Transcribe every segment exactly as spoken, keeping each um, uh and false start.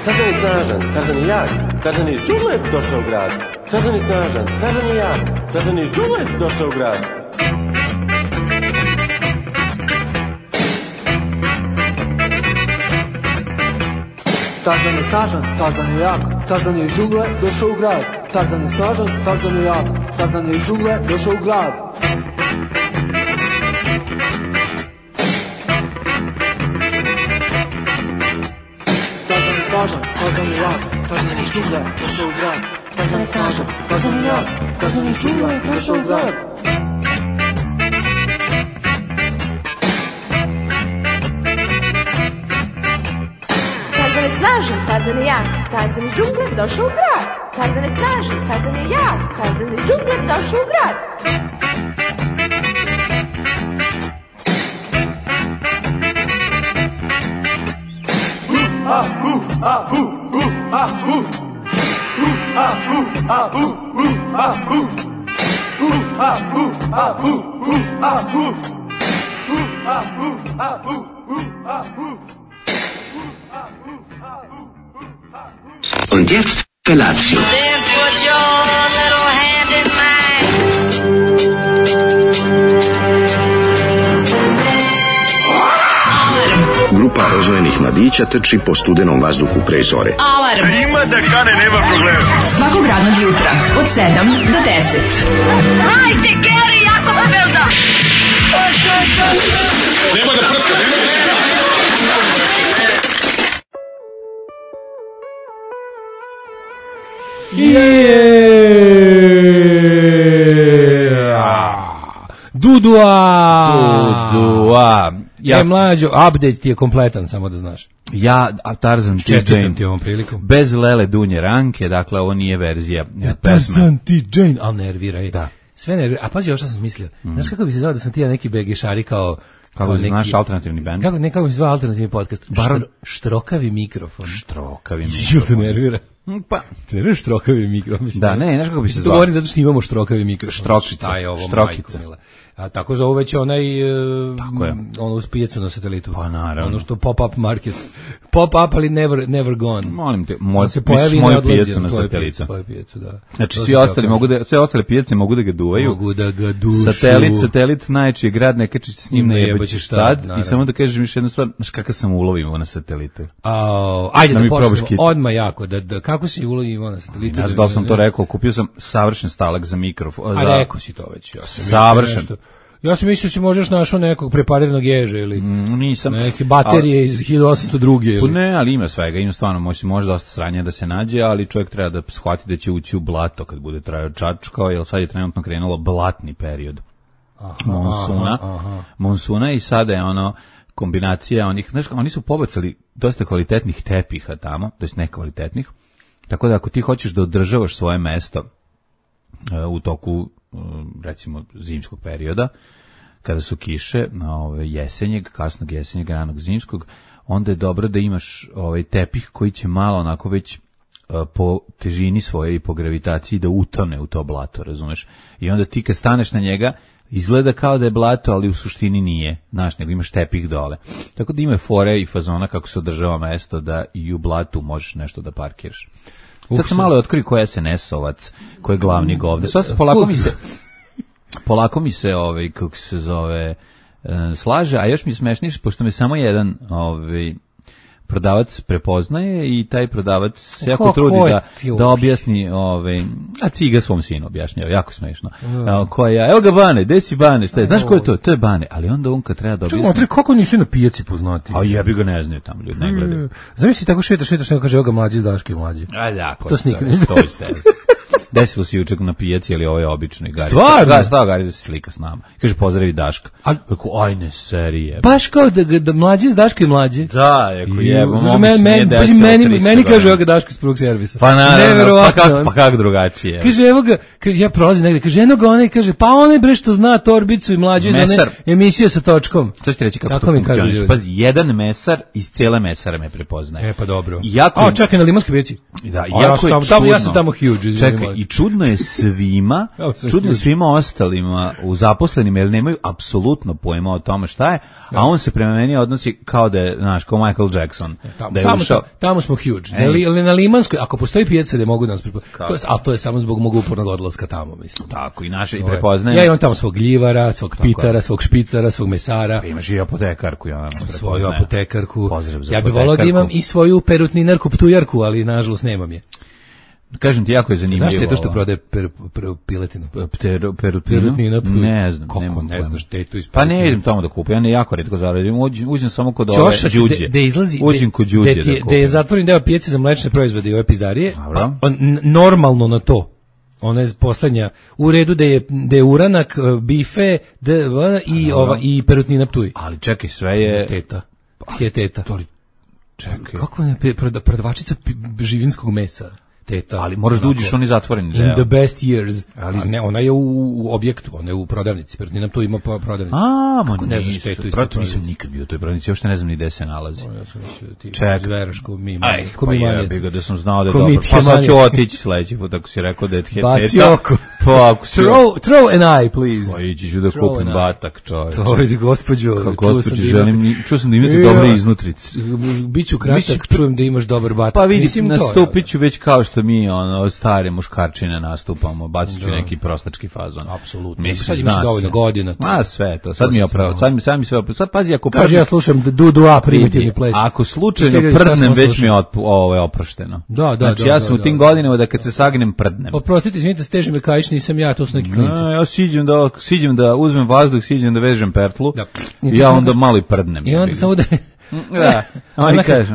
Tarzan je snažan, Tarzan je jak, Tarzan je iz džungle došao u grad. Tarzan je snažan, Tarzan je jak, Tarzan je iz džungle došao u grad. Tarzan je snažan, Tarzan je jak, Tarzan je iz džungle došao u grad. Tarzan je snažan, Tarzan je jak, Tarzan je iz džungle došao u grad. Tarzan, Tarzan je jak, Tarzan je iz džungle došao u grad. Tarzan je snažan, Tarzan je jak, Tarzan je iz džungle došao u grad. Tarzan je snažan, Tarzan je jak, Tarzan iz džungle došao u grad. Tarzan je snažan, Tarzan je jak, Tarzan iz džungle došao u grad. Ah, uh, ah, uh, uh, ah, uh. Uh, ah, uh, ah, uh, uh, ah, uh. Uh, ah, uh, ah, uh, uh, ah, uh. Uh, ah, uh, ah, uh, uh, ah, uh. Und jetzt Felatio. Then put your little hand in mine. Grupa rozvojenih mladića trči po studenom vazduhu pre zore. Alarm. A ima da kane, nema problema. Svakog radnog jutra, od sedam do deset. Hajde, Geri, jako se velda. Nema da prska, nema da prska. Dudua! Dudua! Ja, e, mlađo, update ti je kompletan, samo da znaš. Ja, a Tarzan ti Čestitam ti ovom prilikom. Bez Lele Dunje Ranke, dakle, ovo nije verzija ja, Tarzan ti Jane, ali nerviraj. Da. Sve nerviraj. A pazi, ovo što sam smislio. Mm. Znaš kako bi se zvao da sam ti ja neki begešari kao... Kako se znaš alternativni band? Kako, ne, kako bi se zvao alternativni podcast? Bar... Štro, štrokavi mikrofon. Štrokavi mikrofon. Jel te nervira? Pa, te nervira štrokavi mikrofon. Da, ne, znaš kako bi se zvao? To govorim zato što imamo štrokavi mikrofon. Štrokica. Šta je ovo, Štrokica. majko mila. A tako zove već onaj uh, tako je. Ono uz pijecu na satelitu. Pa naravno. Ono što pop-up market. Pop-up, ali never, never gone. Molim te, moj, se pojavi i moju pijecu na satelitu. Tvoju pijecu, da. Znači, svi ostali mogu da, sve ostale pijace mogu da ga duvaju. Mogu da ga dušu. Satelit, satelit, najčiji grad, ne kačiš s njim, ne jebaćeš tad. Naravno. I samo da kažeš mi još jednu stvar, znaš kakav sam ulovimo na satelite. A, ajde da, da počnemo odmah jako. Da, da, kako si ulovimo na satelitu? Ne znam da li sam to rekao, kupio sam savršen stalak za mikrofon. A rekao si to već. Ja savršen. Ja sam mislio da si možeš našao nekog prepariranog ježa ili mm, nisam. Neke baterije ali, iz hiljadu osamsto druge. Ili? Ne, ali ima svega, ima stvarno, može, može dosta sranja da se nađe, ali čovjek treba da shvati da će ući u blato kad bude trajao čačkao, jer sad je trenutno krenulo blatni period aha, monsuna, aha, aha. monsuna i sada je ono kombinacija onih, znaš, oni su pobacali dosta kvalitetnih tepiha tamo, to jest nekvalitetnih, tako da ako ti hoćeš da održavaš svoje mesto uh, u toku recimo zimskog perioda, kada su kiše, ove, jesenjeg, kasnog jesenjeg, ranog zimskog, onda je dobro da imaš ovaj tepih koji će malo onako već uh, po težini svoje i po gravitaciji da utone u to blato, razumeš? I onda ti kad staneš na njega, izgleda kao da je blato, ali u suštini nije, znaš, nego imaš tepih dole. Tako da ima fore i fazona kako se održava mesto da i u blatu možeš nešto da parkiraš. Sad sam malo otkrio ko je S N S-ovac, ko je glavni govde. Sad se polako mi se, polako mi se, ovaj, kako se zove, slaže, a još mi je smešnije, pošto me samo jedan ovaj, prodavac prepoznaje i taj prodavac se jako ko, trudi ko da, da objasni, ovaj, a ciga svom sinu objašnjava, jako smešno. Mm. Koja, evo ga Bane, gde si Bane, šta je, znaš ko je to? To je Bane, ali onda on kad treba da objasni... Čekaj, kako nisu na pijaci poznati? A jebi ga ne znaju tamo, ljudi ne gledaju. Zamisli tako šetaš, šetaš, neko kaže, evo ga mlađi, Daške mlađi. A da, ko to snikne. To je se. desilo se juče na pijaci, ali ovo je obično i Gari. Stvarno? Da, stao Gari da se slika s nama. Kaže, pozdravi Daška. A rekao, aj ne, serije. Baš kao da, da mlađi s Daška i mlađi. Da, rekao, jebo, meni, meni, meni, meni, meni kaže, evo ga Daška iz prvog servisa. Pa naravno, pa kako pa kak drugačije. Kaže, evo ga, kaže, ja prolazim negde, kaže, eno ga onaj, kaže, pa onaj bre što zna Torbicu i mlađu iz one emisije sa točkom. To ćete reći kako tako to funkcioniš. Pazi, jedan mesar iz cijele mesare me prepoznaje. E, pa dobro. Jako A, čekaj, na Limanskoj pijaci. Da, jako je čudno. Ja sam tamo huge. Čekaj, i čudno je svima, čudno je svima ostalima u zaposlenima, jer nemaju apsolutno pojma o tome šta je, a on se prema meni odnosi kao da je, znaš, kao Michael Jackson. Da je ušao. Tamo smo huge. Ali na Limanskoj, ako postoji pijaca da mogu da nas prepoznaju, ali to je samo zbog mog upornog odlaska tamo, mislim. Tako, i naše i prepoznaje. Ja imam tamo svog gljivara, svog pitara, svog špicara, svog mesara. Imaš i apotekarku, ja nam svoju apotekarku. Ja bih volao da imam i svoju perutninarku, ptujarku, ali nažalost nemam je. Kažem ti, jako je zanimljivo. Znaš te to što prodaje per, per, piletinu? Perutninu? Perutnina, ne znam. Kako ne znaš te to Pa ne idem tamo da kupim, ja ne jako retko zaradim, uđem samo kod ove đuđe. Da izlazi, uđem kod đuđe da kupim. Da je zatvoren deo pijace za mlečne proizvode i ove pizdarije, normalno na to. Ona je poslednja u redu da je da je uranak, bife, da i ova i perutnina Ptuj. Ali čekaj, sve je teta. Je teta. Čekaj. Kako je prodavačica živinskog mesa? Teta. Ali moraš da uđeš, on je zatvoreni deo. In the best years. Ali a ne, ona je u, u objektu, ona je u prodavnici. Perutnina tu ima prodavnicu. A, ma ne znaš tetu iz prodavnice. Nisam nikad bio u toj prodavnici, uopšte ne znam ni gde se nalazi. Ja sam mislio ti Ček. ko mi Aj, ko mi ja bih ga da sam znao da je dobro. Pa sad ću otići sledeći put, ako si rekao da je teta. Baci oko. Pa ako si... Throw, throw an eye, please. Pa ići ću da kupim batak, čovječe. To je gospođo. Gospođo, želim, čuo sam da imate dobre iznutrice. Biću kratak, čujem da imaš dobar batak. Pa vidim, nastupit ću već kao što mi, ono, stare muškarčine nastupamo, bacit ću neki prostački fazon. Apsolutno. Sad imaš dovoljno godina. Ma sve to, sad mi je opravo, sad mi, sad mi sve opravo. Sad pazi, ako prdnem... Kaži, ja slušam du-du-a primitivni ples. Ako slučajno prdnem, već mi je ovo je oprošteno. Da, da, znači, ja sam u tim godinama da kad se sagnem, prdnem. Oprostite, izvinite, steže me kajiš, nisam ja, to su neki klinci. Ja siđem da, siđem da uzmem vazduh, siđem da vežem pertlu, i ja onda malo i prdnem. I onda samo da... Da, oni kažu...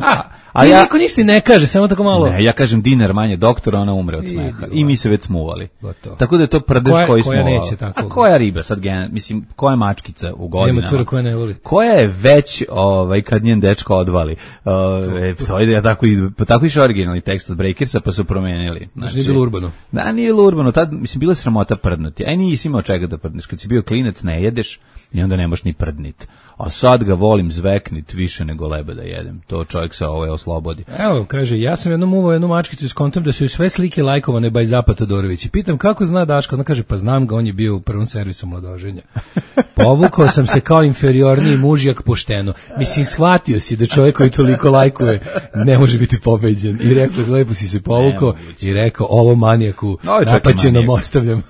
A ja niko ništa ne kaže, samo tako malo. Ne, ja kažem dinar manje doktora, ona umre od smeha. I mi se već smuvali. Tako da je to prdež koji smo. Koja neće tako. A koja riba sad gen, mislim, koja mačkica u godinama? Nema cura koja ne voli. Koja je već, ovaj kad njen dečko odvali. Ovaj to ide ja tako i tako išao originalni tekst od Breakersa, pa su promenili. Znači, nije bilo urbano. Da, nije bilo urbano, tad mislim bila sramota prdnuti. Aj nisi imao čega da prdneš, kad si bio klinac ne jedeš i onda ne možeš ni prdnit. A sad ga volim zveknit više nego leba da jedem. To čovjek se ovaj oslobodi. Evo, kaže, ja sam jednom uvao jednu mačkicu iz kontom da su joj sve slike lajkovane by Zapa Todorović. I pitam kako zna Daško, ona kaže, pa znam ga, on je bio u prvom servisu mladoženja. Povukao sam se kao inferiorniji mužjak pošteno. Mislim, shvatio si da čovjek koji toliko lajkuje ne može biti pobeđen. I rekao, lepo si se povukao i rekao, ovo manijaku napaćenom ostavljam.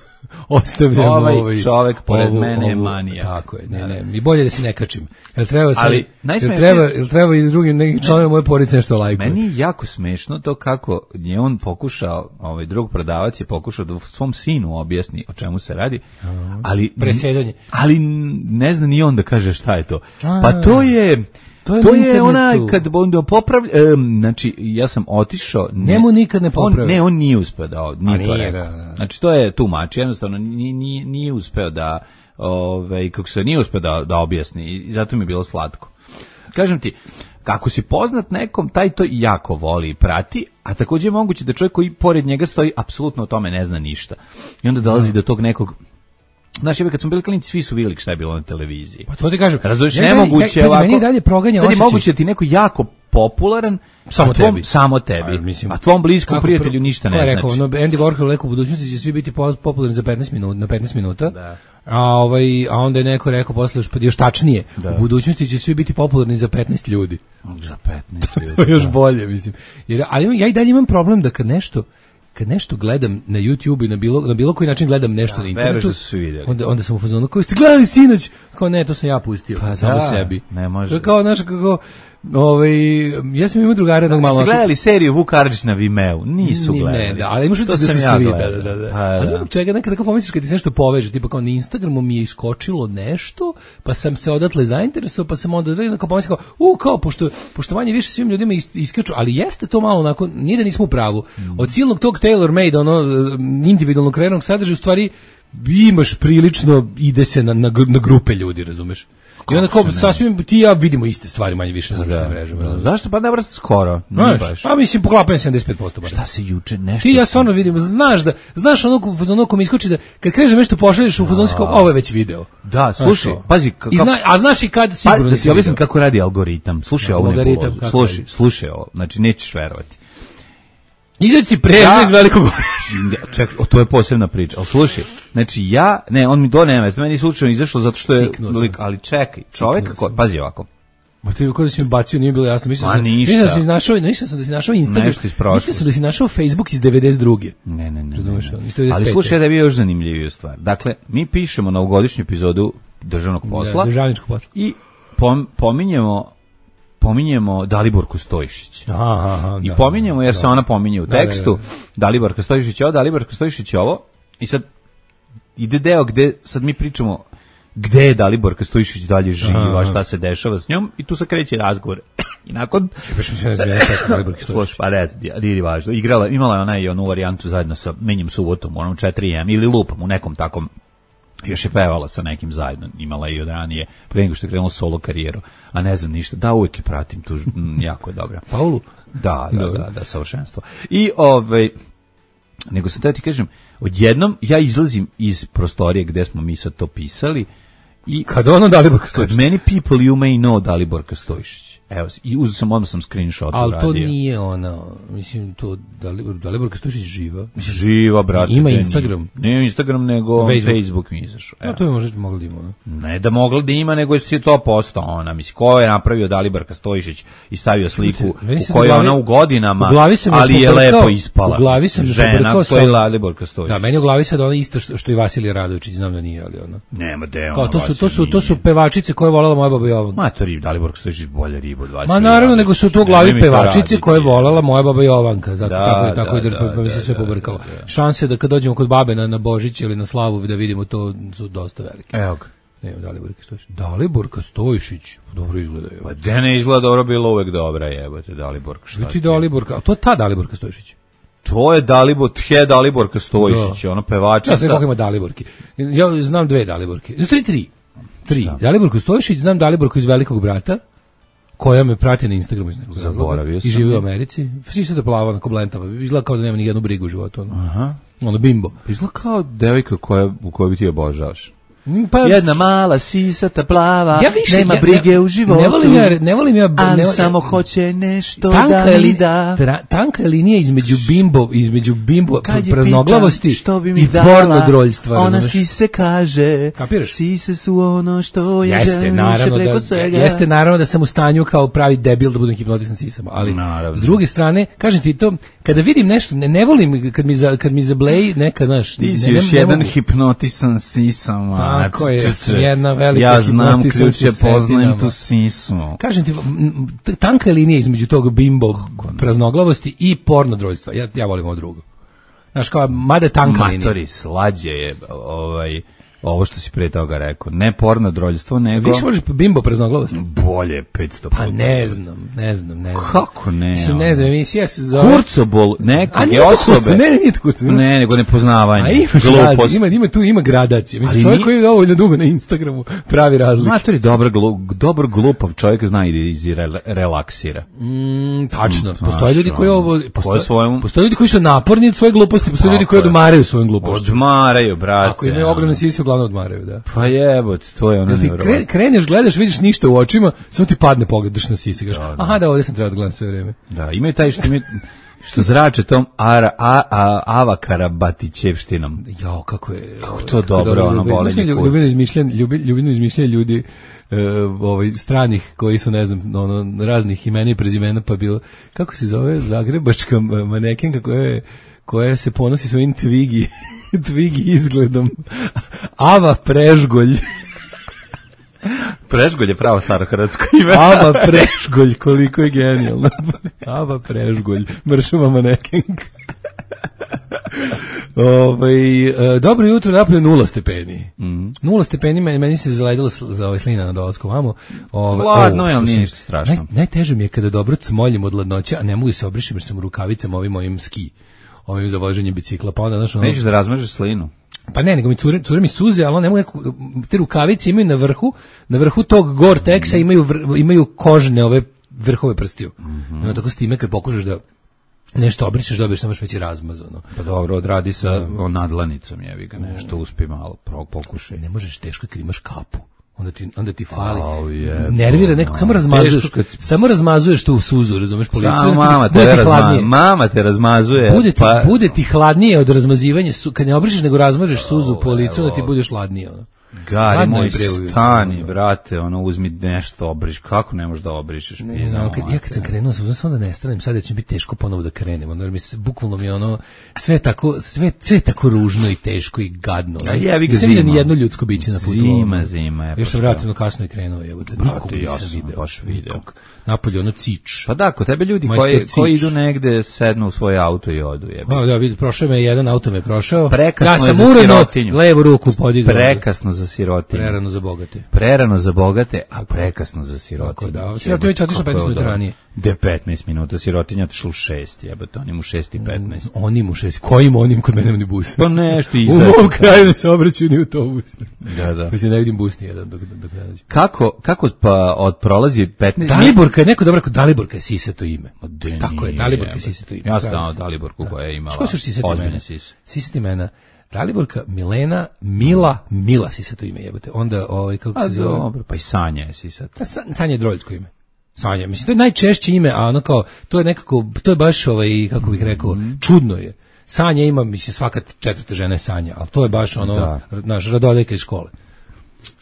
Ostavljamo ovaj, ovaj čovjek pored ovu, mene je ovu, manijak. Tako je, ne, ne, i bolje da se ne kačim. Jel treba sad, ali jel treba, jel treba i drugim nekim članovima moje porodice nešto lajkuje? Meni je jako smešno to kako je on pokušao, ovaj drug prodavac je pokušao da svom sinu objasni o čemu se radi, ali presedanje. Ali ne zna ni on da kaže šta je to. Pa to je To je, to je ona kad onda popravlja, um, znači ja sam otišao, ne, njemu nikad ne popravlja. On, ne, on nije uspeo da, nije to nije, rekao. Da, da. Znači to je tu mač, jednostavno nije, nije, nije uspeo da, ovaj, kako se nije uspeo da, da objasni i zato mi je bilo slatko. Kažem ti, kako si poznat nekom, taj to jako voli i prati, a također je moguće da čovjek koji pored njega stoji apsolutno o tome ne zna ništa. I onda dolazi do tog nekog. Znaš, kad smo bili klinici, svi su vidjeli šta je bilo na televiziji. Pa to ti kažem. Razumiješ, nemoguće ovako. Meni dalje proganja sad je moguće da ti neko jako popularan, samo tvom, tebi. Samo tebi. A, mislim, a tvom bliskom prijatelju ništa ne rekao, znači. No, Andy Warhol rekao, u budućnosti će svi biti popularni za petnaest minuta, na petnaest minuta. Da. A, ovaj, a onda je neko rekao posle još, još tačnije, da. U budućnosti će svi biti popularni za petnaest ljudi. Za petnaest ljudi. To je još bolje, mislim. Jer, ali ja i dalje imam problem da kad nešto kad nešto gledam na YouTube i na bilo, na bilo koji način gledam nešto da, na internetu, da onda, onda sam u fazonu, kao ste gledali sinoć? Kao ne, to sam ja pustio, pa samo da, sebi. Ne može. Kao, znaš, kako, ovaj, ja sam imao drugara jednog malo... Jeste gledali seriju Vuk Karadžić na Vimeu? Nisu Ni, gledali. Ne, da, ali imaš da su svi, da, da, da. Pa, A da. znam čega, nekada kao pomisliš kad ti se nešto poveže, tipa kao na Instagramu mi je iskočilo nešto, pa sam se odatle zainteresovao, pa sam onda kao pomislio kao, u, kao, pošto, pošto manje više svim ljudima is, iskaču, ali jeste to malo onako, nije da nismo u pravu. Od silnog tog tailor-made, ono, individualno kreiranog sadržaja, u stvari, imaš prilično, ide se na, na, na grupe ljudi, razumeš? I onda kao sasvim ti ja vidimo iste stvari manje više na društvenim mrežama. Da. Zašto pa dobro skoro? Znaš, baš. Pa mislim poklapanje sedamdeset pet posto baš. Šta se juče nešto? Ti ja stvarno vidim, znaš da znaš onog fazonu ko mi iskoči da kad kreže nešto pošalješ u fazonu kao ovo je već video. Da, slušaj, pazi kako I zna, a znaš i kad sigurno pa, da ti objasnim kako radi algoritam. Slušaj ovo, slušaj, slušaj ovo. Znači nećeš verovati. Izađi ti prežno ja, iz Velikog Orašja. Ček, to je posebna priča. Al slušaj, znači ja, ne, on mi do nema, meni slučajno izašlo zato što je, ali čekaj, čovjek, ko, pazi ovako. Ma ti kako da si mi bacio, nije bilo jasno. Mislim sam, mislim da si našao, mislim sam da si našao Instagram. Mislim sam da si našao Facebook iz devedeset druge. Ne, ne, ne. Razumeš? Ali slušaj da je bio još zanimljiviju stvar. Dakle, mi pišemo novogodišnju epizodu državnog posla. Da, državničkog posla. I pom, pominjemo pominjemo Daliborku Stojišić. Aha, aha, I pominjemo jer da, se ona pominje u tekstu. Da, da, da. Daliborka Stojišić ovo, Daliborka Stojišić ovo. I sad ide deo gde sad mi pričamo gde je Daliborka Stojišić dalje živa, šta se dešava s njom i tu se kreće razgovor. I nakon baš mi se ne zna šta Daliborka Stojišić. Pa ne, nije važno. Igrala, imala je ona i onu varijantu zajedno sa Menjim subotom, onom četiri em ili Lupom u nekom takom. Još je pevala sa nekim zajedno, imala i od ranije, pre nego što je krenula solo karijeru, a ne znam ništa, da uvijek je pratim, tu m, jako je dobra. Paulu? Da, da, da, da, savršenstvo. I, ovaj, nego sam teo ti kažem, odjednom ja izlazim iz prostorije gde smo mi sad to pisali i... Kad ono Daliborka Stojišić? Many people you may know Daliborka Stojišić. Evo, i uzeo sam, odmah sam screenshot ali uradio. Ali to nije ona, mislim, to Dalibor, Daliborka Stojišić živa. Živa, brate. Ima Instagram. Ne Instagram, nego Facebook, Facebook mi izašao. No, to je možda mogla da ima, ne? Ne da mogla da ima, nego je si to postao ona. Mislim, ko je napravio Daliborka Stojišić i stavio sliku u kojoj ona u godinama, u ali je lepo ispala. U glavi sam žena, to je Daliborka Stojišić. Da, meni u glavi sad ona isto što, što i Vasilij Radović, znam da nije, ali ona. Nema deo. Kao, to su, to su, to su pevačice koje je volela moja baba Jovanka. Ma, to je Daliborka Stojišić bolje ribu od Vasilija. Ma naravno, nego su to u glavi pevačice koje je volela moja baba Jovanka, zato da, tako i tako da, i da, pa mi se sve da, pobrkalo. Da, da. Šanse da kad dođemo kod babe na, na Božić ili na slavu da vidimo to su dosta velike. Evo ga. Ne, Daliborka Stojišić. Daliborka Stojišić, dobro izgleda. Pa da ne izgleda dobro, bilo uvek dobra, jebote, Daliborka. Šta ti Daliborka, a to je ta Daliborka Stojišić. To je Dalibor, tje Daliborka Stojišić, ono pevačica. Ja znam koliko ima Daliborki. Ja znam dve Daliborke. Tri, tri. Tri. Daliborku Stojišić, znam Daliborku iz Velikog brata, koja me prati na Instagramu iz nekog razloga i živi u Americi. Svi se da plava na koblentama. Izgleda kao da nema ni jednu brigu u životu. Ono, aha. Ono bimbo. Izgleda kao devojka koja, u kojoj bi ti obožavaš. Pa, jedna mala sisata plava, ja više, nema brige ja, u životu. Ne volim ja, ne volim ja, ali ne, samo ja, hoće nešto da mi da. Tra, tanka je linija između bimbo, između bimbo praznoglavosti i pornodroljstva. Ona si se kaže, kapiraš? Sise su ono što je jeste, naravno da, svega. Jeste naravno da sam u stanju kao pravi debil da budem hipnotisan sisama, ali naravno. S druge strane, kažem ti to, kada vidim nešto, ne, ne volim kad mi, za, kad mi zableji neka, znaš, ti si još jedan hipnotisan sisama. Tako je, jedna velika ja znam ključe, poznajem tu sisu. Kažem ti, tanka je linija između tog bimbo praznoglavosti i pornodroljstva. Ja, ja volim ovo drugo. Znaš, kao, mada tanka linija. Matori, slađe je ovaj, ovo što si pre toga rekao. Ne pornodroljstvo, nego... Više možeš bimbo praznoglavost? Bolje, petsto. Pa ne znam, ne znam, ne znam. Kako ne? Mislim, ne znam, emisija se zove... Kurcobol nekog je osobe. Ne, ne, nije to kurcobol. Ne, nego nepoznavanje. A imaš razli, ima, ima tu, ima gradacije. Mislim, čovjek koji je dovoljno dugo na Instagramu pravi razliku. Matori, dobar, glu, dobar glupav čovjek zna i da iz relaksira. Mm, tačno. Postoje ljudi koji ovo... Postoje, svojom... postoje ljudi koji su naporni od svoje gluposti, postoje ljudi koji odmaraju svojom glupošću. Odmaraju, brate. Ako imaju ogromne sise, uglavnom odmaraju, da. Pa jebote, to je ono nevjerovatno. Kre, kreneš, gledaš, vidiš ništa u očima, samo ti padne pogled, daš na sise, kažeš, da, da. Aha, da, ovdje sam trebao da gledam sve vreme. Da, imaju taj što imaju, što zrače tom ara, a, a, Ava Karabatićevštinom. Jao, kako je... Kako to dobro, dobro ono bolenje kurc. Ljubino izmišljanje, ljubino izmišljanje ljudi uh, ovaj, stranih, koji su, ne znam, ono, raznih imena i prezimena, pa bilo, kako se zove, zagrebačka manekenka koja je, koja se ponosi svojim Twiggy, Twiggy izgledom. Ava Prežgolj. Prežgolj je pravo staro hrvatsko ime. Aba Prežgolj, koliko je genijalno. Aba Prežgolj, mršava manekenka. Ovaj e, dobro jutro, napolje nula stepeni. Mm. Nula stepeni, meni, meni se zaledila za ovaj slina na dolasku vamo. Ovaj hladno je, ali nije ništa strašno. Naj, najteže mi je kada dobro cmoljim od ladnoće, a ne mogu se obrišem jer sam u rukavicama ovim mojim ski, ovim za voženje bicikla, pa onda znaš ono. Nećeš da razmažeš slinu. Pa ne, nego mi cure, cure mi suze, ali ne mogu neku, te rukavice imaju na vrhu, na vrhu tog Gore-Texa imaju vr, imaju kožne ove vrhove prstiju. Mm-hmm. No, tako s time kad pokušaš da nešto obrišeš, dobiješ samo već razmazano. Pa dobro, odradi sa o, nadlanicom, jevi ga, nešto uspi malo, pokušaj. Ne možeš teško kad imaš kapu. Onda ti, onda ti fali. Oh, je, nervira neko, samo razmazuješ, kad... samo razmazuješ tu suzu, razumeš, policiju. Samo mama te, razma, mama te razmazuje. Bude ti, pa... bude ti hladnije od razmazivanja, su, kad ne obrišeš nego razmažeš suzu oh, po licu, da ti budeš hladnije, ono. Gari moj, stani, brate, ono, uzmi nešto, obriš, kako ne možeš da obrišeš? Ne, no, kad, ja kad sam krenuo, sam sam da ne stanem, sad će biti teško ponovo da krenem, ono, jer mi se, bukvalno mi ono, sve tako, sve, sve tako ružno i teško i gadno. A jebi ga zima. Nisam vidio ni jedno ljudsko biće na putu. Zima, zima. Je, još sam relativno kasno i krenuo, evo, da nikog nisam video. Baš video. Napolje, ono, cič. Pa da, kod tebe ljudi koji, koji idu negde, sednu u svoj auto i odu, jebi. Pa da, vidi, prošao me jedan auto me prošao. Prekasno ja sam je za sirotinju. Levu ruku podigao. Prekasno za sirotinju. Prerano za bogate. Prerano za bogate, a prekasno za sirotinju. Da, sirotinja već otišla petnaest minuta ranije. De petnaest minuta, sirotinja otišla u šest, jebote, oni mu šest i petnaest. Mm, oni mu šest, kojim onim kod mene ni bus? Pa nešto izaći. U mom kraju ne se obraćaju ni autobus. Da, da. Pa se ne vidim bus nijedan dok, dok ne dođe. Kako, kako pa od prolazi petnaest... Daliborka je neko dobro rekao, Daliborka je sisato ime. De tako je, Daliborka je sisato ime. Ja sam znao Daliborku koja je imala ozbiljne sise. Sisati imena. Daliborka, Milena, Mila, Mila sisato ime jebote. Onda, ovaj, kako se zove? Dobro, pa i Sanja je sisato. Sanja je droljsko ime. Sanja, mislim, to je najčešće ime, a ono kao, to je nekako, to je baš, ovaj, kako bih rekao, mm-hmm. čudno je. Sanja ima, mislim, svaka četvrta žena je Sanja, ali to je baš ono, da. Naš, Radoljka iz škole.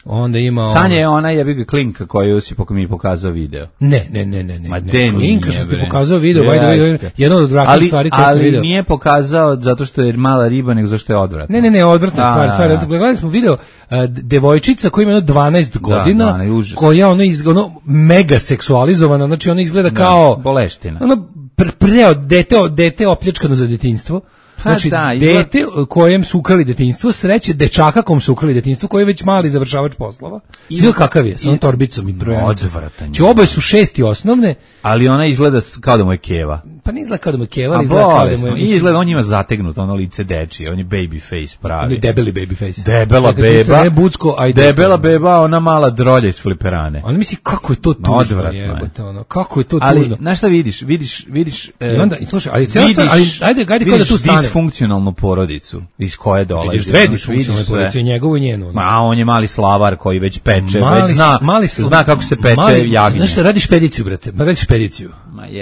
Onda ima Sanja je ona jebi ga Klinka koju si pok mi pokazao video. Ne, ne, ne, ne, ne. Ma ne. Klinka što ti pokazao video, ja, ajde, jedno od odvratnih stvari koje sam video. Ali nije pokazao zato što je mala riba, nego zato što je odvratna. Ne, ne, ne, odvratna stvar, stvar. Gledali smo video uh, devojčica koja ima jedno dvanaest godina, da, da, koja ono iz ono mega seksualizovana, znači ona izgleda da, kao boleština. Ono pre, pre dete, dete opljačkano za detinjstvo. Znači, da, izgled... dete kojem su ukrali detinjstvo, sreće dečaka kom su ukrali detinjstvo, koji je već mali završavač poslova. Svi kakav je, sa onom torbicom i brojanicom. Odvratan. Či oboje su šesti osnovne. Ali ona izgleda kao da mu je keva. Pa ne izgleda kao da mu je keva, ali izgleda kao da mu je... I izgleda, on ima zategnuto, ono lice dečije, on je baby face pravi. On je debeli baby face. Debela beba, ne bucko, a debela beba, ona mala drolja iz fliperane. Ona misli, kako je to tužno, jebote, ono, kako je to ali, tužno. Ali, znaš šta vidiš, vidiš, vidiš... E, I onda, slušaj, ali cijela stvar, ali, ajde, ajde kao da tu stane. Disfunkcionalnu porodicu iz koje dolazi. Vidiš dve disfunkcionalne porodice, njegovu i njenu. Ma, on je mali slavar koji već peče, mali, već zna, mali sl... zna kako se peče mali, jagnje. Znaš šta, radi špediciju, brate, ma radi špediciju.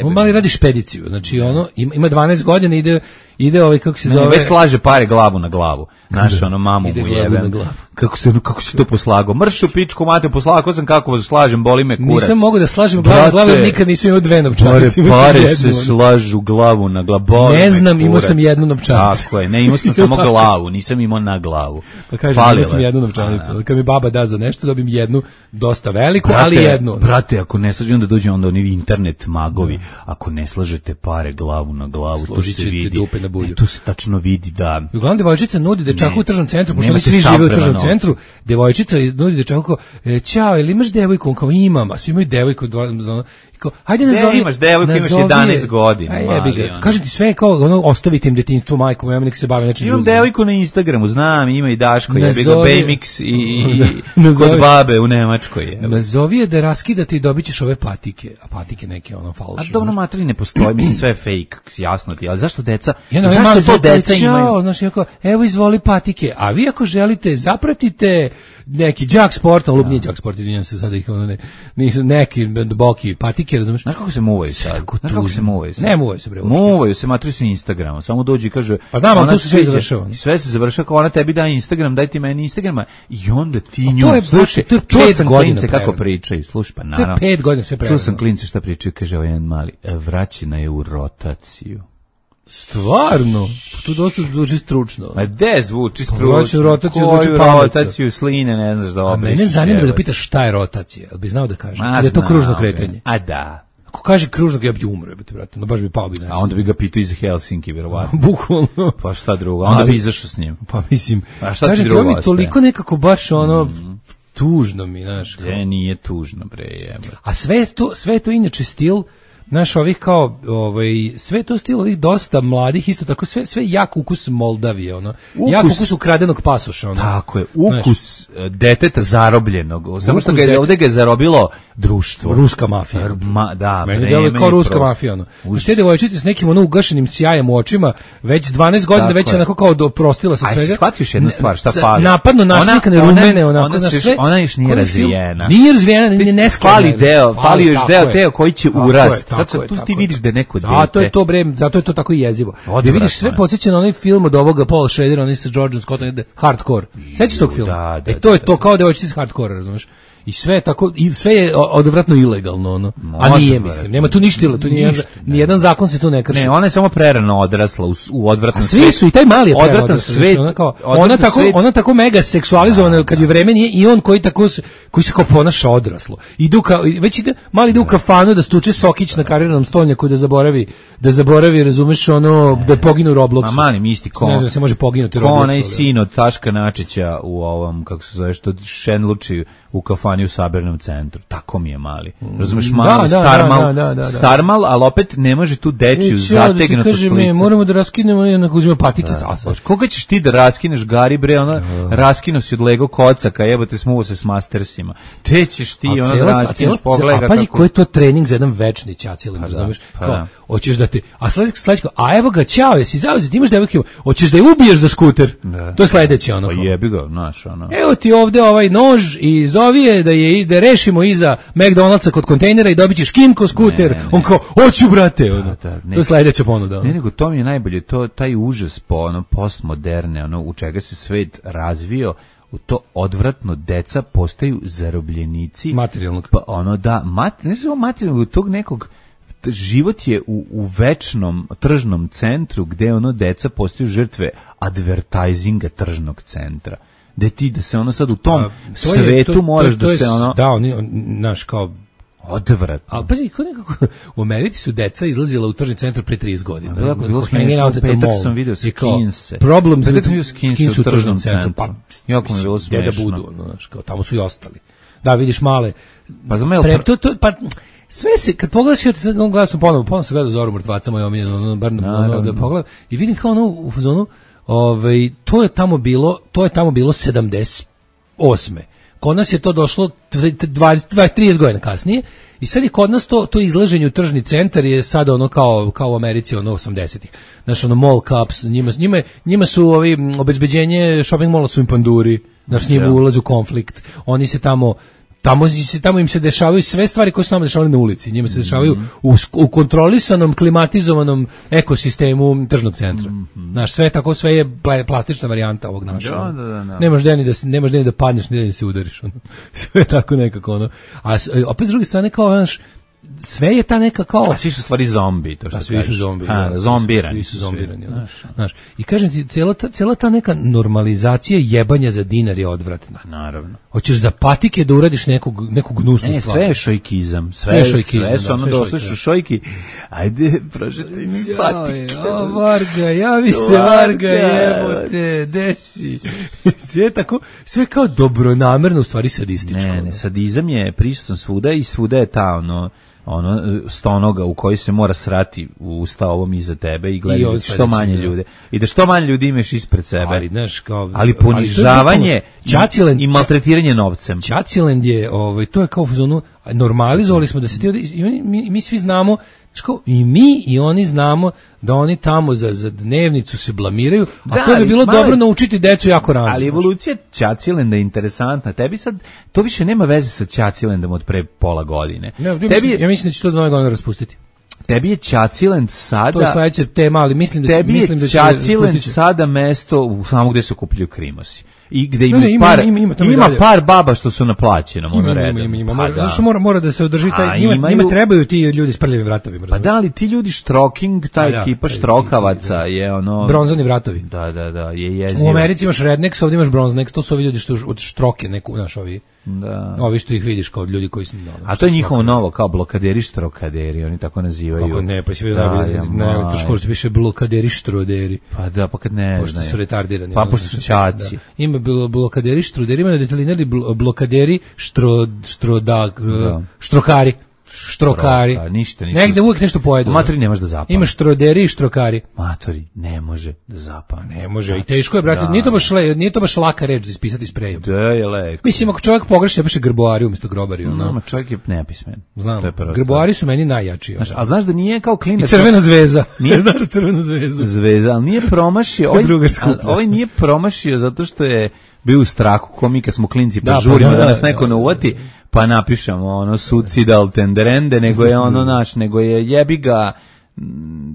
On mali radi špediciju, znači ono, ima dvanaest godina, ide, ide ovaj, kako se zove... Ne, već slaže pare glavu na glavu. Znaš, ono, mamu mu jebe. Kako se, kako se to poslago? Mršu pičku, mate, poslago sam kako slažem, boli me kurac. Nisam mogu da slažem glavu na glavu, jer nikad nisam imao dve novčanice. Pare, pare se slažu glavu na glavu. Ne znam, imao sam jednu novčanicu. Tako je, ne, imao sam samo glavu, nisam imao na glavu. Pa kažem, imao sam jednu novčanicu. Kad mi baba da za nešto, dobim jednu, dosta veliku, brate, ali jednu. Brate, ako ne slažem, onda dođe onda oni internet magovi. Ako ne slažete pare glavu na glavu, to se vidi. E, to se tačno vidi, da. I uglavnom devojčica nudi dečaku u tržnom centru, pošto oni svi žive u tržnom centru, devojčica nudi dečaku, e, ćao, ili imaš devojku? On kao imam, a svi imaju devojku, dva, ono, kao, hajde nazovi. Ne imaš devojku, imaš jedanaest godina. Aj, jebi ga. Kažem ti sve kao, ono, ostavite im detinjstvo majkom, ja nek se bave nečim drugim. Imam devojku na Instagramu, znam, ima i Daško, jebi ga, Bejmix i, i, i kod babe u Nemačkoj. Jebi. Nazovi je da raskidate i dobit ćeš ove patike, a patike neke, ono, falšne. A dobro, materi ne postoji, mislim, sve je fake, jasno ti, ali zašto deca, ja, zašto to deca imaju? Znaš, jako, evo izvoli patike, a vi ako želite, zapratite neki Jack Sport, ali nije Jack Sport, izvinjam se sada ih, ono, ne, nisu neki boki patike, razumiješ? Znaš kako se muvaju sad? Znaš kako se muvaju sad? Ne muvaju se, bre. Muvaju se, matri se Instagrama, samo dođi i kaže... Pa znam, ali tu se sve završava. Sve se završava, kao ona tebi da Instagram, daj ti meni Instagrama, i onda ti nju, to je, slušaj, to je čuo sam klince kako pričaju, slušaj, pa naravno. To je pet godina sve preveno. Čuo sam klince šta pričaju, kaže ovaj jedan mali, vraćena je u rotaciju. Stvarno? Tu dosta zvuči stručno. Ma de zvuči stručno? Hoću rotaciju, koju zvuči pametno. rotaciju sline, ne znaš da obriš. A mene zanima da ga pitaš šta je rotacija, jel bi znao da kaže? Ma, je to znam, kružno kretanje? A da. Ako kaže kružno, ja bi umro, jebote, brate, no baš bi pao bi nešto. A onda bi ga pitao iz Helsinki, vjerovatno. Bukvalno. Pa šta drugo, onda Ali- bi izašao s njim. Pa mislim, A šta ti kažem ti, drugo ovo mi ostaje? toliko nekako baš ono, tužno mi, znaš. kao- E, nije tužno, bre, jebe. A sve je to, sve je to inače stil, naš ovih kao, ovaj, sve je to stil ovih dosta mladih, isto tako, sve, sve jak ukus Moldavije, ono. Ukus- Jak ukus ukradenog pasoša, ono. Tako je, ukus e, deteta zarobljenog. Samo što Ukus ga je, det- ovde ga je zarobilo društvo. Ruska mafija. Ma, da, Meni vreme deluje kao i ruska prostor. mafija, ono. Užas. Te devojčice s nekim ono ugašenim sjajem u očima, već dvanaest godina, Tako već je. onako kao doprostila se Aj, svega. shvatiš jednu stvar, šta Sa- fali? Napadno našlikane Ona- ona- rumene, onako, ona znaš, se još- sve. ona još nije Koji film? razvijena. Nije razvijena, nije nesklana. Fali deo, fali još tako deo je. teo koji će Tako urast. je, Sad tako je, tu tako ti je. vidiš da je neko dete. Zato je to bre, zato je to tako i jezivo. Da Odvratno vidiš sve je. podsjeća na onaj film od ovoga Paula Schradera, onaj sa Georgeom Scottom, ide Hardcore. Sećaš tog filma? da, da, e to je da, to kao devojčica iz Hardcore, razumeš? I sve je tako, i sve je o- odvratno ilegalno, ono. A nije, mislim, nema tu ništa ilegalno, tu nije Ništa, ni jedan zakon se tu ne krši. Ne, ona je samo prerano odrasla u, s- u odvratan A svi su i taj mali je odvratan prerano svet. ona kao odvratan ona tako svet. ona tako mega seksualizovana kad je vreme nije i on koji tako se- koji se kao ponaša odraslo. Idu ka već ide mali ide u kafanu da stuče sokić na kariranom stolnjaku da zaboravi da zaboravi razumeš ono da poginu u Robloxu. Ma mali mi isti ko. Ne znam, se može poginuti u Ko Robloxu. onaj ali- sin od Taška Načića u ovom, kako se zove, što šenluči u kafani u Sabernom centru. Tako mi je mali. Razumeš, Da, mali, da, starmal, da, da, da, da. starmal, ali opet ne može tu dečiju Neću ja da ti zategnutu kažem, slicu. ne, moramo da raskinemo i onako uzmemo patike. A sad, Koga ćeš ti da raskineš, Gari, bre, ona, raskino si od Lego kocaka, jebote, smuvo se s Mastersima. Te ćeš ti, A ona, da cela- a raskineš, cela- pogledaj a pazi kako... koji je to trening za jedan večni ćacilim, razumeš? pa Kao, da. hoćeš da te, a sledeći sledeći kao, a evo ga, ćao, jesi zauzet, imaš devojke, hoćeš da je ubiješ za skuter? To je sledeće, ono. Pa kao. jebi ga, znaš, ono. Evo ti ovde ovaj nož i zovi je da je da rešimo iza McDonald'sa kod kontejnera i dobićeš Kimco skuter. Ne, ne, ne. On kao, hoću brate, ono. da, ne. To je sledeća ponuda. ono. Ne, nego to mi je najbolje, to taj užas po ono postmoderne, ono u čega se svet razvio, u to odvratno deca postaju zarobljenici Materijalnog. pa ono da mat, ne samo materijalnog, tog nekog t- život je u, u večnom tržnom centru gde ono deca postaju žrtve advertisinga tržnog centra. Da ti da se ono sad u tom A, to je- svetu to- moraš to- to da je- se ono Da, oni, on, naš, kao, odvratno. ali pazi, ko nekako, u Americi su deca izlazila u tržni centar pre trideset godina. A, jako bilo Kao smešno, hanging out u at the petak mall. sam video I kao, skinse. Problems Petak with sam video skinse skinse u tržnom centru. Pa, Jako mi je bilo gde da smešno. budu, ono, znaš, kao, tamo su i ostali. Da, vidiš male. Pa za mene Pre, to, to, pa, sve se, kad pogledaš, ja ti sad gledam sam ponovo, ponovo sam gledao Zoru mrtvaca, moj omiljeno, ono, bar ono, Naravno. da pogledam, i vidim kao ono, u fazonu, ovaj, to je tamo bilo, to je tamo bilo sedamdeset osme. Kod nas je to došlo dvadeset, dvadeset, trideset godina kasnije i sad je kod nas to, to izlaženje u tržni centar je sada ono kao, kao u Americi ono osamdesetih. Znaš, ono mall cups, njima, njima, njima su ovi m, obezbeđenje shopping malla su im panduri, znaš, njima ulaze u konflikt, oni se tamo Tamo, se, tamo im se dešavaju sve stvari koje su tamo dešavali na ulici. Njima se dešavaju u, sk- u kontrolisanom, klimatizovanom ekosistemu tržnog centra. Znaš, sve je tako, sve je pla- plastična varijanta ovog našeg. Da, ono. da, da, da. Nemaš gde ni da, se- nemaš gde ni da padneš, ni da se udariš. Ono. Sve je tako nekako. Ono. A s- opet s druge strane, kao, znaš, sve je ta neka kao... A svi su stvari zombi, to što Da, svi su kažeš. zombi. Ha, da, zombirani. Svi su zombirani. Znaš, znaš. I kažem ti, cijela ta, cijela ta neka normalizacija jebanja za dinar je odvratna. Naravno. Hoćeš za patike da uradiš nekog, neku gnusnu Ne, stvar. sve je šojkizam. Sve, Sve je sve, šojkizam, sve su da, ono sve je došli šojkizam. su šojki. Ajde, prošeti mi patike. Joj, o, Varga, javi se Varga, jebote, desi. Sve je tako, sve kao dobronamerno, u stvari sadističko. Ne, ne, ono. sadizam je prisutan svuda i svuda je ta ono ono stonoga u koji se mora srati u usta ovom iza tebe i I gledati ovo što sledeće, manje da. ljude. I da što manje ljudi imaš ispred sebe. Ali, znaš, kao... Ali to je ponižavanje bukvalno- Ćacilen- i, i maltretiranje novcem. Ćaciland je, ovaj, to je kao u fazonu, normalizovali smo da se ti, ovdje- i oni- mi, mi svi znamo, znaš kao, i mi i oni znamo da oni tamo za, za dnevnicu se blamiraju, a Da, to bi ali, bilo mali- dobro naučiti decu jako rano. Ali evolucija Ćacilenda je interesantna. Tebi sad, to više nema veze sa Ćacilendom od pre pola godine. Ne, ja, tebi, mislim, je, ja mislim da će to do nove godine raspustiti. tebi je Ćacilend sada... To je sledeća tema, ali mislim da će, Tebi mislim da je će Ćacilend raspustit će. sada mesto u samo gde se okupljaju krimosi. i gde ima Ne, ne, ima- par ima- ima tamo i ima dalje. par baba što su na plaćenom ono Ima, ima, redom. ima, ima, Pa mora, da. zato što mora, mora da se održi A, taj, njima, imaju- njima trebaju ti ljudi s prljavim vratovima. Pa da li ti ljudi štroking, ta Pa da, ekipa pa i- štrokavaca je ono Bronzani vratovi. Da, da, da, je jezivo. U Americi imaš rednecks, ovdje imaš bronznecks, to su ovi ljudi što od štroke neku, znaš, ovi, Da. ovi što ih vidiš kao ljudi koji su... No, A to je njihovo novo, kao blokaderi štrokaderi, oni tako nazivaju. Kako ne, pa si vidio Da, najbolje, ja, na maj. elektroškoli se piše blokaderi štroderi. Pa da, pa kad ne Pošto znaju. su retardirani. Pa ono, pošto su znači, ćaci. da. Ima bilo blokaderi štroderi, ima na detelinari bl- blokaderi štro, štroda, Da. štrokari. Štrokari. Štroka, ništa, ništa. Negde uvijek nešto pojedu. U matori ne može da zapane. Ima štroderi i štrokari. Matori ne može da zapane. Ne može, i teško je, brate. Da. Nije to baš, le, nije to baš laka reč za ispisati sprejom. Da je leko. Mislim, ako čovjek pogreši, ja piše grboari umjesto grobari. Ono. No, čovjek je nepismen. Znam, To je prva grboari su meni najjači. ono. stvar. A znaš da nije kao I klinac... crvena zvezda. Nije- Ne znaš za crvenu zvezdu? Zvezda, ali nije promašio. Ovaj, Drugar skuplja. a- ovaj nije promašio zato što je bio u strahu, ko mi kad smo klinci pa Da, pa žurimo da, da, nas da, neko da. ne uvati, pa napišemo ono suicidal tenderende, nego je ono naš, nego je jebi ga, m,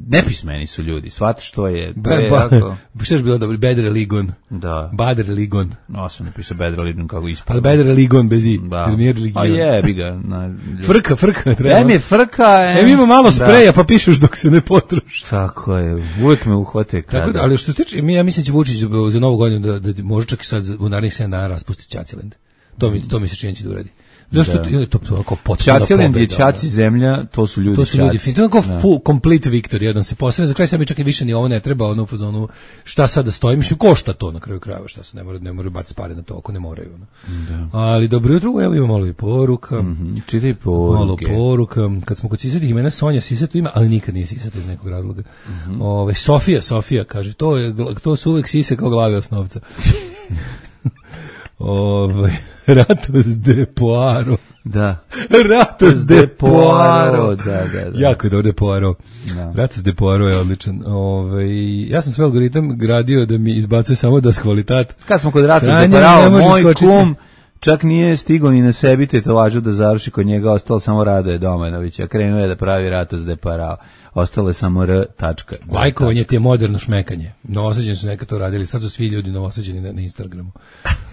nepismeni su ljudi, shvatiš što je, to je jako... Ba, šta je bilo dobro? Bedre Ligon. Da, Badre Ligon. no sam napisao Bedra Lidun kako Ali ispravno. Bedre Ligon bez i. Da. Jer nije religion. A jebi ga. Na, Frka, frka. Treba. Em je frka, em... Em ima malo da. spreja, pa pišeš dok se ne potroši. Tako je, uvijek me uhvate kada... Tako da, ali što se tiče, mi, ja mislim da će Vučić za novu godinu da, da može čak i sad za- u narednih sedam dana raspustiti Ćaciland. To mi, to mi se čini će da uradi. Zašto Da. to, to, to, to, potpuna Ćaciland je pobeda, Ćaci zemlja, to su ljudi To su Ćaci. ljudi, fin, to je onako Da. full, complete victory, jedan se posebno, za kraj sam mi čak i više ni ovo ne treba, ono u fazonu, šta sad da stoji, mislim, košta to na kraju krajeva, šta se ne mora, ne mora baciti pare na to, ako ne moraju, ono. Ali dobro jutro, evo ima malo i poruka, Mhm, čitaj malo poruke. poruka, kad smo kod sisatih imena, Sonja Sisato ima, ali nikad nije Sisata iz nekog razloga. Mhm. Ove, Sofija, Sofija, kaže, to, je, gla- to su uvek sise kao glave osnovca. Ove, Ratos de Poaro. Da. Ratos de Poaro. Da, da, da. Jako je dobro de Poaro. Da. Ratos de Poaro je odličan. Ove, ja sam sve algoritam gradio da mi izbacuje samo das kvalitat. Kad smo kod Ratos Sranje de ne Parao, može moj skočiti. kum čak nije stigao ni na sebi tetovažu da završi kod njega, ostalo samo Radoje Domanović, a krenuo je da pravi Ratos de Parao. Ostalo je samo R. tačka. Lajkovanje ti je moderno šmekanje. Novosađeni su nekad to radili, sad su svi ljudi novosađeni na, na Instagramu.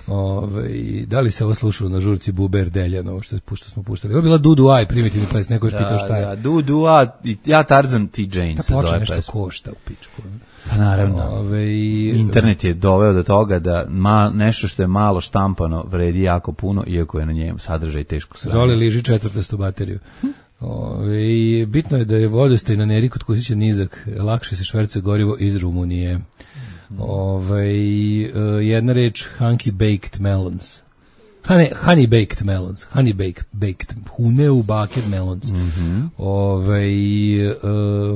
Ove, i da li se ovo slušalo na žurci Buber Deljan, ovo što, što smo puštali? Ovo je bila Dudu Aj, primitivni ples, neko je Da, pitao šta je. da, du, du, a, i- ja Tarzan T. Jane Da se počne zove nešto pesma. košta u pičku. Pa naravno. Ove, i, Internet je doveo do toga da ma, nešto što je malo štampano vredi jako puno, iako je na njemu sadržaj teško sranje. Zoli liži četvrtastu bateriju. Ove, i bitno je da je vodostaj na Neri kod Kusića nizak, lakše se švercuje gorivo iz Rumunije. Ove, jedna reč Hunky Baked Melons. Honey, honey baked melons, honey baked, baked, huneu baked melons. Mhm. Ove, e,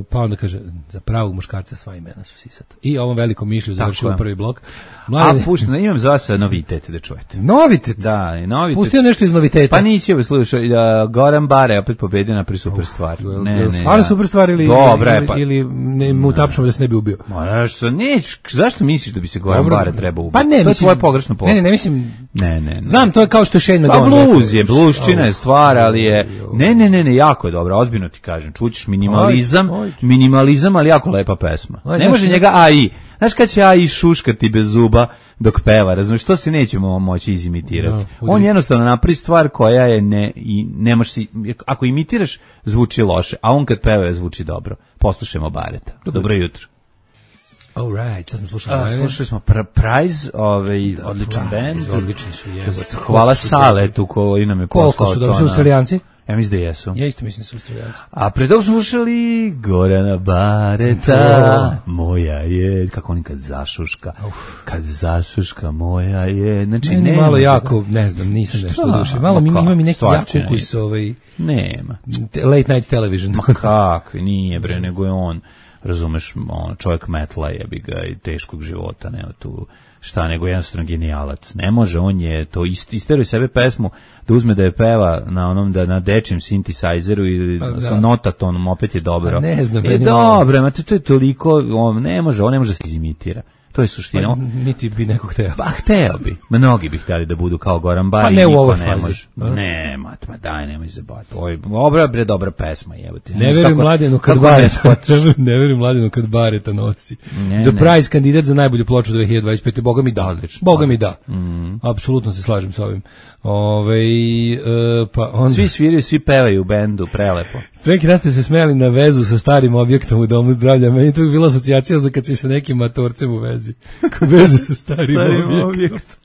pa onda kaže, za pravog muškarca sva imena su Sisata. I ovom velikom mišlju završimo je. prvi blok. A Mladen, puštam, imam za vas novitet da čujete. novitet. Da, i novitet. Pustio nešto iz noviteta. Pa nisi ovo slušao, uh, Goran Bare opet pobedio na pri super stvar. Jel- Ne, jel ne. stvarno da. super stvar ili, Dobra je, ili, pa. ili ne, mu tapšamo da se ne bi ubio? Ma, što neć, zašto misliš da bi se Goran Dobro. Bare trebao ubiti? Pa ne, to je mislim, tvoje pogrešno pogled. Ne, ne, ne, mislim, Ne, ne, ne. znam, to je kao što je Shane Pa McGowan. bluz je, rekao. bluščina je Au. stvar, ali je... Ne, ne, ne, ne, jako je dobro, ozbiljno ti kažem. Čućeš minimalizam, Ajde, ajde. minimalizam, ali jako lepa pesma. Ajde, Ne može znaš, njega A I. Znaš kad će A I šuškati bez zuba dok peva, razumiješ, to se nećemo moći izimitirati. Da, On jednostavno napravi stvar koja je ne, i nemaš si, ako imitiraš, zvuči loše, a on kad peva zvuči dobro. Poslušajmo Bareta. Dobro jutro. All right, sad smo slušali. A, Live. slušali smo Pr- Prize, ovaj, odličan Prize, bend. odlični su, jebote. Hvala Saletu koji nam je poslao Koliko su to dobro, su na- Australijanci? Ja mislim da jesu. Ja isto mislim da su Australijanci. A pre toga smo slušali Gorana Bareta, moja je, kako oni kad zašuška, kad zašuška moja je, znači Meni nema malo za- jako, ne znam, nisam Šta? nešto u duši. Malo mi Ma ima mi kako, neki stvarčina jak ukus, je. ovaj, Nema. te- late night television. Ma kakvi, nije bre, nego je on, razumeš, on, čovjek metla jebi ga i teškog života, nema tu šta, nego jednostavno genijalac. Ne može, on je to ist, isteruje sebe pesmu da uzme da je peva na onom, da na dečjem synthesizeru i Pa, da. sa notatonom, opet je dobro. A ne znam, je meni malo- dobro, ma to, to je toliko, on ne može, on ne može da se izimitira. To je suština. Pa, niti bi neko hteo. Pa hteo bi. Mnogi bi hteli da budu kao Goran Bari. Pa ne u ovoj ne fazi. Može. Ne, mat, ma daj, nemoj se bati. Ovo je dobra, bre, dobra pesma, jebote. Ne verujem Mladenu kad Bareta, ne verujem Mladenu kad Bareta nosi. Ne, The ne. Prize kandidat za najbolju ploču dve hiljade dvadeset pete. Boga mi da. Odlično. Boga mi da. Mm. Apsolutno se slažem sa ovim. Ove, e, pa onda... Svi sviraju, svi pevaju u bendu, prelepo. Neki dan ste se smijali na vezu sa starim objektom u domu zdravlja. Meni je to bila asocijacija za kad si sa nekim matorcem u vezi. Vezu sa starim, starim objektom.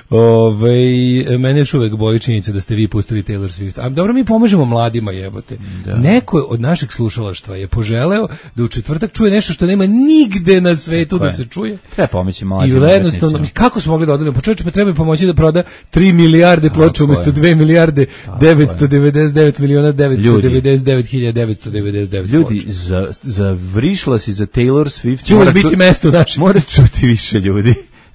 Ove, mene još uvek boli činjenica da ste vi pustili Taylor Swift. A dobro, mi pomažemo mladima, jebote. Da. Neko od našeg slušalaštva je poželeo da u četvrtak čuje nešto što nema nigde na svetu da se čuje. Treba pomoći mladim. I jednostavno, kako smo mogli da odelimo? Pa čovječe, pa treba pomoći da proda tri milijarde ploča umjesto dve milijarde devetsto devedeset devet miliona devetsto devedeset devet hiljada devetsto devedeset devet ljudi, za, za vrišla si za Taylor Swift. Će uvijek biti mesto naše. Mora čuti više ljudi.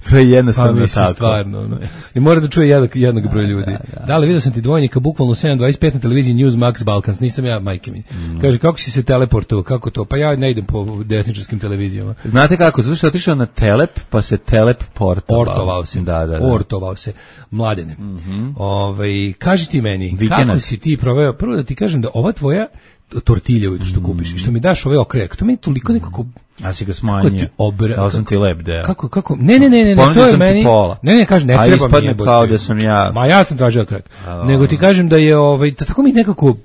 To je jednostavno pa, tako. Stvarno, no. I mora da čuje jednak, jednak broj ljudi. Da, da, da. da li vidio sam ti dvojnika bukvalno sedam dvadeset pet na televiziji Newsmax Balkans, nisam ja, majke mi. Mm. Kaže, kako si se teleportovao, kako to? Pa ja ne idem po desničarskim televizijama. Znate kako, zato što je otišao na telep, pa se telep portovao. Ortovao se, da, da, da. Ortovao se, Mladene. Mm-hmm. Ove, kaži ti meni, Vikenac. Kako si ti proveo, prvo da ti kažem da ova tvoja tortilja što kupiš i što mi daš ove okrek, to meni toliko nekako a si ga smanjio. Obra... Dao sam ti lep deo. Kako, kako? Ne, ne, ne, ne, ne to je meni... Pola. Ne, ne, kažem, ne a treba mi jebote. Kao da sam ja... Ma ja sam tražio okrek. A, nego ti kažem da je, ovaj, da tako mi nekako,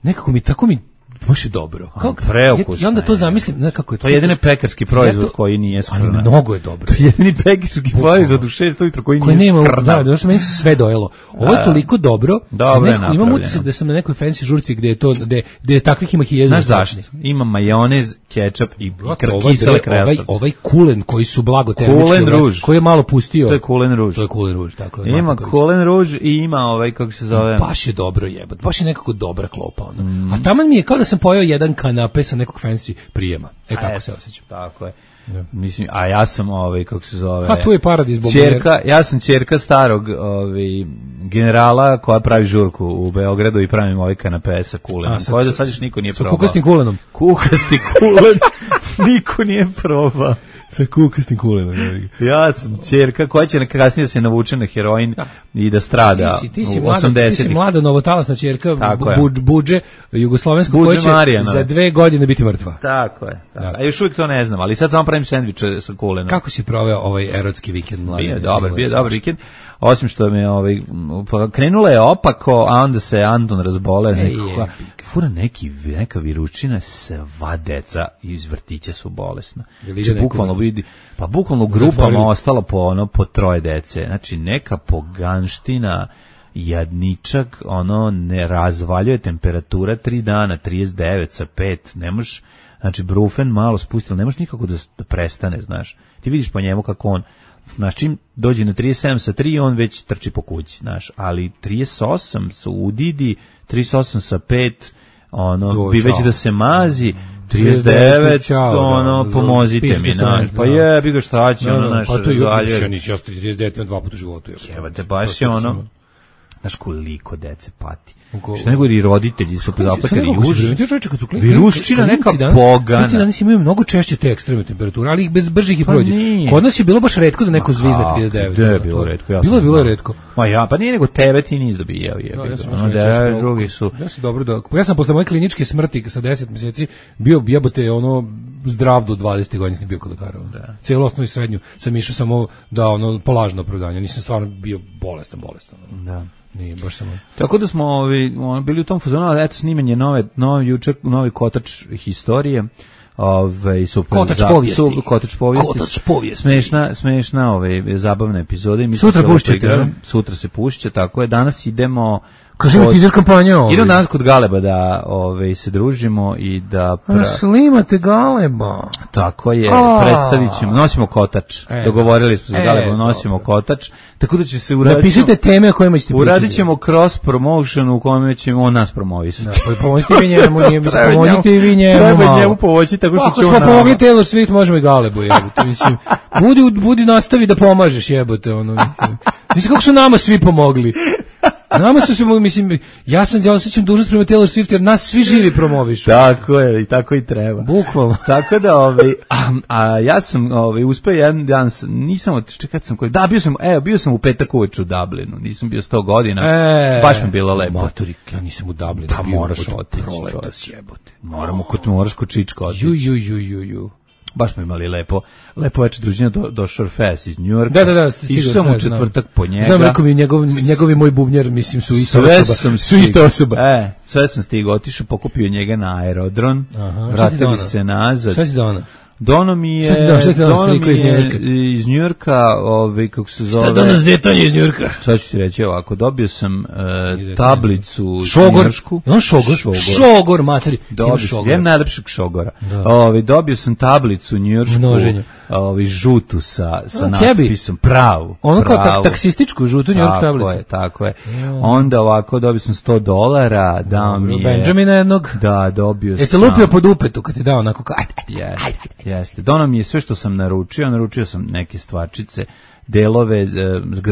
nekako mi, tako mi, baš je dobro. Kako? Preukusno. I onda to zamislim, ne, kako je to. To je jedini pekarski proizvod ja to, koji nije skrna. Ali mnogo je dobro. To je jedini pekarski proizvod u šest ujutro koji, koji nije skrna. Da, da, što meni se sve dojelo. Ovo je toliko dobro. Dobro je napravljeno. Imam utisak da sam na nekoj fancy žurci gde je to, gde, gde takvih ima hiljadu. Znaš zašto? Ima majonez, kečap i kisele krastavce. Ovaj kulen koji su blago termički, koji je malo pustio. To je kulen ruž. To je kulen ruž, tako je. Ima kulen ruž i ima ovaj, kako se zove. Baš je dobro jebot. Baš je nekako dobra klopa. A taman mi je kao da sam pojeo jedan nape sa nekog fancy prijema. E, tako se osjećam. Tako je. Ja. Mislim, a ja sam ovaj, kako se zove... A tu je paradis ćerka, ja sam ćerka starog ovaj, generala koja pravi žurku u Beogradu i pravim ovaj kanape sa kulenom. Koja da sad još niko nije probao. Sa kukastim kulenom. Kukasti kulen. Niko nije probao. Sa kukastim kulenom. Ja sam ćerka koja će kasnije se navuče na heroin ja. I da strada ti si, ti si u osamdesetih. Ti si mlada novotalasna ćerka bu, Buđe, jugoslovensko koja će Marijana. Za dve godine biti mrtva. Tako je. Tako. Ja. A još uvijek to ne znam, ali sad samo pravim sendviče sa kulenom. Kako si proveo ovaj erotski vikend, mladi? Bio dobar, bio dobar vikend. Osim što me ovaj krenula je opako, a onda se Anton razbole, nekako fura neki neka viručina, sva deca iz vrtića su bolesna. Znači bukvalno vidi, pa bukvalno u grupama ostalo po ono po troje dece. Znači neka poganština, jadničak, ono ne razvaljuje temperatura tri dana, trideset devet sa pet, ne možeš, znači brufen malo spustilo, ne možeš nikako da, da prestane, znaš. Ti vidiš po njemu kako on znaš, čim dođe na trideset sedam sa tri, on već trči po kući, znaš, ali trideset osam su udidi, trideset osam sa pet, ono, jo, bi već da se mazi, trideset devet, ono, pomozite mi, znaš, pa je, bi ga šta će, ono, znaš, pa to je ja nisam, ja trideset devet imam dva puta u životu. Evo te, baš je ono, znaš koliko dece pati. Što nego i roditelji su zaplakali i viruščina neka pogana. Klinci danas imaju mnogo češće te ekstremne temperature, ali ih bez bržih i prođe. Kod nas je bilo baš retko da neko zvizne trideset devet. Da je bilo retko. Bilo je bilo retko. Ma ja, pa nije nego tebe ti nis dobijao. Ono da drugi su. Ja sam dobro da. Ja sam posle moje kliničke smrti sa deset mjeseci bio jebote ono zdrav do dvadeset godina, nisam bio kod lekara. Celu osnovnu i srednju sam išao samo da ono polažno opravdanje. Nisam stvarno bio bolestan, bolestan. Da. Nije, baš samo. Tako da smo ovi, bili u tom fazonu, ali eto snimanje nove, novi, jučer, novi kotač historije. Ove, super, kotač za, povijesti. Su, kotač povijesti. Kotač povijesti. Smešna, smešna ove, zabavna epizoda. Mi sutra pušćete. Sutra se pušće, tako je. Danas idemo... Kažemo ti iz kampanja ovaj. Idemo danas kod Galeba da ove, se družimo i da... Pra... Slimate Galeba. Tako je, predstavit ćemo, nosimo kotač. E, dogovorili smo se e, Galeba, nosimo dobro. Kotač. Tako da će se uraditi... Napišite teme o kojima ćete pričati. Uradit ćemo cross promotion u kome ćemo on nas promovisati. Da, pomozite vi njemu, njemu pomozite i vi njemu. Treba njemu pomoći tako što će on... Ako smo pomogli Taylor Swift, možemo i Galebu jebote. Mislim, budi, budi nastavi da pomažeš jebote. Ono, mislim, mislim kako su nama svi pomogli. Nama su se, mislim, ja sam ja osjećam dužnost prema Taylor Swift jer nas svi živi promovišu. Tako je, i tako i treba. Bukvalno. Tako da, ovaj, a, a ja sam ovaj, uspeo jedan dan, nisam, kad sam koji, da, bio sam, evo, bio sam u petak uveč u Dublinu, nisam bio sto godina, e, baš mi bilo lepo. Motorik, ja nisam u Dublinu. Da, moraš otići, jebote. Moramo, kod moraš kod Čička otići. Ju, ju, ju, ju, ju. Baš smo imali lepo, lepo večer druženja do, do Shorefest iz New Yorka. Da, da, da. Išao sam u četvrtak po njega. Znam, rekao mi, njegov, njegovi moj bubnjar, mislim, su ista sve osoba. Sam su ista osoba. E, sve sam stigao, otišao, pokupio njega na aerodron, aha, vratili se nazad. Šta ti dono? Dono mi je, dono mi je iz Njujorka, ovaj, kako se zove... Šta dono zetanje iz Njujorka? Sad ću ti reći ovako, dobio sam uh, tablicu šogor, njujoršku. On šogor? Šogor, šogor materi. Dobio, jem najlepšeg šogora. Ovaj, dobio sam tablicu njujoršku, ovaj, žutu sa, sa natpisom, pravu. Ono kao tak, taksističku žutu njujorku tablicu. Tako je, tako je. Onda ovako dobio sam sto dolara, dao mi je... Benjamina jednog? Da, dobio sam... Jeste lupio pod upetu kad ti dao onako kao... Ajde, ajde, yes. ajde. Jeste. Dono mi je sve što sam naručio, naručio sam neke stvarčice, delove, e,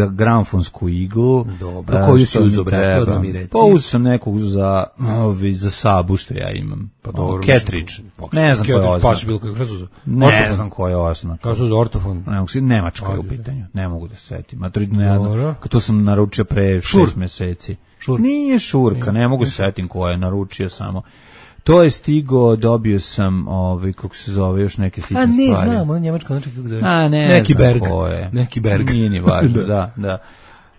gramfonsku iglu. Dobro, e, koju si uzeo, bre, to da mi reci. Pa uzeo sam nekog za, ovi, za Sabu što ja imam. Pa dobro. Ketridge. Ne znam koja je oznak. Pa bilo kako, šta su uzeo? Ne znam koja je oznak. Kao su uzeo ortofon? Nemačka je u pitanju, ne mogu da se setim. To sam naručio pre šest meseci. Nije šurka, ne mogu se setim koja je naručio samo. To je stigo, dobio sam, ovaj, kako se zove, još neke sitne stvari. A ne znam, on njemačko, znači kako zove. A ne neki znam berg. ko je. Neki berg. Nije ni važno, da, da.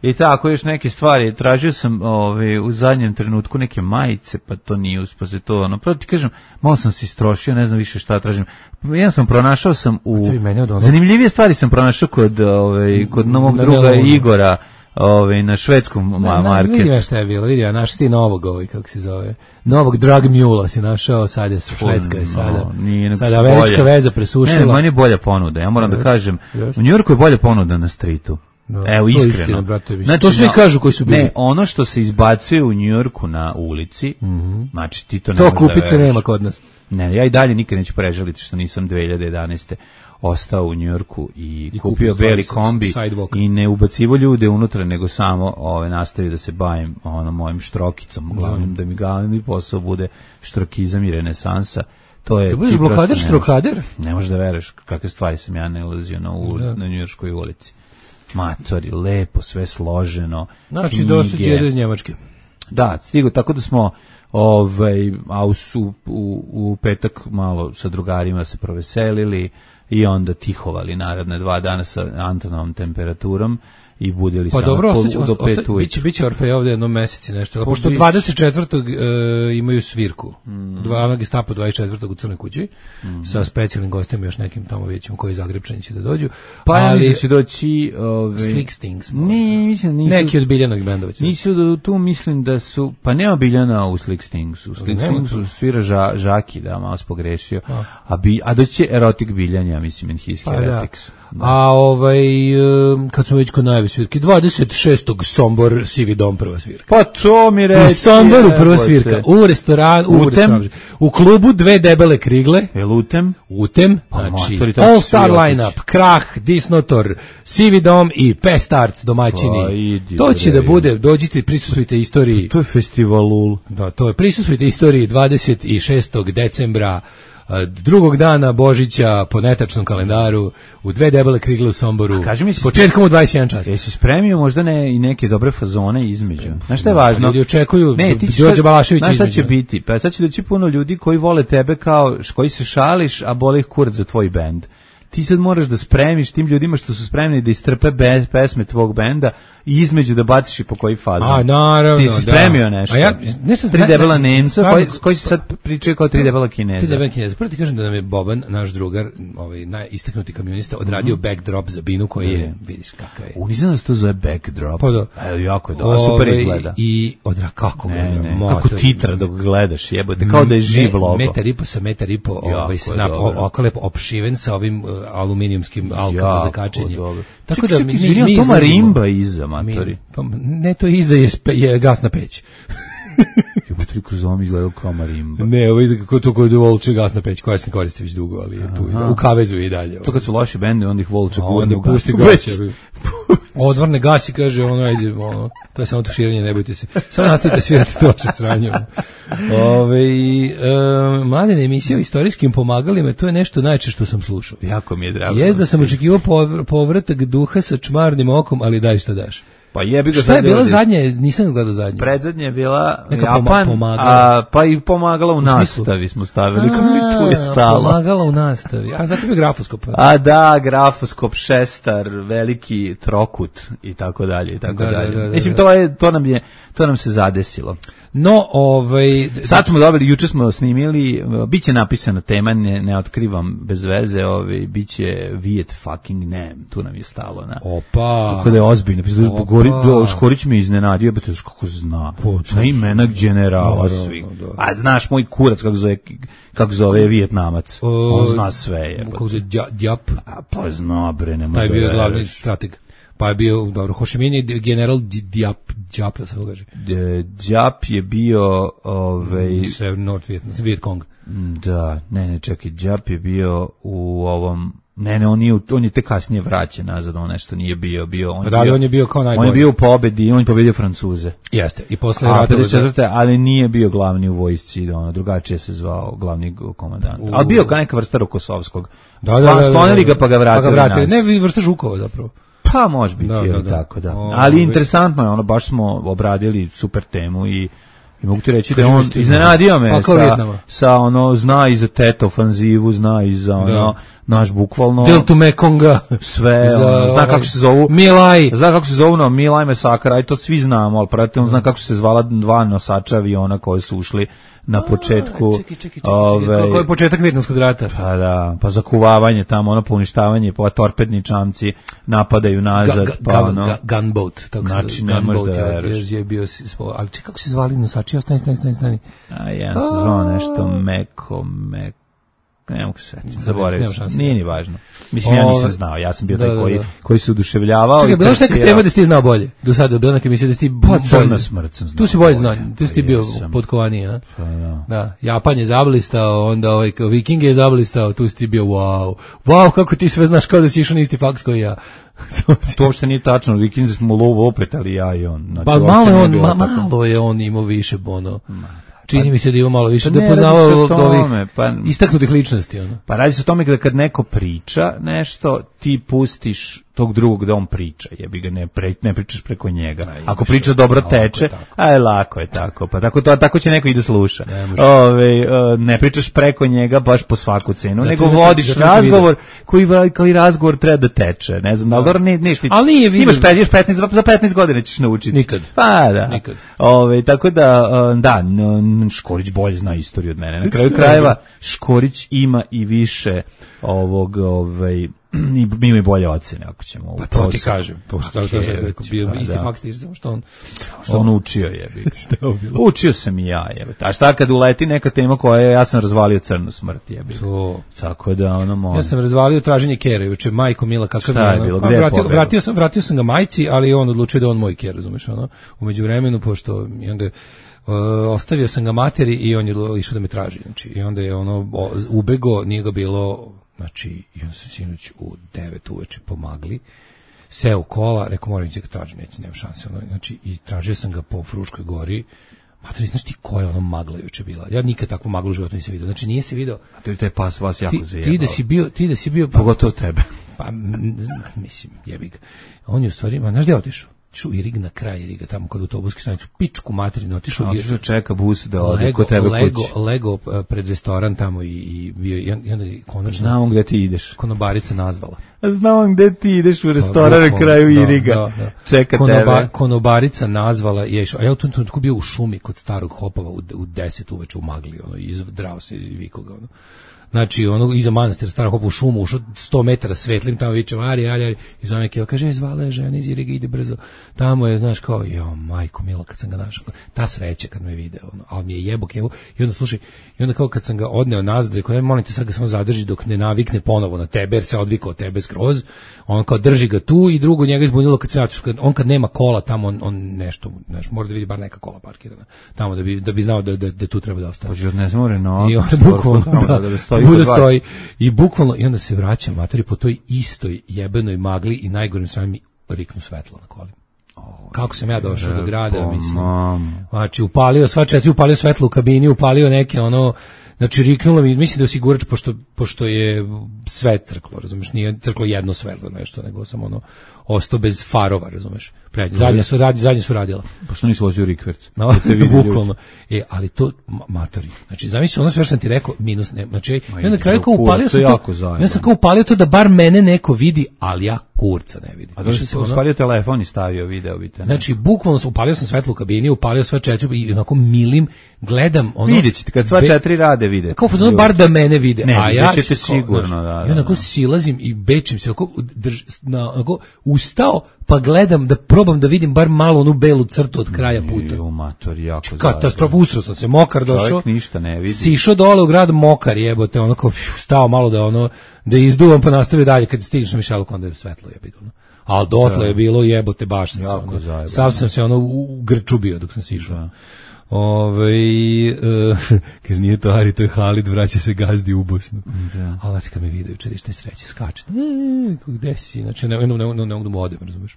I tako, još neke stvari. Tražio sam ovaj, u zadnjem trenutku neke majice, pa to nije uspaze to. Ono, pravo ti kažem, malo sam se istrošio, ne znam više šta tražim. Jedan sam pronašao sam u... Zanimljivije stvari sam pronašao kod, ovaj, kod novog druga Igora. Ovaj na švedskom marketu. Vidi šta je bilo, vidi, ja našao ti novog ovaj kako se zove. Novog drug mule si našao, sad je Švedska i sada. No, sada američka veza presušila. Ne, meni je bolja ponuda. Ja moram da kažem, u Njujorku je bolja ponuda na stritu. No, evo iskreno. Istina, brate, znači, to svi no, kažu koji su bili. Ne, ono što se izbacuje u Njujorku na ulici, mm-hmm. znači ti to ne to kupice nema kod nas. Ne, ja i dalje nikad neću prežaliti što nisam dve hiljade jedanaeste ostao u Njujorku i, I kupio beli kombi i ne ubacivo ljude unutra, nego samo ove, nastavio da se bavim ono, mojim štrokicom, glavnim, mm. da mi glavni posao bude štrokizam i renesansa. To je, da budeš blokader, štrokader? Ne možeš da veruješ kakve stvari sam ja nalazio na, u, na njujorškoj ulici. Matori, lepo, sve složeno. Znači, dosuđe iz Njemačke. Da, stigo, tako da smo ovaj, a u, u, u petak malo sa drugarima se proveselili i onda tihovali naredne dva dana sa Antonovom temperaturom i budili pa samo dobro, pol, ostaće, do pet osta, ujutru. Biće, biće Orfej ovdje jednom meseci nešto, pošto dvadeset četvrtog E, imaju svirku, mm. dva Gestapo dvadeset četvrtog u Crnoj kući, mm. sa specijalnim gostima još nekim tamo vidjećemo koji Zagrebčani će da dođu. Pa ali, ja mislim će doći... Ove, Slick Stings. Ne, mislim, nisu, neki od Biljanog bendova. Nisu da, tu mislim da su... Pa nema Biljana u Slick Stingsu. U Slick Stingsu svira ža, Žaki, da, malo spogrešio. A, a, bi, a doći će Erotic Biljanja, mislim, in his pa, heretics. Da. Da. A ovaj, kad smo već kod najave svirke, dvadeset šestog Sombor, Sivi dom, prva svirka. Pa to mi reći. U Somboru prva svirka, u restoranu, u, restoran, u klubu Dve debele krigle. El Utem? Utem, pa, znači, matori, All Star Lineup, Krah, Disnotor, Sivi dom i Pestarts domaćini. Pa, idi, to će da bude, dođite, prisustvujte istoriji. To je festivalul. Da, to je, prisustvujte istoriji dvadeset šestog decembra, drugog dana Božića po netačnom kalendaru u Dve debele krigle u Somboru. Mi si početkom u dvadeset jedan čas. Jesi spremio možda ne i neke dobre fazone između? Znaš šta je važno? Ljudi očekuju ne, Đorđe Balašević između. Znaš šta će biti? Pa sad će doći puno ljudi koji vole tebe kao koji se šališ, a boli ih kurac za tvoj bend. Ti sad moraš da spremiš tim ljudima što su spremni da istrpe bez pesme tvog benda i između da baciš i po koji fazon. A, naravno, ti si spremio da. Nešto. A ja, nešto tri debela Nemca, koji, koji si sad pričaju kao tri debela Kineza. Tri debela Kineza. Prvo ti kažem da nam je Boban, naš drugar, ovaj, najistaknuti kamionista, odradio mm-hmm. backdrop za Binu koji mm-hmm. je, vidiš kakav je. U, nisam da se to zove backdrop. Pa da. A, jako je dobro, super izgleda. I odra, kako ne, gleda, ne, kako titra dok gledaš, jebote, kao da je živ logo. Metar i po sa metar i po, ovaj, snap, oko lepo opšiven sa ovim uh, aluminijumskim alkama za kačenje. Tako ček, da ček, mi, mi, mi to marimba iza, matori. Pa, ne, to iza je, je gasna peć. Stvari kroz ovom izgledao kao marimba. Ne, ovo je kako to kod volče gasna peć, koja se ne koristi već dugo, ali je tu i da, u kavezu i dalje. To kad su loši bende, onda ih volče gurne u gasnu peć. Odvrne gasi, kaže, ono, ajde, ono, to je samo tuširanje, ne bojte se. Samo nastavite svirati to vaše sranje. Ove, e, mladine emisije o istorijskim pomagalima, to je nešto najče što sam slušao. Jako mi je drago. Jest da sam očekivao povratak duha sa čmarnim okom, ali daj šta daš. Pa jebi ga. Šta je bila zadnje? Nisam gledao zadnje. Predzadnje je bila neka Japan, a pa i pomagala u, u nastavi smo stavili, kako mi tu je stalo. Pomagala u nastavi, a zato je grafoskop. A da, grafoskop, šestar, veliki trokut i tako dalje i tako da, dalje. Da, da, da, Mislim, to je, to nam je, to nam se zadesilo. No, ovaj... Sad smo dobili, juče smo snimili, biće napisana tema, ne, ne otkrivam bez veze, ovaj, biće Viet fucking Nam, tu nam je stalo. Na. Opa! Kako da je ozbiljno, Škorić me iznenadio, bete kako zna, zna imena generala svih. A znaš, moj kurac kako zove, kako zove Vijetnamac, on zna sve. Je, kako zove Djap? Pa zna, bre, nema. Taj bio glavni strateg. Pa je bio, dobro, Ho Chi Minh je general Djap, Djap, da se to kaže. Djap je bio, ovaj... Sve North Viet Cong. Da, ne, ne, čekaj, Djap je bio u ovom... Ne, ne, on je, on je te kasnije vraćen nazad, on nešto nije bio, bio on je, da, bio, on je bio kao najbolji. On je bio u pobedi, on je pobedio Francuze. Jeste, i posle rata pedeset četvrte ali nije bio glavni u vojsci, ono, drugačije se zvao glavni komandant. U... Ali bio kao neka vrsta Rokosovskog. Da, da, da, da, sklonili ga pa ga vratili, pa ga vratili. Ne, vrsta Žukova zapravo. Pa može biti, da, da, da. tako da. O, ali o, interesantno je, ono, baš smo obradili super temu i I mogu ti reći da on iznenadio me pa sa, sa ono, zna i za Tet ofanzivu, zna i za ono, naš bukvalno... Deltu Mekonga. Sve, za, ono, zna kako se zovu... Milaj. Zna kako se zovu, no, Milaj Mesakar, aj to svi znamo, ali prate, on zna kako se zvala dva nosača aviona koji su ušli na početku... A, čekaj, čekaj, čekaj, ove, kako je početak Vijetnamskog rata? Pa da, pa zakuvavanje tamo, ono, poništavanje, pa torpedni čamci napadaju nazad, ga, ga, pa ono... Ga, gunboat, tako znači, se, ne gunboat, možda je, je bio, ali čekaj, kako se zvali nosači, stani, stani, stani, stani. A, jedan se zvao nešto Meko, Meko, ne mogu se setiti, zaboravio sam, nije ni važno. Mislim, ja nisam znao, ja sam bio taj koji, koji se oduševljavao. Čekaj, bilo što neka tema da si ti znao bolje? Do sada, bila neka misija da si ti bolje. Crna smrt sam znao. Tu si bolje znao, tu si ti bio podkovaniji, a? Da, Japan je zablistao, onda ovaj Viking je zablistao, tu si ti bio, wow, wow, kako ti sve znaš kao da si išao na isti faks koji ja. To uopšte nije tačno, Vikinzi smo lovo opet, ali ja i on. Znači, pa malo je on, ma, malo je on imao više bono. Čini mi se da ima malo više, pa da je poznavao od ovih pa, istaknutih ličnosti. Ono. Pa radi se o tome da kad neko priča nešto, ti pustiš tog drugog da on priča, jebi ga, ne, pre, ne pričaš preko njega. Aj, ako priča dobro teče, aj lako je tako, pa tako, to, tako će neko i da sluša. Ne, Ove, ne pričaš preko njega baš po svaku cenu, zato nego vodiš zato razgovor koji, koji razgovor treba da teče. Ne znam, da li dobro ne, neš ti, ali nije vidim. Imaš petnaest, za petnaest godina ćeš naučiti. Nikad. Pa da. Nikad. Ove, tako da, da, Škorić bolje zna istoriju od mene. Na kraju krajeva, Škorić ima i više ovog, ovaj, i ima i bolje ocene ako ćemo. Pa to ti kažem, pošto tako da je bio isti fakt, samo što on što on učio je. Učio sam i ja, je. A šta kad uleti neka tema koja je, ja sam razvalio Crnu smrt, je. To. Tako da ono može. Ja sam razvalio Traženje Kere, juče majko mila kakav je bilo, gde vratio, vratio sam, vratio sam ga majci, ali on odlučio da on moj Ker, razumeš, ono. U međuvremenu pošto i onda Uh, ostavio sam ga materi i on je išao da me traži, znači, i onda je ono o, ubego, nije ga bilo, znači, i onda sam sinoć u devet uveče pomagli, seo u kola, rekao moram ići ga tražim, neće, nema šanse, ono, znači, i tražio sam ga po Fruškoj gori. Materi, znaš ti koja je ono magla juče bila? Ja nikad takvu maglu u životu nisam vidio, znači nije se video. A to je taj pas vas jako zajebao. Ti da si bio, ti da si bio, pa, pogotovo tebe. Pa, mislim, jebi ga. On je u stvari, ma, znaš gde je otišao? Otišao i Rig na kraj Riga, tamo kod autobuske stanicu, pičku materinu, otišao i čeka bus da ode Lego, kod tebe Lego, kući. Lego pred restoran tamo i, i bio, i onda konačno... Znam gde ti ideš. Konobarica nazvala. Znam gde ti ideš u restoran na kraju Iriga. Da, da. Čeka Konoba, tebe. Konobarica nazvala i je išao, a ja u tom trenutku bio u šumi kod starog Hopova u, u deset uveče u magli, ono, i izdrao se i vikao ga, ono. Znači, ono, iza manastira, stara hopa u šumu, ušao sto metara svetlim, tamo viče, ari, ari, ari, i zove Keva, kaže, je, zvala je žena iz Iriga, ide brzo. Tamo je, znaš, kao, jo, majko milo, kad sam ga našao, ta sreća kad me video, ono, ali mi je jebo Kevu, i onda, slušaj, i onda kao kad sam ga odneo nazad, rekao, ne, molim te, sad ga samo zadrži dok ne navikne ponovo na tebe, jer se odvikao od tebe skroz, on kao drži ga tu i drugo njega izbunilo kad se vratiš, on kad nema kola tamo, on, on nešto, nešto, mora da vidi bar neka kola parkirana, tamo da bi, da bi znao da, da, da tu treba da ostane. Hoće ne zmore, no, i onda bukvalno, da, da, da stoji, bude stoji, i bukvalno, i onda se vraća matori po toj istoj jebenoj magli i najgorim strani mi riknu svetlo na kolima. Kako sam ja došao do grada, mislim. Znači, upalio sva četiri, upalio svetlo u kabini, upalio neke, ono, znači, riknulo mi, mislim da je osigurač, pošto, pošto je sve crklo, razumeš, nije crklo jedno svetlo, nešto, nego sam, ono, ostao bez farova, razumeš. Prednje, zadnje su, radi, zadnje su radila. Pa što nisi vozio rikverc? No, bukvalno. E, ali to, matori, znači, zamisli, ono sve što sam ti rekao, minus, ne, znači, ja na kraju kao upalio sam to, ja sam kao upalio to da bar mene neko vidi, ali ja kurca ne vidim. A da si upalio telefon i stavio video, vidite. Znači, bukvalno sam upalio sam svetlo u kabini, upalio sve četiri i onako milim, gledam, ono... Vidjet ćete, kad sva be, četiri rade vide. Kao fazono, bar da mene vide. Ne, a ja ćete sigurno, znači, da, da. I onako silazim i bečim se, onako, drž, na, onako, ustao, pa gledam da probam da vidim bar malo onu belu crtu od kraja puta. Jo, mator, jako katastrofa, usro sam se, mokar došao. Čovjek ništa ne vidi. Sišao dole u grad mokar, jebote, ono kao stao malo da ono da izduvam pa nastavio dalje kad stigneš na Mišeluk onda je svetlo jebi ono. Al dotle je bilo jebote baš sam ono, sav sam se ono u grču bio dok sam sišao. Ovaj uh, kaže nije to Ari, to je Halid, vraća se gazdi u Bosnu. Da. Ali kad me video juče što je sreće skače. E, gde si? Znači ne ne ne ne mogu da odem, razumeš.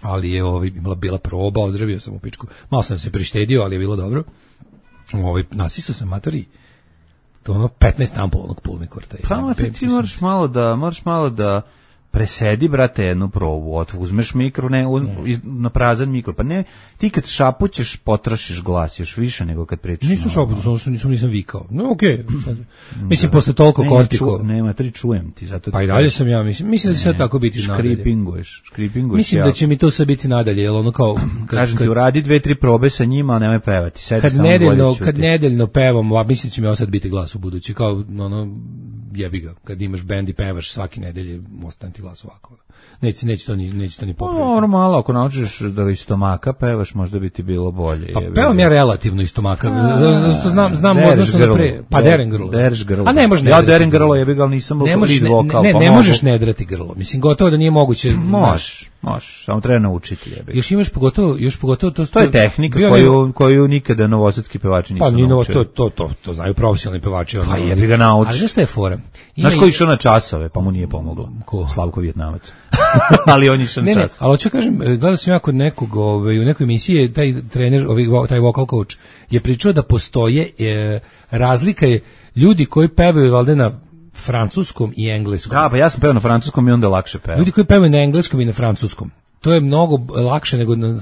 Ali je ovaj imala bila proba, ozdravio sam u pičku. Malo sam se prištedio, ali je bilo dobro. Ovaj nasisao sam matori. To ono petnaest ampula onog pulmikorta. Pa ti, ti moraš malo da, moraš malo da presedi, brate, jednu probu, od, uzmeš mikro, ne, uz, iz, na prazan mikro, pa ne, ti kad šapućeš, potrošiš glas još više nego kad pričaš. Nisam šapućeš, nisam, nisam, nisam vikao. No, okej. Okay. Mislim, da. Posle toliko ne, kortiko. Ču, nema, tri čujem ti, zato pa i dalje sam ja, mislim, mislim da će sad tako biti nadalje. Škripinguješ, škripinguješ. Mislim ja. Da će mi to sve biti nadalje, jer ono kao... Kad, kažem ti, uradi dve, tri probe sa njima, a nemoj pevati. Sedi kad nedeljno, kad nedeljno pevam, a mislim da će mi osad biti glas u budući, kao ono... jebi ga, kad imaš bend i pevaš svake nedelje, ostane ti glas ovako. Neće, neće to ni, neće to ni popraviti. No, normalno, ako naučiš da iz stomaka pevaš, možda bi ti bilo bolje. Pa pevam ja relativno iz stomaka, zato znam, znam odnosno na pre, pa derem grlo. Dereš grlo. A ne možeš ja derem grlo, jebi ga, ali nisam lead vokal. Ne, ne, ne možeš ne drati grlo, mislim, gotovo da nije moguće. Možeš. Možeš, samo treba naučiti jebi. Još imaš pogotovo, još pogotovo to to je tehnika koju koju nikada novosadski pevači nisu naučili. Pa ni to to to to znaju profesionalni pevači, pa jebi ga nauči. Ali šta je fora? Znaš ko je išao na časove, pa mu nije pomoglo. Ko? Slavko Vjetnamac. Ali on je išao na čas. Ne, ali hoću kažem, gledao sam ja kod nekog, ovaj, u nekoj emisiji, taj trener, ovaj, taj vocal coach je pričao da postoje e, razlika je ljudi koji pevaju valjda na francuskom i engleskom. Da, pa ja sam pevao na francuskom i onda lakše pevao. Ljudi koji pevaju na engleskom i na francuskom. To je mnogo lakše nego na,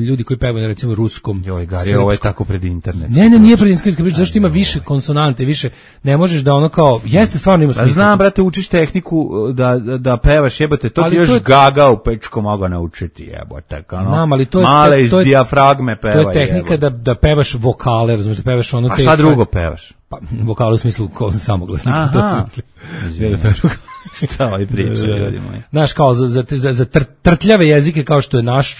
ljudi koji pevaju na recimo ruskom. Joj, Gari, ovo je tako pred internet. Ne, ne, nije pred internet priča, zašto ima više konsonante, više ne možeš da ono kao jeste stvarno ima smisla. Znam, brate, učiš tehniku da da, da pevaš, jebote, to ali ti još je, gaga u pečko mogu naučiti, jebote, kao znam, ali to je male iz to je, dijafragme peva. To je tehnika da da pevaš vokale, razumiješ, da pevaš ono te. A šta drugo pevaš? Pa vokale u smislu kao samoglasnik, to se šta ovaj priča, ljudi moji. Znaš, kao za, za, za, za tr, trtljave jezike kao što je naš,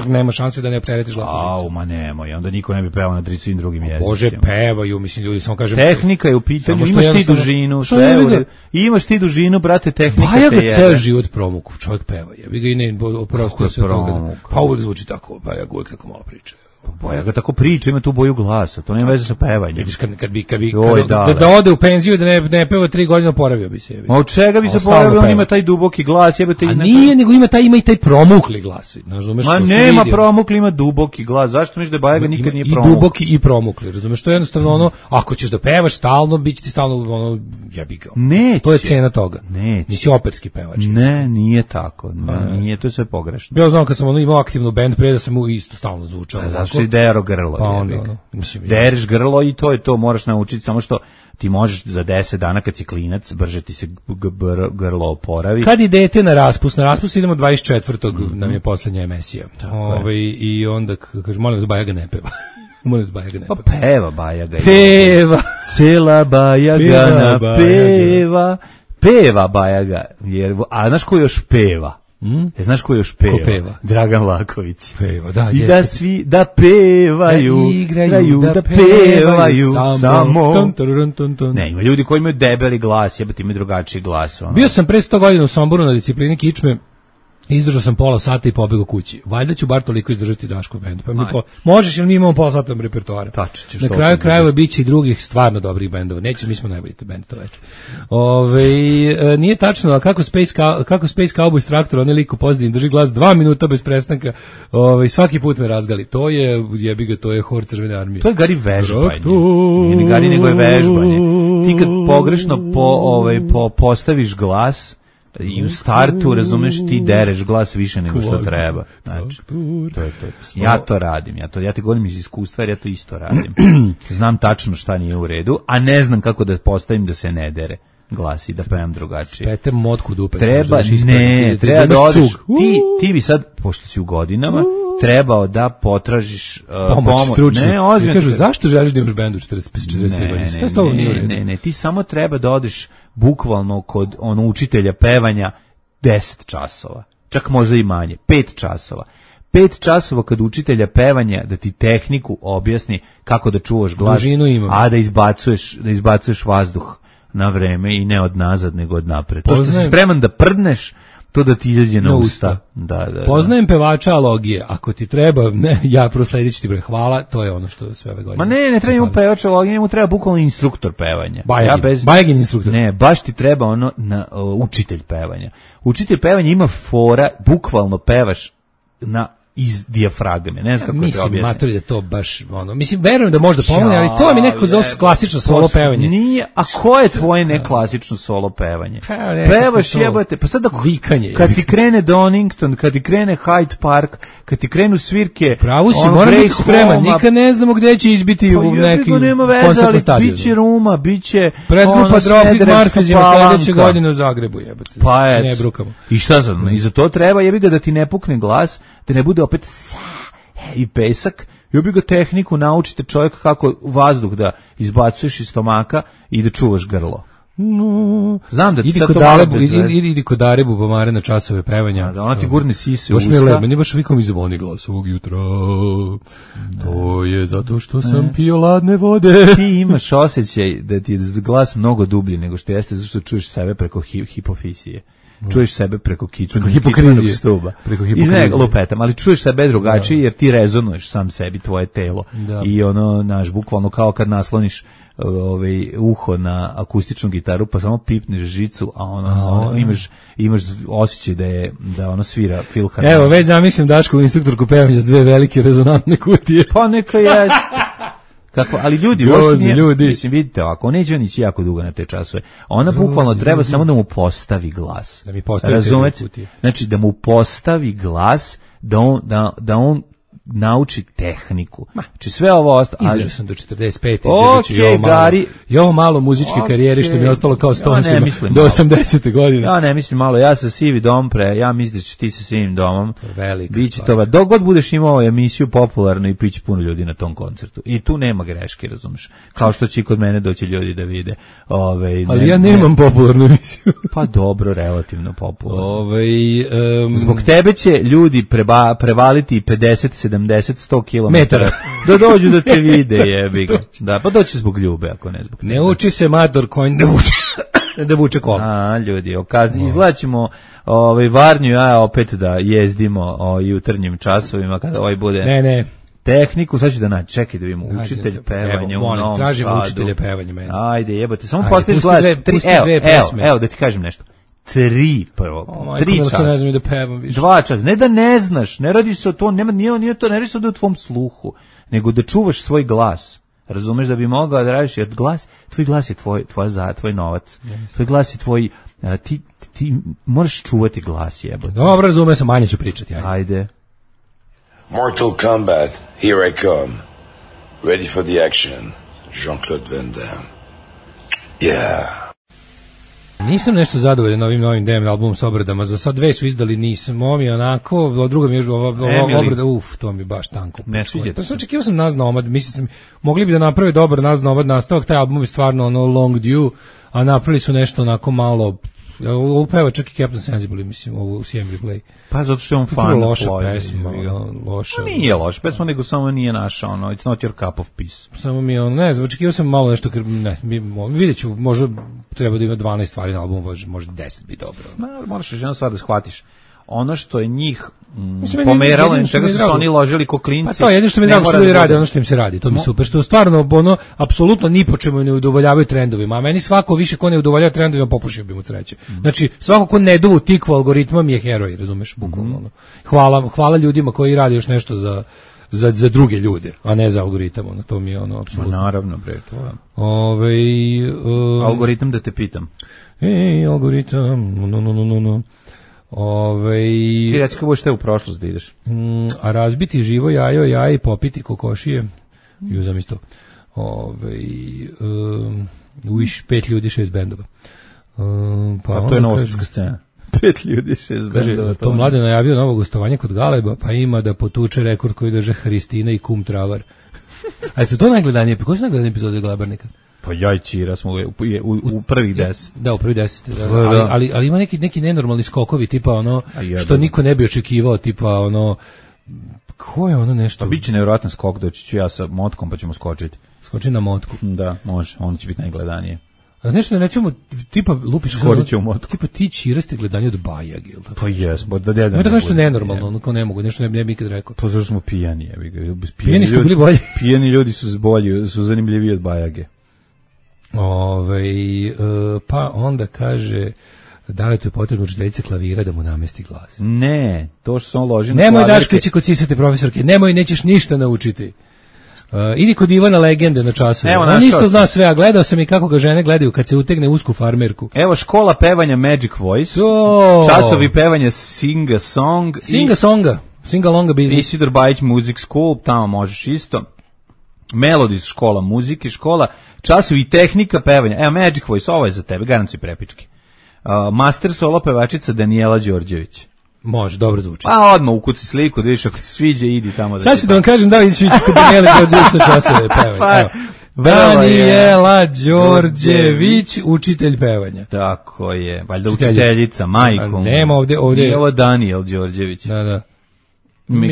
nema šanse da ne opteretiš glas. Au, ma nemoj, onda niko ne bi pevao na svim drugim jezicima. Bože, pevaju, mislim, ljudi, samo kažem... Tehnika je u pitanju, imaš ti dužinu, sve, imaš ti dužinu, brate, tehnika te jebe. Baja ga ceo život promuku, čovjek peva, jebi ga i ne, oprosti se od toga. Pa uvijek zvuči tako, Baja uvijek tako malo priča. Boja ga tako priča, ima tu boju glasa, to nema veze sa pevanjem. Vidiš, kad, kad bi, kad bi Oj, da, da, da ode u penziju da ne, ne peva tri godine, oporavio bi se. Ma od čega bi se oporavio, on ima taj duboki glas. Jebate, a nije, nego ima taj, ima i taj promukli glas. Znaš, razumeš, ma nema promukli, ima duboki glas. Zašto misliš da Baja ga nikad nije promukli? I duboki i promukli, razumeš, to je jednostavno ono, ako ćeš da pevaš stalno, bit će ti stalno ono, jebi ga. Neće. To je cena toga. Neće. Nisi operski pevač. Ne, nije tako. Ne, nije, to je sve pogrešno. Ja znam kad sam ono imao aktivnu bend, pre da sam mu isto stalno zvučao. Zašto si dero grlo? Pa onda, ono, mislim, deriš grlo i to je to, moraš naučiti, samo što ti možeš za deset dana kad si klinac, brže ti se grlo oporavi. Kad idete na raspust, na raspust idemo dvadeset četvrtog Mm-hmm. nam je poslednja emisija. Ovaj i onda kaže molim vas Baja ga ne peva. Molim se, Bajaga ne Pa peva Bajaga. Peva. Cela Bajaga Peva na Bajaga. peva. Peva Bajaga. Jer, a znaš ko još peva? Mm? E, znaš ko još peva? Ko peva? Dragan Laković. Peva, da, I jeste. da svi, da pevaju, da igraju, da, da pevaju, samo. samo. Ton, ton, ton, ton. Ne, ima ljudi koji imaju debeli glas, jebate, imaju drugačiji glas. Ono. Bio sam pre sto godina u Somboru na disciplini kičme. Izdržao sam pola sata i pobegao kući. Valjda ću bar toliko izdržati Daško bendu. Pa mi po, možeš ili mi imamo pola sata repertoara. Tačno, na kraju krajeva biće i drugih stvarno dobrih bendova. Neće, mi smo najbolji bend to veče. Ove, e, nije tačno, a kako Space, Cow, kako Space Cowboy s traktora, onaj liko pozitivni drži glas dva minuta bez prestanka. Ove, svaki put me razgali. To je, jebi ga, to je hor Crvene armije. To je Gari vežbanje. Nije ni Gari, nego je vežbanje. Ti kad pogrešno po, ovaj, po, postaviš glas, i u startu, razumeš, ti dereš glas više nego što treba. Znači, to je to. Ja to radim, ja to ja ti govorim iz iskustva, jer ja to isto radim. Znam tačno šta nije u redu, a ne znam kako da postavim da se ne dere glas i da pevam drugačije. Spete motku dupe. Treba, ne, treba da odeš, ti, ti bi sad, pošto si u godinama, trebao da potražiš uh, pomoć, pomoć. Stručnu. Ne, ozbiljno. Kažu, zašto želiš da imaš bendu četrdeset pet godina? Ne, ne, ne, ne, ti samo treba da odeš bukvalno kod ono učitelja pevanja deset časova, čak možda i manje, pet časova. Pet časova kad učitelja pevanja da ti tehniku objasni kako da čuvaš glas, a da izbacuješ, da izbacuješ vazduh na vreme i ne od nazad nego od napred. To što si spreman da prdneš, to da ti izađe na, na usta. usta. Da, da, Poznajem da. pevača alogije, ako ti treba, ne, ja prosledit ću ti bre, hvala, to je ono što sve ove godine. Ma ne, ne treba mu pevača alogije, mu treba bukvalno instruktor pevanja. Bajagin, ja bez, Bajagin instruktor. Ne, baš ti treba ono na, uh, učitelj pevanja. Učitelj pevanja ima fora, bukvalno pevaš na iz dijafragme, ne znam kako mislim, te objasnim. Mislim, mater je to baš, ono, mislim, verujem da možda pomogne, ali to mi neko zove klasično solo pevanje. Nije, a ko je tvoje neklasično solo pevanje? Pa, pevaš jebate, pa sad ako, vikanje, kad ti krene Donington, kad ti krene Hyde Park, kad ti krenu svirke, pravo si, moram biti spreman, nikad ne znamo gde će izbiti pa, u neki koncertni stadion. Biće Ruma, biće predgrupa Dropkick Murphysima sledeće godine u Zagrebu, jebate. Pa je, i šta sad, i za to treba, jebi ga da ti ne pukne glas, da ne bude opet sa i pesak, i bi ga tehniku naučite čovjek kako vazduh da izbacuješ iz stomaka i da čuvaš grlo. No. Znam da ti idi sad kod to Darebu, idi, idi, idi kod Darebu pomare na časove pevanja. A da ona ti gurne sise u usta. usta. Meni baš vikom mi zvoni glas ovog jutra. Ne. To je zato što sam ne. pio ladne vode. Ti imaš osjećaj da ti je glas mnogo dublji nego što jeste, zato što čuješ sebe preko hi, hipofizije. Čuješ sebe preko kičnog stuba. Preko hipokrizije. Iz lupetam, ali čuješ sebe drugačije da. jer ti rezonuješ sam sebi, tvoje telo. Da. I ono, naš, bukvalno kao kad nasloniš ovaj uho na akustičnu gitaru, pa samo pipneš žicu, a ono, a, ono imaš imaš osjećaj da je da ono svira filharmonija. Evo, već zamišljam Dašku instruktorku pevanja s dve velike rezonantne kutije. Pa neka jeste. Kako, ali ljudi, Grozni, ljudi. Mislim, vidite, ako neće on ići jako dugo na te časove, ona Grozni, bukvalno treba ljudi. samo da mu postavi glas. Da mi postavi Razumete? Znači, da mu postavi glas, da on, da, da on nauči tehniku. Znači sve ovo ostalo. Izdržao sam do četrdeset pete. Okay, i ovo malo, Gari. I ovo malo muzičke okay. karijere što mi je ostalo kao Stonesima ja do osamdesete godine. Ja ne mislim malo, ja sa sivi dom pre, ja mislim da će ti sa sivim domom. To je velika Biće to, dok god budeš imao emisiju popularnu i piće puno ljudi na tom koncertu. I tu nema greške, razumeš. Kao što će kod mene doći ljudi da vide. Ove, Ali ne, ja nemam ne, popularnu emisiju. Pa dobro, relativno popularno. Ove, um, Zbog tebe će ljudi preba, prevaliti pedeset, sedamdeset, sto kilometara da dođu da te vide, jebi ga. Da, pa doći zbog ljube, ako ne zbog ne tebe. Uči se mator konj da vuče, da vuče kola. A, ljudi, okazni, izlaćemo ovaj, Varnju, ja opet da jezdimo o jutarnjim časovima, kada ovaj bude... Ne, ne. Tehniku, sad ću da naći, čekaj da vidimo, učitelj pevanja u Novom Sadu. Tražimo učitelje pevanja meni. Ajde, jebate, samo postaviš glas. Dve, tri, evo, evo, evo, da ti kažem nešto. Tri prvo, oh, tri časa. Ne znam da pevam više. Dva časa, ne da ne znaš, ne radi se o to, nema, nije, nije to, ne radi se o tvom sluhu, nego da čuvaš svoj glas. Razumeš da bi mogao da radiš, jer glas, tvoj glas je tvoj, tvoj, za, tvoj novac, yes. tvoj glas je tvoj, a, ti, ti moraš čuvati glas, jebote. Dobro, razume se, manje ću pričati. Ajde. Ajde. Mortal Kombat, here I come. Ready for the action. Jean-Claude Van Damme. Yeah. Nisam nešto zadovoljan ovim novim D M albumom s obradama, za sad dve su izdali, nisam, ovo mi je onako, a druga mi je ova, ova obrada, uf, to mi je baš tanko. Ne sviđa pa sam očekivao sam Nas Nomad, mislim sam, mogli bi da naprave dobar Nas Nomad nastavak, taj album je stvarno ono long due, a napravili su nešto onako malo, ovo peva čak i Captain Sensible, mislim, ovo u C M Replay. Pa zato što je on fan loša pesma, loša. Nije loša pesma, nego samo nije naša, ono, it's not your cup of peace. Samo mi je ono, ne znam, očekivao sam malo nešto, ne, vidjet ću, možda treba da ima dvanaest stvari na albumu, možda deset bi dobro. Ma, moraš još jednu stvar da shvatiš. Ono što je njih mm, pomeralo, in čega su se oni ložili ko klinci. Pa to je jedino što mi drago što ljudi rade, ono što im se radi, to mi je super, što stvarno ono apsolutno ni po čemu ne udovoljavaju trendovima, a meni svako više ko ne udovoljava trendovima popušio bi mu sreće. Znači svako ko ne duvu tikvu algoritmom je heroj, razumeš, bukvalno ono. Hvala, hvala ljudima koji rade još nešto za za za druge ljude, a ne za algoritam, ono to mi je ono apsolutno. Naravno bre, to je. Ovaj um, algoritam da te pitam. Ej, algoritam, no no no no no. Ove, ti reći kako budeš te u prošlost da ideš. Mm, a razbiti živo jajo, jaje i popiti kokošije. Juzam isto. Ove, um, Wish, pet ljudi, šest bendova. Um, pa a to je novosadska scena. Pet ljudi, šest bendova. To mlade najavio novo gostovanje kod Galeba, pa ima da potuče rekord koji drže Hristina i Kum Travar. A su to najgledanije, pa koji su najgledanije epizode Glabarnika? Pa ja i Čira smo u, u, u prvih deset. Da, u prvih deset. Da, ali, ali, ali ima neki, neki nenormalni skokovi, tipa ono, što niko ne bi očekivao, tipa ono, ko je ono nešto? Pa bit će nevjerojatan skok, doći ću ja sa motkom pa ćemo skočiti. Skoči na motku. Da, može, on će biti najgledanije. A nešto ne ćemo, tipa lupiš Skoriće u motku. Tipa ti Čiraste gledanje od Bajag, ili tako? Pa jes, bo da deda. Ne tako nešto nenormalno, ono kao ne mogu, nešto ne bi nikad rekao. Pa zašto smo pijani, jebi ga. Pijani, pijani su bili bolji. Pijani ljudi su bolji, su zanimljiviji od Bajage. Ove, e, pa onda kaže da li to je potrebno učiteljice klavira da mu namesti glas. Ne, to što se on loži na nemoj Dašković kod sisate profesorke, nemoj, nećeš ništa naučiti. Uh, idi kod Ivana Legende na časove. On isto zna sve, a gledao sam i kako ga žene gledaju kad se utegne usku farmerku. Evo škola pevanja Magic Voice, to... časovi pevanja Sing a Song. Sing a Songa, Sing a Longa Business. Isidor Bajić Music School, tamo možeš isto. Melodies škola muzike, škola, časovi tehnika pevanja. Evo Magic Voice, ovo je za tebe, garantuj prepički. Uh, master solo pevačica Danijela Đorđević. Može, dobro zvuči. Pa odmah ukuci sliku, da vidiš ako ti sviđa, idi tamo. Da sad ću da vam kažem da li ću ići kod Danijela Đorđević na časove pevanja. Pa, Danijela Đorđević, učitelj pevanja. Tako je, valjda učiteljica, majkom. Nema ovdje, ovdje. Nije ovo Danijel Đorđević. Da, da.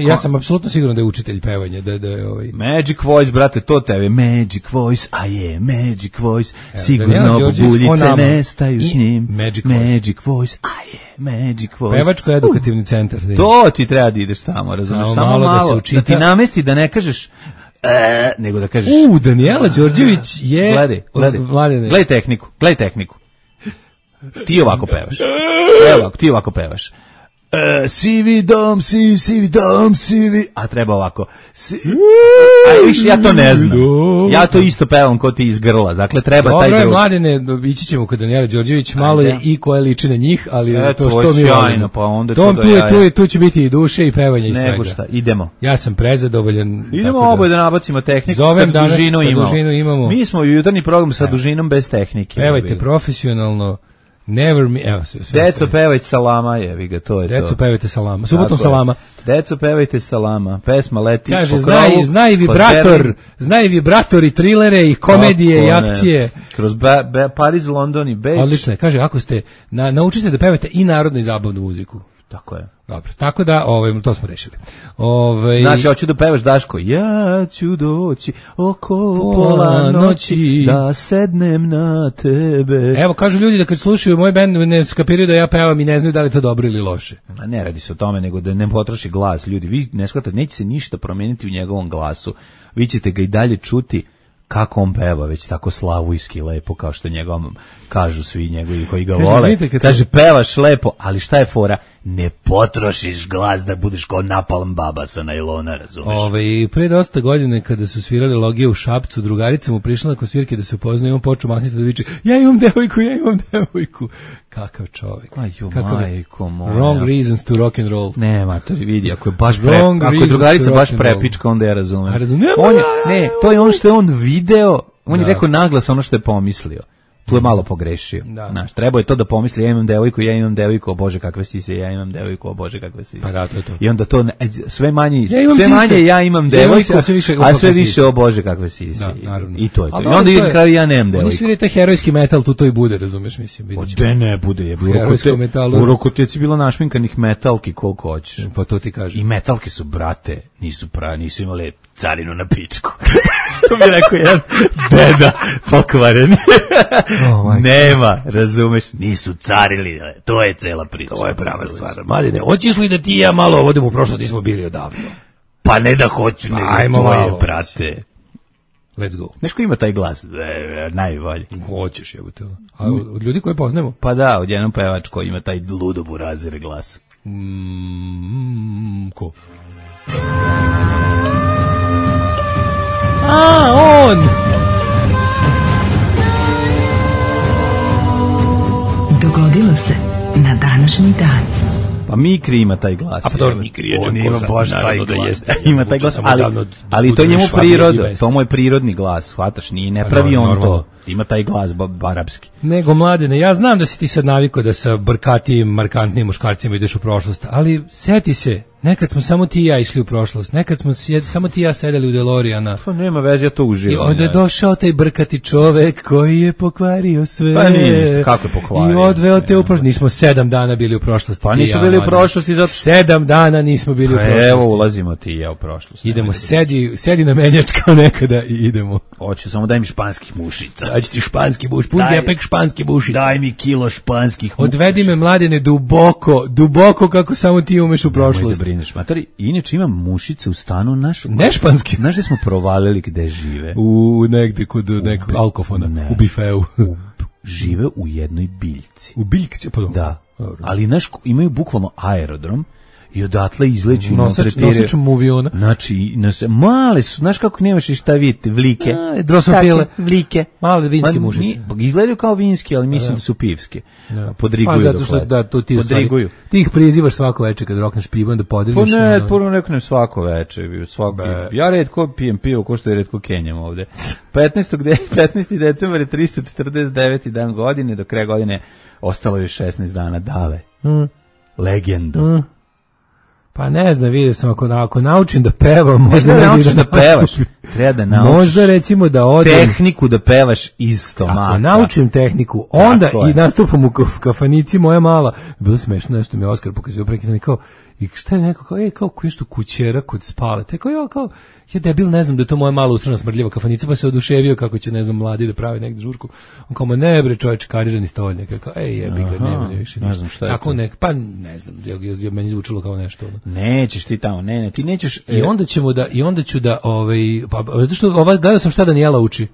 Ja sam apsolutno siguran da je učitelj pevanja, da da je ovaj Magic Voice, brate, to tebe Magic Voice, a je Magic Voice, sigurno buljice nestaju s njim. Magic, Magic Voice, a je Magic Voice. Pevačko edukativni centar. To ti treba da ideš tamo, razumiješ, samo, samo malo, malo da, se da ti namesti da ne kažeš e, nego da kažeš. U, Danijela Đorđević je gledaj, gledaj, gledaj tehniku, gledaj tehniku. Ti ovako pevaš. Evo ovako, ti ovako pevaš. Uh, sivi dom, sivi, sivi dom, sivi, a treba ovako. Si... A viš, ja to ne znam. Ja to isto pevam ko ti iz grla. Dakle, treba dobro taj drug. Dobro je, mladine, ići ćemo kod Danijela Đorđević, malo je i koje liči na njih, ali e, to što mi volimo. Pa onda Tom, to tu, je, tu, je, tu će biti i duše i pevanje i svega. Nego šta, idemo. Ja sam prezadovoljan. Idemo da, oboje da nabacimo tehniku. Zovem danas, dužinu imamo. dužinu imamo. Mi smo u jutarnji program sa dužinom bez tehnike. Pevajte profesionalno. Never me, evo sve, sve, Deco pevajte salama, jevi ga, to je Deco, to. Deco pevajte salama, subotom salama. Deco pevajte salama, pesma leti kaže, po znaj, krovu. Znaj vibrator, znaj vibrator i trilere i komedije i akcije. Ne. Kroz ba, ba, Pariz, London i Beč. Odlično je, kaže, ako ste, na, naučite da pevate i narodnu i zabavnu muziku. Tako je. Dobro, tako da, ovaj, to smo rešili. Ovaj, znači, hoću da pevaš, Daško, ja ću doći oko pola noći da sednem na tebe. Evo, kažu ljudi da kad slušaju moj bend ne skapiraju da ja pevam i ne znaju da li je to dobro ili loše. Ma ne radi se o tome, nego da ne potroši glas. Ljudi, vi ne shvatate, neće se ništa promijeniti u njegovom glasu. Vi ćete ga i dalje čuti kako on peva, već tako slavujski lepo, kao što njegovom kažu svi njegovi koji ga kaže, vole. Kaže, pevaš lepo, ali šta je fora? Ne potrošiš glas da budeš kao napalm baba sa najlona, razumeš? Ove, pre dosta godine kada su svirali Logije u Šapcu, drugarica mu prišla nakon svirke da se upoznaju, on počeo mahniti da viče, ja imam devojku, ja imam devojku. Kakav čovjek. Aju, majko moja. Wrong reasons to rock and roll. Ne, matori, vidi, ako je baš pre, ako je drugarica baš prepička, onda ja razumem. A razumem? On je, ne, to je ono što je on video, on je rekao naglas ono što je pomislio. tu je malo pogrešio. Da. Znaš, trebao je to da pomisli, ja imam devojku, ja imam devojku, o Bože kakve sise, ja imam devojku, o Bože kakve sise. Pa da, to je to. I onda to ne, sve manje, Ja sve sise. manje ja imam devojku, a sve više, a sve više o Bože kakve sise. Da, naravno. I to je to. Ali I onda to na je- kraju ja nemam Oni devojku. sviraju taj herojski metal, tu to i bude, razumeš, mislim. vidjet ćemo. De ne bude, je bilo Herojsko metalu. u Rokoteci bilo našminkanih metalki koliko hoćeš. Pa to ti kažem. I metalke su, brate, nisu pra, nisu imale carinu na pičku. Što mi je rekao jedan deda pokvaren. Oh, Nema, razumeš, nisu carili, to je cela priča. To je prava stvar. Mladine, hoćeš li da ti i ja malo odemo u prošlost, nismo bili odavno. Pa ne da hoću, nego Ajmo to malo. je, brate. Let's go. Znaš ko ima taj glas? E, e, najbolji. Hoćeš, jebote. A od, od ljudi koje poznajemo? Pa da, od jednom pevač koji ima taj ludo burazir glas. Mm, ko? A, on! Dogodilo se na današnji dan. Pa Mikri ima taj glas. A pa dobro, jebote. Mikri je On Đakoša, ima baš taj naravno da glas. jeste. Ima taj glas, Samo ali, davno da ali to bude njemu Švabija priroda, Gibes. to mu je prirodni glas, shvataš, nije, ne Pa pravi dobro, on normalno. to. Ima taj glas ba, barapski. Nego, Mladene, ja znam da si ti sad navikao da sa brkatijim, markantnim muškarcima ideš u prošlost, ali seti se, nekad smo samo ti i ja išli u prošlost, nekad smo sjed, samo ti i ja sedeli u Delorijana. Pa nema veze, ja to I uživam. onda je ja. došao taj brkati čovek koji je pokvario sve. Pa nije ništa, kako je pokvario? I odveo te u prošlost. Nismo sedam dana bili u prošlosti. Pa ti i nisu ja, bili u Mladene. prošlosti zato- Sedam dana nismo bili u Pa prošlosti. evo, ulazimo ti i ja u prošlost. Idemo, Nemoj da- sedi, sedi na menjač kao nekada i idemo. Hoću, samo daj mi španskih mušica. Daći ti španski buš, pun Daj- gepek španski bušica. Daj mi kilo španskih mušica. Odvedi me, Mladene, duboko, duboko kako samo ti umeš u Nemoj prošlost. da brineš, matori. Inače imam mušice u stanu naš. Ne španski. Znaš da smo provalili gde žive? U negde kod nekog alkofona, Ne. u bifeu. U- žive u jednoj biljci. U biljci, pa dobro. Da. Dobro. Ali znaš, imaju bukvalno aerodrom i odatle izleću i Nosač- maltretiraju. nosač muviona. Znači, nose, male su, znaš kako nemaš i šta vidite, vlike. A, drosofile. Takve, vlike. Male vinske Ma, mušice. ni- Izgledaju kao vinski, ali mislim da su pivske. Da. Podriguju Pa zato dok što lete. da tu ti u stvari, Podriguju. ti ih prizivaš svako veče kad rokneš pivo, onda Pa podigneš. ne, ono- puno reknem svako veče, svako. Be. Ja retko pijem pivo, ko što je retko kenjam ovde. petnaestog de, petnaesti decembar je tristo četrdeset deveti dan godine, do kraja godine ostalo je šesnaest dana dale. Mm. Legendu. Mm. Pa ne znam, vidio sam ako, ako naučim da pevam, možda Možda ne bi naučiš da pevaš. nastupim. Treba da naučiš Možda recimo da odem, tehniku da pevaš iz stomaka. ako naučim tehniku, onda Tako je. i nastupam u kaf- kafanici moja mala, bilo smešno, nešto mi je Oskar pokazio prekidno i kao, i šta je neko, kao, ej, kao nešto kućera kod spale, te kao, ja, kao, ja debil, ne znam da je to moja mala usrana smrdljiva kafanica, pa se oduševio kako će, ne znam, mladi da pravi negde žurku. On kao, ma ne bre, čovječ, karirani stolnjak, ja kao, ej, jebi ga, Aha, nema ne više ne ništa. znam šta je Tako to. nek, pa ne znam, ja, ja, ja, meni zvučilo kao nešto. Ono. Nećeš ti tamo, ne, ne, ti nećeš... I onda ćemo da i onda ću da ovaj pa pa, zato što ovaj gledao sam šta Danijela uči.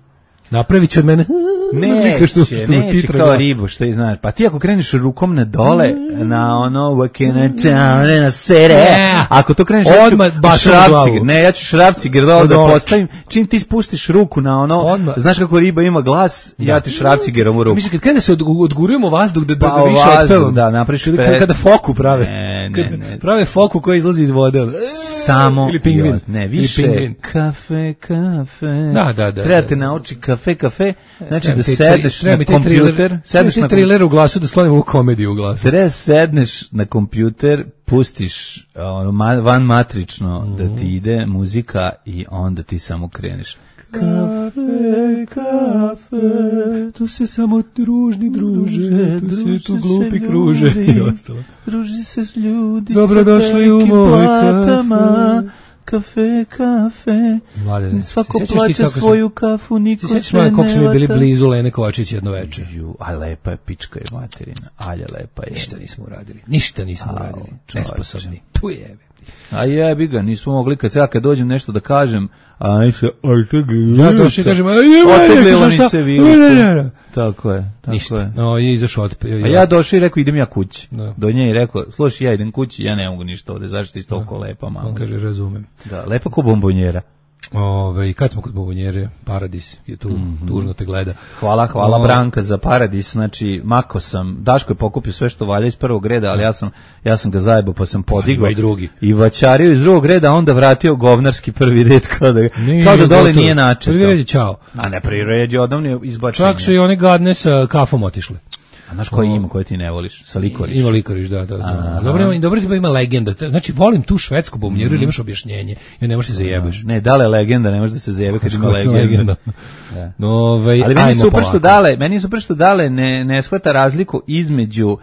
Napravit će od mene Neće, što- što mu neće titra kao glas. ribu, što je znaš. Pa ti ako kreneš rukom na dole, na ono, wakena town, na sere, Ne. ako to kreneš, Odmah ja ću baš u šrafciger, glavu. ne, ja ću šrafciger dole da Dole. postavim, čim ti spustiš ruku na ono, Odmah. znaš kako riba ima glas, ja ti šrafcigerom u ruku. Mislim kad kada se od, odgurujemo vazduh da da, Pa da više vazduh, otpevam. da, napraviš kada, fest. kada foku prave. Ne, ne, Kad ne. prave foku koja izlazi iz vode. ono. Samo ili pingvin. jos, ne, Ili više pingvin. kafe, kafe. Da, da, da, Treba da. te nauči kafe, kafe, znači Treba da mi taj tri- sedneš treba na mi taj kompjuter, thriller- sedneš treba na mi taj thriller u glasu da sklonim ovu komediju u glasu. Treba sedneš na kompjuter, pustiš ono, ma- van matrično da ti ide muzika i onda ti samo kreneš. Kafe, kafe, tu se samo družni druže, tu se tu glupi kruže i ostalo. Druži se s ljudi Dobrodošli sa u velikim moj platama. Kafe, kafe. Mladene, Svako sjećaš ti plaće kako smo- svoju kafu, niko Ti sećaš se malo ne kako smo mi bili vata. blizu Lene Kovačić jedno veče? Ju, a lepa je pička je materina. Alja lepa je. Ništa nismo uradili. Ništa nismo uradili. čoveče. Nesposobni. Tu je. A jebi ga, nismo mogli kad ja kad dođem nešto da kažem, aj se, aj se Ja došli i kažem, aj je Oteglilo mene, mi šta? se Ne, viliko. ne, ne, ne. Tako je, tako Ništa. je. No, je izašao od... A ja došao i rekao idem ja kući. Da. Do nje i rekao, slušaj, ja idem kući, ja ne mogu ništa ovde, zašto ti si toliko lepa, mama. On kaže, razumem. Da, lepa ko bombonjera. Ove, kad smo kod bombonjere, Paradis je tu, mm-hmm. tužno te gleda. Hvala, hvala o... Branka za Paradis, znači mako sam, Daško je pokupio sve što valja iz prvog reda, ali ja sam, ja sam ga zajebao pa sam podigao i, drugi. i vaćario iz drugog reda, a onda vratio govnarski prvi red kao da, nije, kao da dole nije načetao. Prvi red je čao. A ne, prvi red je odavno izbačenje. Čak su i one gadne sa kafom otišle. A znaš koji ima, koje ti ne voliš? Sa Likoriš? Ima Likoriš, da, da, znam. Dobro, ima, dobro ima legenda. Znači, volim tu švedsku bombonjeru, mm. ili imaš objašnjenje, jer ne možeš se zajebeš. Ne, dale je legenda, ne može da se zajebe kad ima legenda. legenda. Da. No, ovaj, ali meni je super što dale, meni je super što dale ne, ne shvata razliku između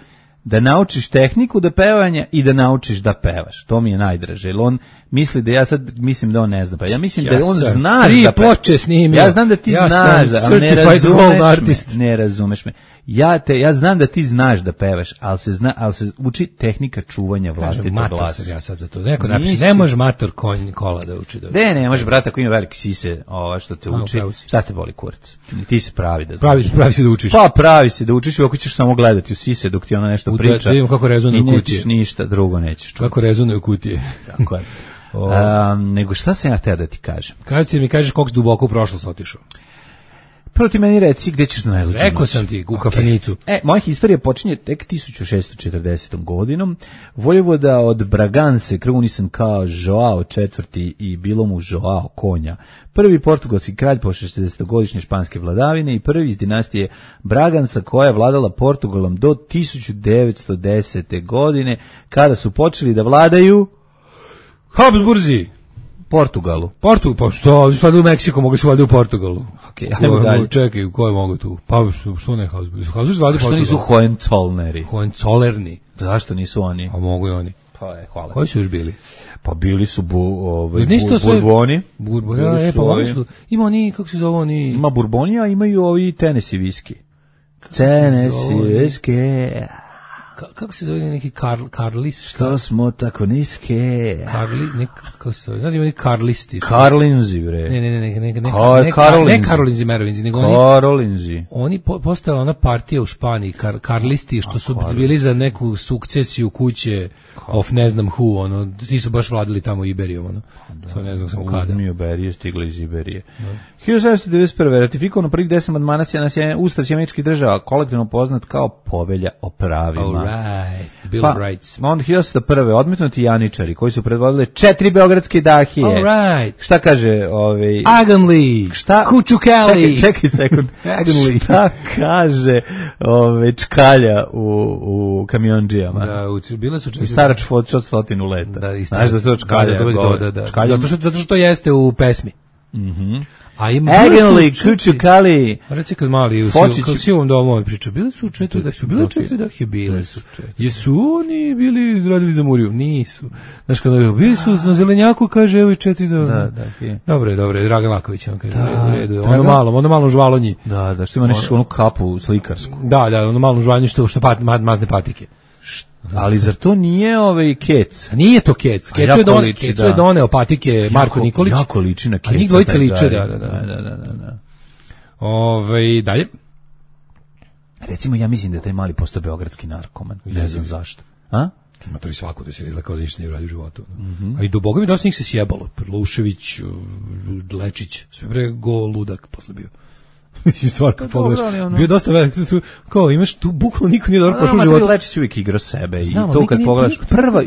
da naučiš tehniku da pevanja i da naučiš da pevaš. To mi je najdraže. Jer on misli da ja sad mislim da on ne zna. Pa ja mislim ja da on zna da ploče snimio. Ja znam da ti ja znaš, da, ali ne razumeš me. Ne razumeš me. Ja te ja znam da ti znaš da pevaš, al se zna, al se uči tehnika čuvanja vlastitog glasa. Ja sad za to. Neko napiše, ne može mator konj kola da uči da. Ne, ne, može brate, ako ima velike sise, ova što te uči. Šta te boli kurac? Ti se pravi da. Pravi, pravi se da učiš. Pa pravi se da učiš, ako ćeš samo gledati u sise dok ti ona nešto priča. Da vidimo kako rezonuju kutije. Nećeš ništa drugo nećeš čuti. Kako rezonuju kutije. Tako je. Um, nego šta sam ja hteo da ti kažem? Kada ti mi kažeš koliko si duboko u prošlost otišao? Prvo ti meni reci gde ćeš na najluđu. Rekao sam ti, u okay. kafanicu. E, moja historija počinje tek tisuću šessto četrdesetom godinom. Vojvoda od Braganse, krunisan kao Joao četvrti i bilo mu Joao konja. Prvi portugalski kralj posle šezdesetogodišnje španske vladavine i prvi iz dinastije Bragansa koja je vladala Portugalom do tisuću devetsto desete godine kada su počeli da vladaju Habsburzi. Portugalu. Portugal, pa što? Sad u Meksiku mogu se vladati u Portugalu. Okej, ajmo dalje. Čekaj, koje mogu tu? Pa što, što ne Habsburzi? Habsburzi vladaju Portugalu. Što nisu Hohenzollerneri? Hohenzollerni. Zašto nisu oni? A mogu i oni. Pa je, hvala. Koji su još bili? Pa bili su bu, ovaj, bu, Bourboni. Bourboni, ja, e, pa oni su, ima oni, kako se zove oni? Ima Bourboni, a imaju ovi Tennessee viski. Tennessee viski. Kako se zove neki Karl, Karlis? Što smo tako niske? Karli, ne, kako se zove? Znači oni Karlisti. Karlinzi, bre. Ne, ne, ne, ne, ne, ne, Kar, ne, Karolinzi. ne Karolinzi, Merovinzi, nego Karolinzi. Oni, oni po, postala ona partija u Španiji, kar, Karlisti, što su Karli. Bili za neku sukcesiju kuće Karli. Of ne znam who, ono, ti su baš vladali tamo Iberijom, ono. Svo ne znam samo kada. Uzmi Iberije, stigli iz Iberije. hiljadu sedamsto devedeset prve ratifikovano prvih deset amandmana na Ustav Američkih država, kolektivno poznat kao Povelja o pravima. Right. Bill pa, of Rights. Onda hiljadu sedamsto prve odmetnuti Janičari koji su predvodili četiri beogradske dahije. All right. Šta kaže ovaj Aganli? Šta? Kučukali? Čekaj, čekaj sekund. Aganli. Šta kaže ovaj čkalja u u kamiondžijama? Da, u bile su četiri. I starač od stotinu leta. Da, i znaš da to čkalja. Da, da, da. Čkalja. Zato što zato što to jeste u pesmi. Mhm. A ima Aganli, Kučukali. Reci kad mali u sivom domu priča, bili su četiri da su bile četiri da je bile su. Jesu oni bili radili za Muriju? Nisu. Znaš kada je bili su na zelenjaku, kaže evo i četiri da. Da, da. Dobre, dobre, Dragan Laković on kaže u redu. Ono malo, ono malo žvalonji. Da, da, što ima nešto onu kapu slikarsku. Da, da, ono malo žvalonji što što pat mazne patike. Ali zar to nije ovaj Kec? Nije to Kec. Kec je doneo, Kec je doneo patike Marko Nikolić. Jako liči na Keca. A njih dvojica liče, da, da, da. Da, da, da, da. Ove, dalje. Recimo, ja mislim da je taj mali postao beogradski narkoman. Ne znam zašto. A? Ima to i svako da se izlakao da ništa nije uradio u životu. Mm-hmm. A i do Boga mi dosta njih se sjebalo. Perlušević, Lečić, sve bre go ludak posle bio. Mislim, stvar kad pogledaš, ono... bio dosta velik, kao imaš tu bukvalno niko nije dobro prošao u životu. Lečić uvijek igrao sebe. Znam, i to kad pogledaš, prva,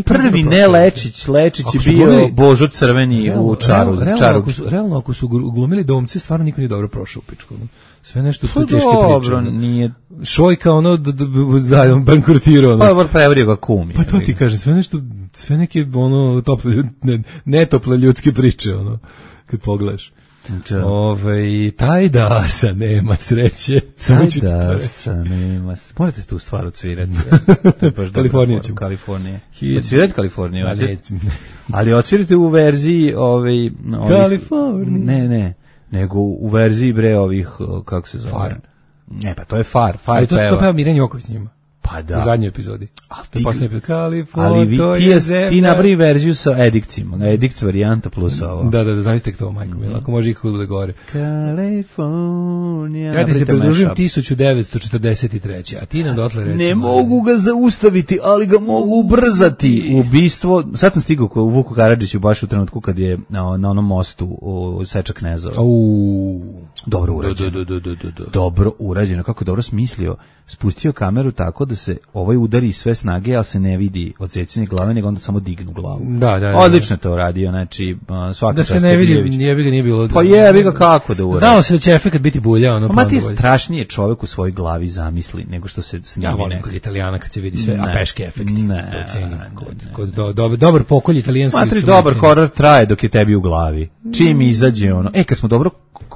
prvi ne Lečić, Lečić je bio glumili, Božo Crveni realno, u čaru. Realno, čaru. Ako su, realno, ako su glumili domci, stvarno niko nije dobro prošao u pičku. Sve nešto tu teške priče. Dobro, nije... Šojka, ono, zajom bankrotirao. Pa, var preverio ga kumi. Pa to ti kažem, sve nešto, sve neke, ono, tople, ne, netople ljudske priče, ono, kad pogledaš. Ove, taj da sa nema sreće. Taj da sa nema sreće. Možete tu stvar odsvirati. To je baš Kalifornija ćemo. Kalifornija. Odsvirati Kaliforniju. Ali odsvirate u verziji ovih... Kalifornija. Ne, ne. Nego u verziji bre ovih, kako se zove? Far. Ne, pa to je Far. Far to, to peva Miran Joković s njima. Pa Pa da. U zadnjoj epizodi. Ali ti, ali vi, ti, ti napravi verziju sa edikcijom, edikt varijanta plus ovo. Da, da, da, zamislite to, majko mi, ako može ikako da gore. Kalifornija. Ja ti se pridružujem tisuću devetsto četrdeset treće a ti nam dotle recimo... Ne mogu ga zaustaviti, ali ga mogu ubrzati. Ubistvo, sad sam stigao u Vuku Karadžiću baš u trenutku kad je na, na onom mostu u Seča Knezova. Uuu. Dobro urađeno. Do, do, do, do, do. Dobro urađeno, kako je dobro smislio. Spustio kameru tako da se ovaj udari sve snage, ali se ne vidi odsecanje glave, nego onda samo dignu glavu. Da, da, da. Odlično to uradio, znači svaka da se ne vidi, jebi ga nije bilo. Pa jebi ga kako da uradi. Znao se da će efekat biti bulja, ono. Pa ma ti je strašnije čovjek u svojoj glavi zamisli nego što se snimi. Ja volim kod Italijana kad se vidi sve, ne, a peške efekti. Ne, to cenim. Kod, kod do, do, dobar pokolj italijanski. Matri, dobar horor traje dok je tebi u glavi. Čim izađe ono. E, kad smo dobro,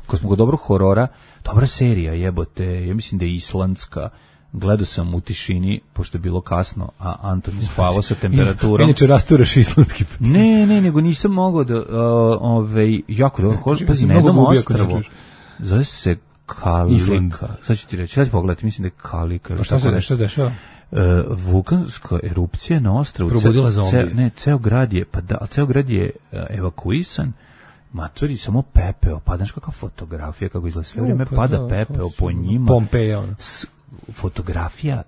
kad smo kod dobrog horora, dobra serija, jebote, ja mislim da je islandska. Gledao sam u tišini, pošto je bilo kasno, a Antoni spavao sa temperaturom. Inače rasturaš islandski. Ne, ne, nego nisam mogao da, uh, ove, jako dobro, hoću, pazi, na jednom ostrvu, zove se Kalika, sad ću ti reći, sad ću pogledati, mislim da je Kalika. A šta se nešto dešava? Uh, vulkanska erupcija na ostrvu. Probudila zombije. Ne, ceo grad je, pa da, ceo grad je uh, evakuisan, matori, samo pepeo, pa znaš kakva fotografija, kako izgleda, sve vrijeme pada da, pepeo po njima. Pompeja, ono. Fotografija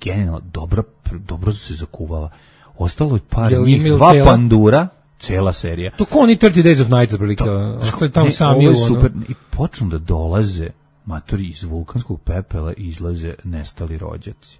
genijalno, dobro, dobro se zakuvala. Ostalo je par njih, dva cela? Pandura, cela serija. To ko oni thirty days of night, otprilike. Ostaje tamo sami u super. I počnu da dolaze matori iz vulkanskog pepela i izlaze nestali rođaci.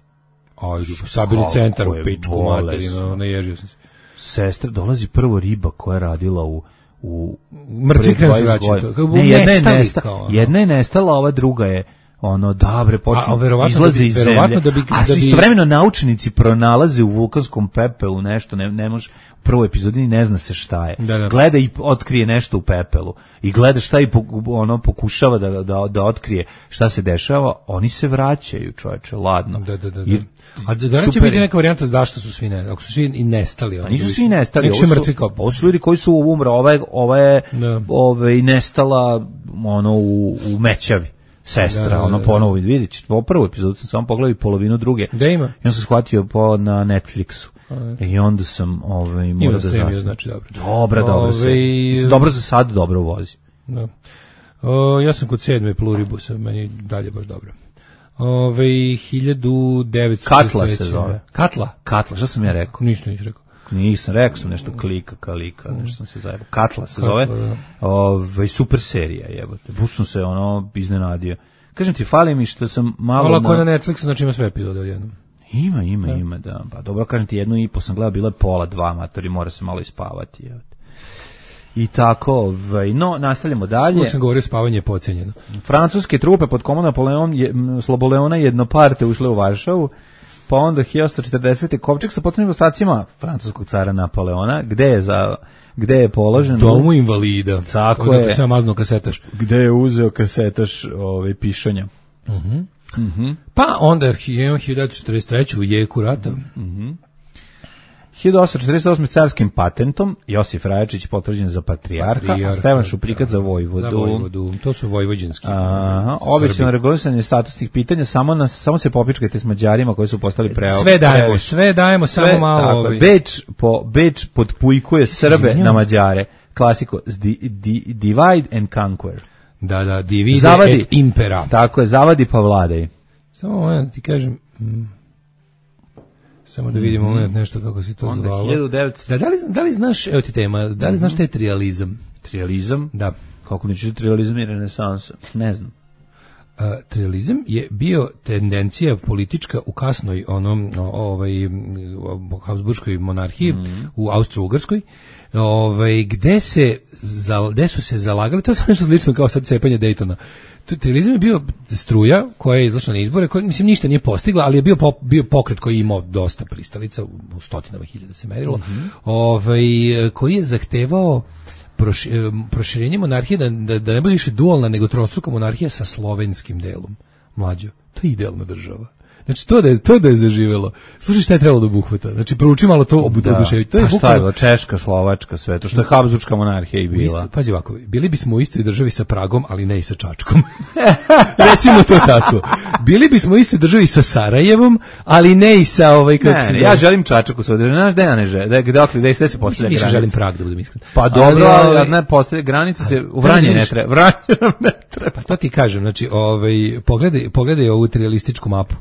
Aj, sabirni centar u pičku materinu, naježio sam se. Sestra, dolazi prvo riba koja je radila u u mrtvi krenu se vraća. Ne, jedna je, nestala, jedna je nestala, ova druga je ono, dobre, počne, izlaze iz zemlje, da bi, a da bi... istovremeno naučnici pronalaze u vulkanskom pepelu nešto, ne, ne može, u prvoj epizodi ne zna se šta je, da, da. Gleda i otkrije nešto u pepelu, i gleda šta i ono, pokušava da, da, da otkrije šta se dešava, oni se vraćaju, čoveče, ladno. Da, da, da. I, a da, da će biti neka varijanta zašto su svi ne, ako su svi i nestali. Oni nisu svi nestali, ovo su, mrtvi kao... ovo su ljudi koji su umre, ova je, ova je ove, i nestala ono, u, u Mećavi. Sestra, da, ono ponovo vidjeti, po prvu epizodu sam samo pogledao i polovinu druge. Da ima? I on sam shvatio po, na Netflixu. A, I onda sam ovaj, morao da zastavim. Znači, dobro. Dobra, dobro se. I... Dobro za sad, dobro vozi. Da. O, ja sam kod sedme Pluribusa, meni dalje baš dobro. Ove, hiljadu devetsto Katla se zove. Katla? Katla, što sam ja rekao? Ništa nisam rekao. Nisam, rekao sam nešto klika, kalika, nešto sam se zajebao. Katla se zove. Ove, super serija, jebote. Buš sam se ono iznenadio. Kažem ti, fali mi što sam malo... Malo ako je na Netflixu, znači ima sve epizode odjednom. Ima, ima, da. ima, da. Pa dobro, kažem ti, jednu i po sam gledao, bilo je pola, dva matori, mora se malo ispavati, jebote. I tako, ovaj, no, nastavljamo dalje. Svog sam govorio, spavanje je pocenjeno. Francuske trupe pod komandom Napoleon, je, Sloboleona jednoparte ušle u Varšavu, pa onda hiljadu četrdesete kovčeg sa potrebnim ostacima francuskog cara Napoleona, gde je za gde je položen domu invalida. Tako je. Sve mazno kasetaš. Gde je uzeo kasetaš ovaj pišanja. Mhm. Mm mhm. Mm pa onda hiljadu četrdeset treće u jeku rata. Mhm. Mm hiljadu osamsto četrdeset osme carskim patentom Josif Rajačić potvrđen za patrijarha, patrijarha a Stevan Šuprikac za vojvodu. Za vojvodu. To su vojvođanski. Aha, obično regulisanje statusnih pitanja, samo nas samo se popičkajte s Mađarima koji su postali pre. Sve dajemo, pre... sve dajemo, sve, samo malo ovaj. Beč po Beč podpujkuje Srbe Izvinjam. Na Mađare. Klasiko di, di, divide and conquer. Da, da, divide zavadi, et impera. Tako je, zavadi pa vladaj. Samo ja ti kažem, mm, samo da vidimo mm-hmm. moment nešto kako si to onda zvalo. hiljadu devetsto Da, da, li, da li znaš, evo ti tema, da li mm-hmm. znaš šta je trializam? Trializam? Da. Kako neću trializam i renesansa? Ne znam. Uh, trializam je bio tendencija politička u kasnoj onom ovaj Habsburškoj monarhiji mm-hmm. u Austro-Ugarskoj, ovaj gde se za, gde su se zalagali, to je nešto slično kao sad cepanje Daytona. Trializam je bio struja koja je izašla na izbore, koja mislim ništa nije postigla, ali je bio po, bio pokret koji je imao dosta pristalica, u stotinama hiljada se merilo, mm-hmm. ovaj koji je zahtevao proširenje monarhije, da, da, da ne bude više dualna nego trostruka monarhija sa slovenskim delom. Mlađo, to je idealna država. Znači to da je to da je zaživelo. Slušaj šta je trebalo da obuhvata. Znači prouči malo to obuduševi. To je pa šta bukvalno je Češka, Slovačka, sve to što je Habsburška monarhija i bila. Isto, pazi ovako, bili bismo u istoj državi sa Pragom, ali ne i sa Čačkom. Recimo to tako. Bili bismo u istoj državi sa Sarajevom, ali ne i sa ovaj kako ne, se ne, zove. ja želim Čačak u svojoj državi. Znaš da ja ne želim. Da je dokle da se postavlja granica. Više želim Prag da budem iskren. Pa dobro, ali, ali ne postavlja granica se u Vranje ne treba. Vranje nam ne treba. Pa to ti kažem, znači, ovaj pogledaj, pogledaj ovu trialističku mapu.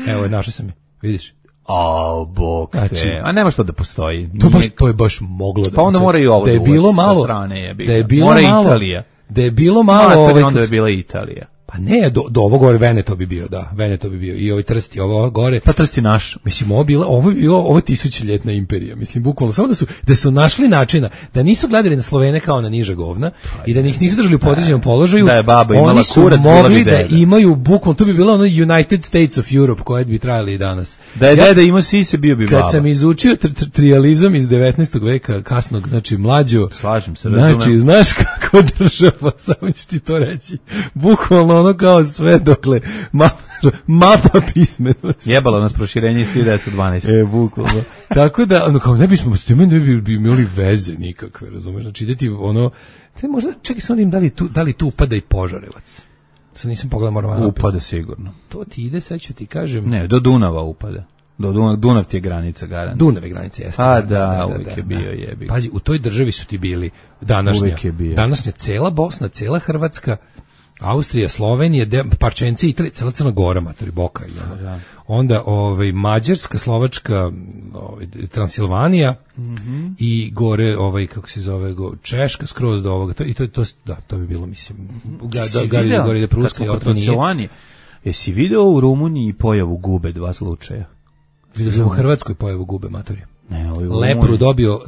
Evo, našao sam je. Vidiš? A, bog te. Znači, a nema što da postoji. To, baš, to je baš moglo da pa onda mora i ovo da je bilo malo, strane je da je bilo mora malo, Italija. Da je bilo malo, no, ovaj, onda je bila Italija. Pa ne, do, do ovo gore Veneto bi bio, da, Veneto bi bio. I ovaj Trsti, ovo gore. Pa Trsti naš. Mislim, ovo bilo, ovo je bilo, ovo tisućljetna imperija. Mislim, bukvalno samo da su da su našli načina da nisu gledali na Slovene kao na niža govna i da ih nisu držali u podređenom položaju. Da je baba imala oni su kurac, mogli da da imaju bukvalno, to bi bilo ono United States of Europe koje bi trajali i danas. Da je ja, deda imao sise, bio bi baba. Kad sam izučio tr tr trijalizam iz devetnaestog veka, kasnog, znači mlađo. Slažem se, razumem. Znači, znaš kako država, samo ću ti to reći. Bukvalno ono kao sve dokle mapa, mapa pismenosti. Jebalo nas proširenje iz hiljadu devetsto dvanaeste. E, bukvalno. Tako da, ono, kao ne bismo, s time ne bi, bi imali veze nikakve, razumeš? Znači, ide ti ono, te možda, čekaj sam da im da li tu, da li tu upada i Požarevac. Sad nisam pogledao, moram naprijed. Upada sigurno. To ti ide, sad ću ti kažem. Ne, do Dunava upada. Do Dunav, Dunav ti je granica, garant. Dunav je granica, jeste. A, da, da, da, uvijek da, je bio, jebi. Pazi, u toj državi su ti bili današnja. Uvijek je bio. Današnja cela Bosna, cela Hrvatska, Austrija, Slovenija, de, Parčenci, Italija, cela Crna Gora, matori Boka. I ono. Da. Onda ovaj, Mađarska, Slovačka, ovaj, Transilvanija mm-hmm. i gore, ovaj, kako se zove, go, Češka, skroz do ovoga. To, I to, to, da, to bi bilo, mislim, ga, da, gari, da, gore da Pruska i Transilvanija. Jesi video u Rumuniji pojavu gube dva slučaja? Vidio sam u Hrvatskoj pojavu gube, matori. Ne, ovaj Lepru dobio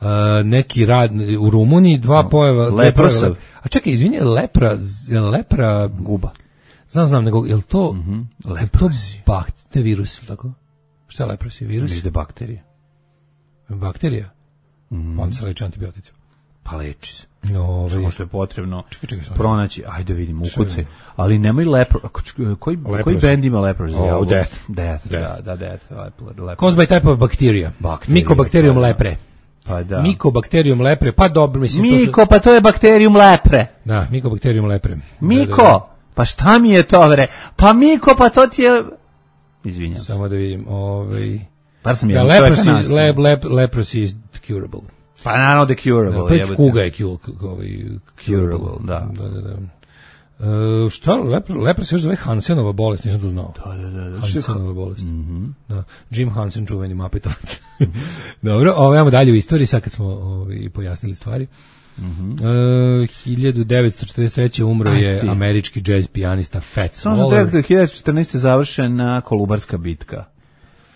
Uh, neki rad u Rumuniji, dva no, pojava leprosav. A čekaj, izvini, lepra, lepra guba. Znam, znam, nego je to mm-hmm. leprosi, bakte virus, tako? Šta je leprosi virus? Mislim da bakterije. Bakterija. Mm. On se leči antibioticima. Pa leči se. No, ovaj samo što je potrebno čekaj, čekaj, pronaći, ajde vidimo, ukucaj. Ali nemoj lepro, koji leprosy. Koji bend ima leprosy? Oh, death. Death, death. Da, da, death. Leprosy. Caused by type of bacteria. Mycobacterium lepre. Pa da. Mycobacterium lepre, pa dobro, mislim. Miko, to su... pa to je bakterijum lepre. Da, Mycobacterium lepre. Miko, da, da. Pa šta mi je to, vre? Pa Miko, pa to ti je... Izvinjam. Samo da vidim, ovaj... Par sam da, jedan leprosy, lep, lep, leprosy is curable. Pa naravno da curable. Da, pa je kuga je curable. Ovaj, curable, da. Da, da, da. Uh, šta, lepra, lepra se još zove Hansenova bolest, nisam to znao. Da, da, da. Hansenova bolest. Mm-hmm. Da. Jim Hansen, čuveni Mapetovac. Dobro, ovo imamo dalje u istoriji, sad kad smo ovaj, pojasnili stvari. Mm-hmm. Uh, hiljadu devetsto četrdeset treće umro Aj, je ti. američki jazz pijanista Fats Samo sam rekao, hiljadu devetsto četrnaeste završena Kolubarska bitka.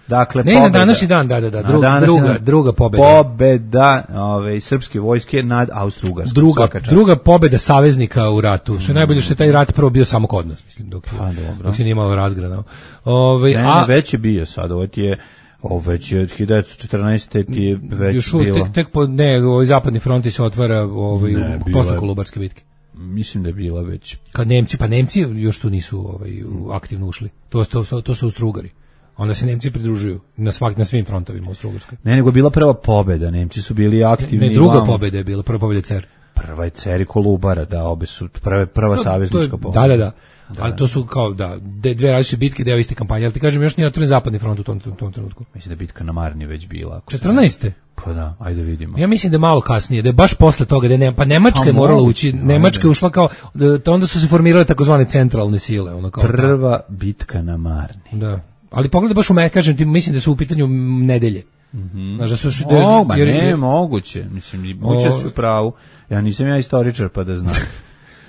Dakle, ne, pobeda, na današnji dan, da, da, da, druga, današnji, druga, druga pobeda. Pobeda ove, srpske vojske nad Austro-Ugarskom. Druga, druga pobeda saveznika u ratu. Što je najbolje što je taj rat prvo bio samo kod nas, mislim, dok, je, pa, dok se nije malo razgranao. Ove, ne, a, ne, već je bio sad, ovo ti je, ovo već je od hiljadu devetsto četrnaeste ti je već još bilo. Tek, tek po, ne, ovaj zapadni front se otvara ovaj, ne, posle Kolubarske bitke. Mislim da je bila već. Kad Nemci, pa Nemci još tu nisu ovaj, aktivno ušli. To, to, to, to su Austro-Ugari. Onda se Nemci pridružuju na svak na svim frontovima u Austro-Ugarskoj. Ne, nego bila prva pobeda, Nemci su bili aktivni. Ne, druga pobeda je bila, prva pobeda Cer. Prva je Cer i Kolubara, da, obe su prve, prva no, saveznička pobeda. Da, da, da. Da, ali to su kao da dve različite bitke, deo iste kampanje, ali ti kažem još nije otvoren zapadni front u tom, tom, tom trenutku. Mislim da bitka na Marni već bila. četrnaeste Pa da, ajde vidimo. Ja mislim da je malo kasnije, da je baš posle toga, da je, pa Nemačka je morala ući, Nemačka je ušla kao, da, onda su se formirale takozvane centralne sile. Ono kao prva ta. Bitka na Marni. Da. Ali pogledaj baš u me, kažem ti, mislim da su u pitanju nedelje. Mm-hmm. Znaš da su... Da, o, ba, jer, ne, jer, moguće. Mislim, moguće o, su u pravu. Ja nisam ja istoričar pa da znam.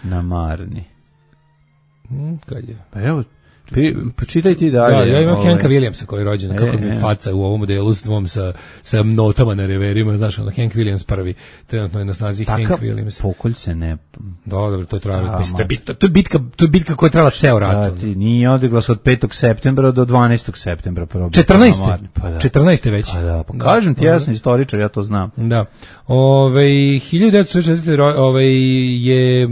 Na Marni. Hmm, kad je? Pa evo, Počitaj ti dalje. Da, ja imam ovaj. Hanka Williamsa koji je rođen, kako mi e, faca u ovom modelu s dvom sa, sa notama na reverima, znaš, ono, Hank Williams prvi, trenutno je na snazi Hank Williams. Takav pokolj se ne... Da, dobro, to je trajalo, mislim, to je bitka, to je bitka, to je bitka koja je trajala ceo rat. Da, ti nije odiglas od petog septembra do dvanaestog septembra. četrnaeste Pa da. četrnaeste već. Pa da, pa kažem ti, ja sam istoričar, ja to znam. Da. Ove, hiljadu devetsto šezdeset četvrte Ove, je,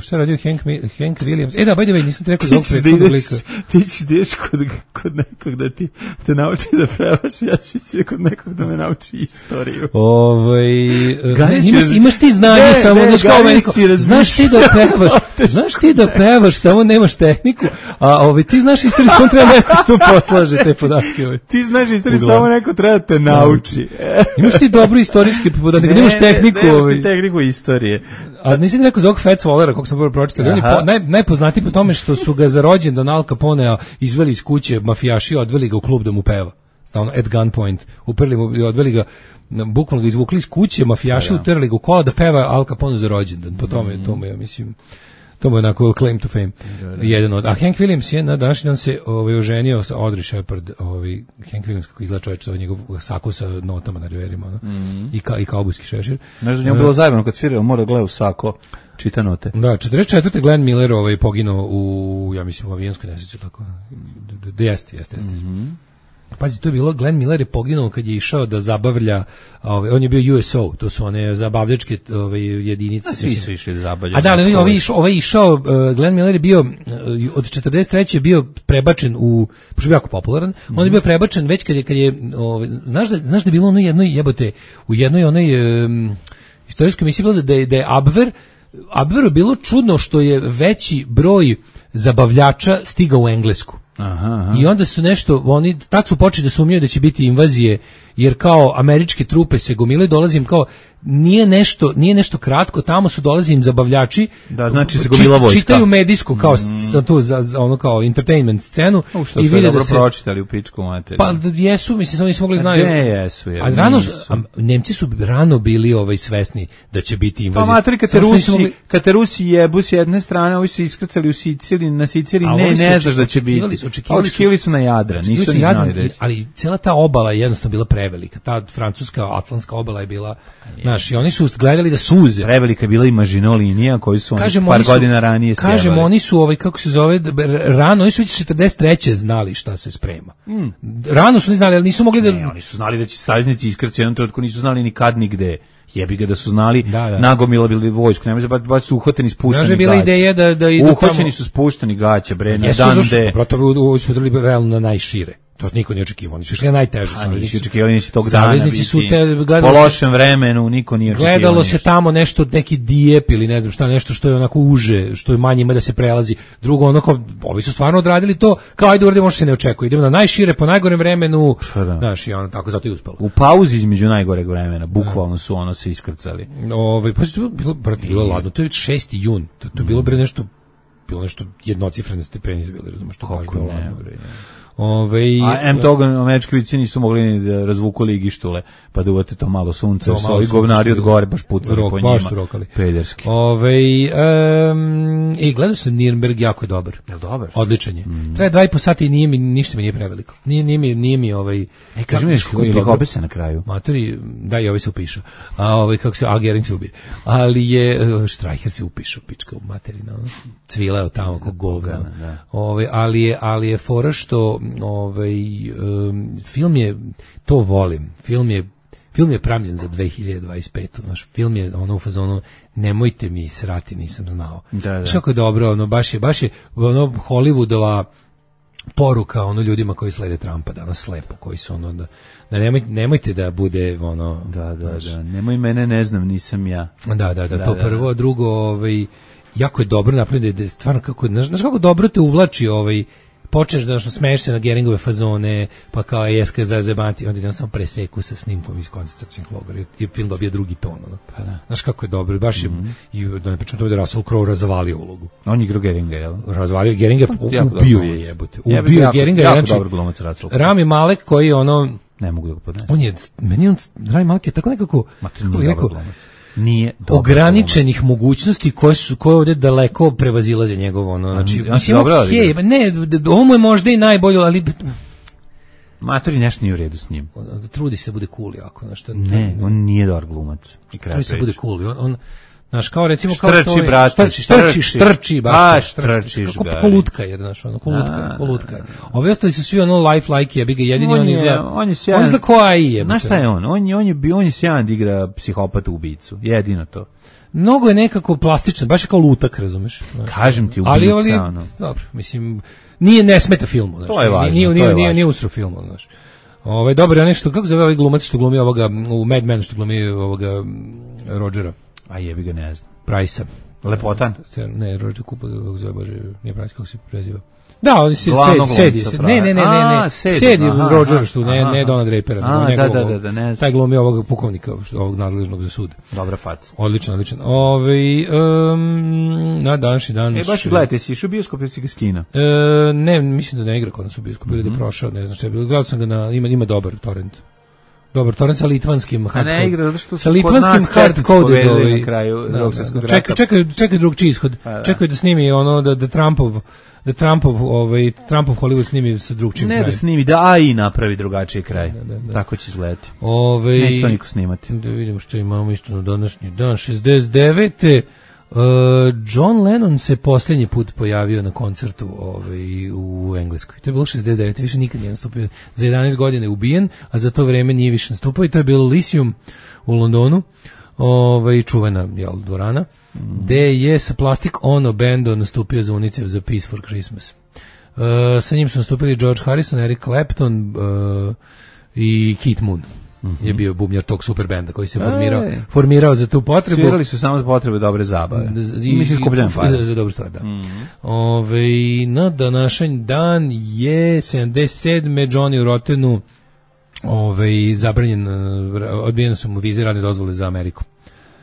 šta je radio Hank, Hank Williams? E da, by the way, nisam ti rekao za ovog prethodnog lika. ti ćeš ideš kod, kod nekog da ti te nauči da pevaš, ja ću se kod nekog da me nauči istoriju. Ovaj Gari ne, imaš, si, imaš ti znanje ne, samo ne, znaš kao meni, znaš ti da pevaš, znaš ti da pevaš, samo nemaš tehniku, a ovaj ti znaš istoriju, samo treba neko tu poslaže te podatke. Ovaj. Ti znaš istoriju, samo neko treba da te nauči. Imaš ti dobru istorijski podatak, ne, nemaš tehniku. Ne, nemaš ovaj. ti tehniku istorije. A nisi ti rekao za ovog Fats Wallera, kako sam prvo pročitao, on je po, naj, najpoznatiji po tome što su ga za rođendan Al Caponea izveli iz kuće mafijaši, odveli ga u klub da mu peva. Stavno, at gunpoint. Uprli mu i odveli ga, bukvalno ga izvukli iz kuće, mafijaši utrli ga u kola da peva Al Capone za rođendan. Po tome, mm. tome, ja mislim, to mu je onako claim to fame. Da, da. Jedan od. A Hank Williams je na današnji dan se ovaj, oženio sa Audrey Shepard, ovaj, Hank Williams kako izgleda čovječ, sa njegov sako sa notama na reverima, no? mm. I, ka, i kaubojski šešir. Znaš da njemu bilo zajebano kad svirao, mora gleda u sako, čita note. Da, četrdeset četvrte Glenn Miller ovaj, poginuo u, ja mislim, u avijanskoj nesreći, tako. Da, jeste, jeste, jeste. Mm-hmm. Pazi, to je bilo, Glenn Miller je poginuo kad je išao da zabavlja, ovaj, on je bio U S O, to su one zabavljačke ovaj, jedinice. A svi su išli zabavljačke. A da, ali ovaj išao, ovaj išao, uh, Glenn Miller je bio, uh, od četrdeset treće je bio prebačen u, pošto je bio jako popularan, mm-hmm. on je bio prebačen već kad je, kad je ovaj, znaš, da, znaš da je bilo ono jednoj, jebote, u jednoj onoj um, istorijskoj emisiji bilo da je, da je Abwehr, Abwehru bilo čudno što je veći broj zabavljača stigao u Englesku. Aha, aha. I onda su nešto, oni tad su počeli da sumnjaju da će biti invazije, jer kao američke trupe se gomilaju, dolazim kao, nije nešto, nije nešto kratko, tamo su dolazim zabavljači, da, znači se gomila vojska. Čitaju medijsku kao mm. tu za, za ono kao entertainment scenu u što i vide dobro da se pročitali u pičku materiju. Pa jesu, mislim samo nisu mogli znaju. Ne, jesu, je. A rano a, Nemci su rano bili ovaj svesni da će biti invazija. Pa materi kad te Rusi, mogli... kad te Rusi jebu s jedne strane, ovi se iskrcali u Siciliji, na Siciliji ne, ne znaš da će biti. Su, očekivali, očekivali su na Jadran, nisu ni znali reći. Ali cela ta obala je jednostavno bila prevelika. Ta francuska atlantska obala je bila, znaš, i oni su gledali da suze. Prevelika je bila i Maginot linija koju su oni kažemo, par oni su, godina ranije sjevali. Kažemo, oni su, ovaj, kako se zove, rano, oni su već četrdeset treće znali šta se sprema. Mm. Rano su ne znali, ali nisu mogli da... Ne, oni su znali da će saveznici iskrcati u jednom trenutku, nisu znali ni kad, ni gde. Jebi ga da su znali, da, da. nagomila bili vojsku, nemoj baš baš su uhvateni spušteni gaće. Bila ideja da da idu uhvaćeni tamo... su spušteni gaće, bre, na Jesu, dande. Protiv u su udrili realno na najšire. To niko nije očekivao, oni su išli na najteže. Saveznici očekivali da tog dana saveznici su te gledali, po lošem vremenu, niko nije očekivao. Gledalo ništa. se tamo nešto, neki dijep ili ne znam šta, nešto što je onako uže, što je manje ima da se prelazi. Drugo, onako, ovi su stvarno odradili to, kao ajde uradimo što se ne očekuje. Idemo na najšire, po najgorem vremenu, da. Znaš, i ono, tako zato i uspelo. U pauzi između najgoreg vremena, bukvalno su ono se iskrcali. Ove, pa je bilo, brate, bilo ladno, to je šesti jun, to, to je bilo bre nešto, bilo nešto jednocifrene stepeni, bilo, razumiješ, to baš bilo ladno. Ove, a em toga američki vojnici nisu mogli ni da razvuku ligištule, pa da uvate to malo sunce, to malo su ovi govnari od gore baš pucali rok, po njima. Baš su rokali. Pederski. Ove, um, i gledao sam Nürnberg, jako je dobar. Je dobar? Odličan je. Mm. Traje dva i po sata i nije mi, ništa mi nije preveliko. Nije, nije mi, nije mi ovaj... E, kaži mi nešto, ili hobe se na kraju? Matori, da i ovaj se upiša. A ovaj, kako se, a Gering se ubije. Ali je, Streicher se upišu, pička u materina, ono. Cvileo tamo kog govna. Ove, ali je, ali je fora što ovaj um, film je, to volim, film je film je pravljen za dve hiljade dvadeset petu. Naš film je ono u fazonu nemojte mi srati, nisam znao. Da, da. Kako je dobro, ono baš je baš je ono Hollywoodova poruka ono ljudima koji slede Trumpa danas slepo, koji su ono da, da nemoj, nemojte da bude ono da da naš, da nemoj mene ne znam, nisam ja. Da da da, da to da, prvo, a drugo ovaj jako je dobro napravljeno da je stvarno kako znaš kako dobro te uvlači ovaj počneš da smeješ se na Geringove fazone, pa kao jeska za zebati, onda idem samo preseku sa snimkom iz koncentracionog logora i film dobije drugi ton. Ono. Pa da. Znaš kako je dobro, baš je, mm-hmm. i da ne pričam to da je Russell Crowe razvalio ulogu. On je igrao Geringa, jel? Razvalio Geringa, ubio je jebote. Ubio je Geringa. Jako dobar glumac Russell Crowe. Rami Malek koji ono... Ne mogu da ga podnesem. On je, meni on, Rami Malek je tako nekako... Ma to nije dobar glumac. Nije ograničenih dobar mogućnosti koje su koje ovdje daleko prevazilaze njegovo ono znači ja mislim okay, ne ovo mu je možda i najbolje ali matori nešto nije u redu s njim on, trudi se bude cool jako znači ne on nije dobar glumac i trudi se bude cool on, on znaš, kao recimo kao štrči, što brate, štrči, štrči, štrči, baš štrči, kako kolutka, jer znaš, ono, kolutka, kolutka. Ovi ostali su svi ono life-like, jebi ga, jedini on, on izgleda, on je sjajan, on izgleda ko A I, znaš šta je on? On je, on je, on je sjajan da igra psihopata ubicu, jedino to. mnogo je nekako plastičan, baš je kao lutak, razumeš? Kažem ti, ubica, ali, ali, ono. dobro, mislim, nije ne smeta filmu, znači. To je važno, nije, to nije, je nije, važno. nije usro filmu, znači. Ovaj dobro je nešto, kako zove ovaj glumac što glumi ovoga u Mad Men što glumi ovoga Rodgera. A jebi ga, ne znam. Price-a. Lepotan? Ne, Rodger Cooper, kako zove, bože, nije Price, kako se preziva. Da, on se Glavnog sedi, glumca, sedi. Ne, ne, ne, ne, A, ne. sedi, Sedi aha, Rodger aha, što ne, aha. ne Dona Drapera, A, nego da, njegovog, da, da, da, ne znam. taj glumi ovog pukovnika, što, ovog nadležnog za sud. Dobra faca. Odlično, odlično. Ovaj um, na današnji dan. E, baš gledajte, si išao u bioskop ili si ga skina? E, ne, mislim da ne igra kod nas u bioskopu, ili da je prošao, ne znam šta je bilo. Gledao sam ga na, ima, ima dobar torrent. Dobar torrent sa litvanskim A ne igra, zato što sa su kod litvanskim nas četnici hardcode povedali na kraju Drugog svjetskog rata. Čekaj, čekaj, čekaj drugčiji ishod. da. Čekaj da snimi ono da da Trumpov da Trumpov ovaj Trumpov Hollywood snimi sa drugčijim Ne krajem. da snimi, da A I napravi drugačiji kraj. Da, da, da. Tako će izgledati. Ovaj Neće to niko snimati. Da vidimo što imamo isto na današnji dan. šezdeset devete Uh, John Lennon se posljednji put pojavio na koncertu ovaj, u Engleskoj. To je bilo šezdeset devete više nikad nije nastupio. Za jedanaest godina je ubijen, a za to vreme nije više nastupao i to je bilo Lyceum u Londonu, ovaj, čuvena jel, dvorana, mm. gde je sa Plastic Ono bandom nastupio za UNICEF za Peace for Christmas. Uh, sa njim su nastupili George Harrison, Eric Clapton uh, i Keith Moon. Mm-hmm. Je bio bubnjar tog super benda koji se formirao, Ej. formirao za tu potrebu. Svirali su samo za potrebe dobre zabave. I, Mislim skupljeno za, za dobru stvar, da. Mm-hmm. Ove, na današnji dan je sedamdeset sedme Johnny u Rotenu ove, zabranjen, odbijene su mu vize radne dozvole za Ameriku.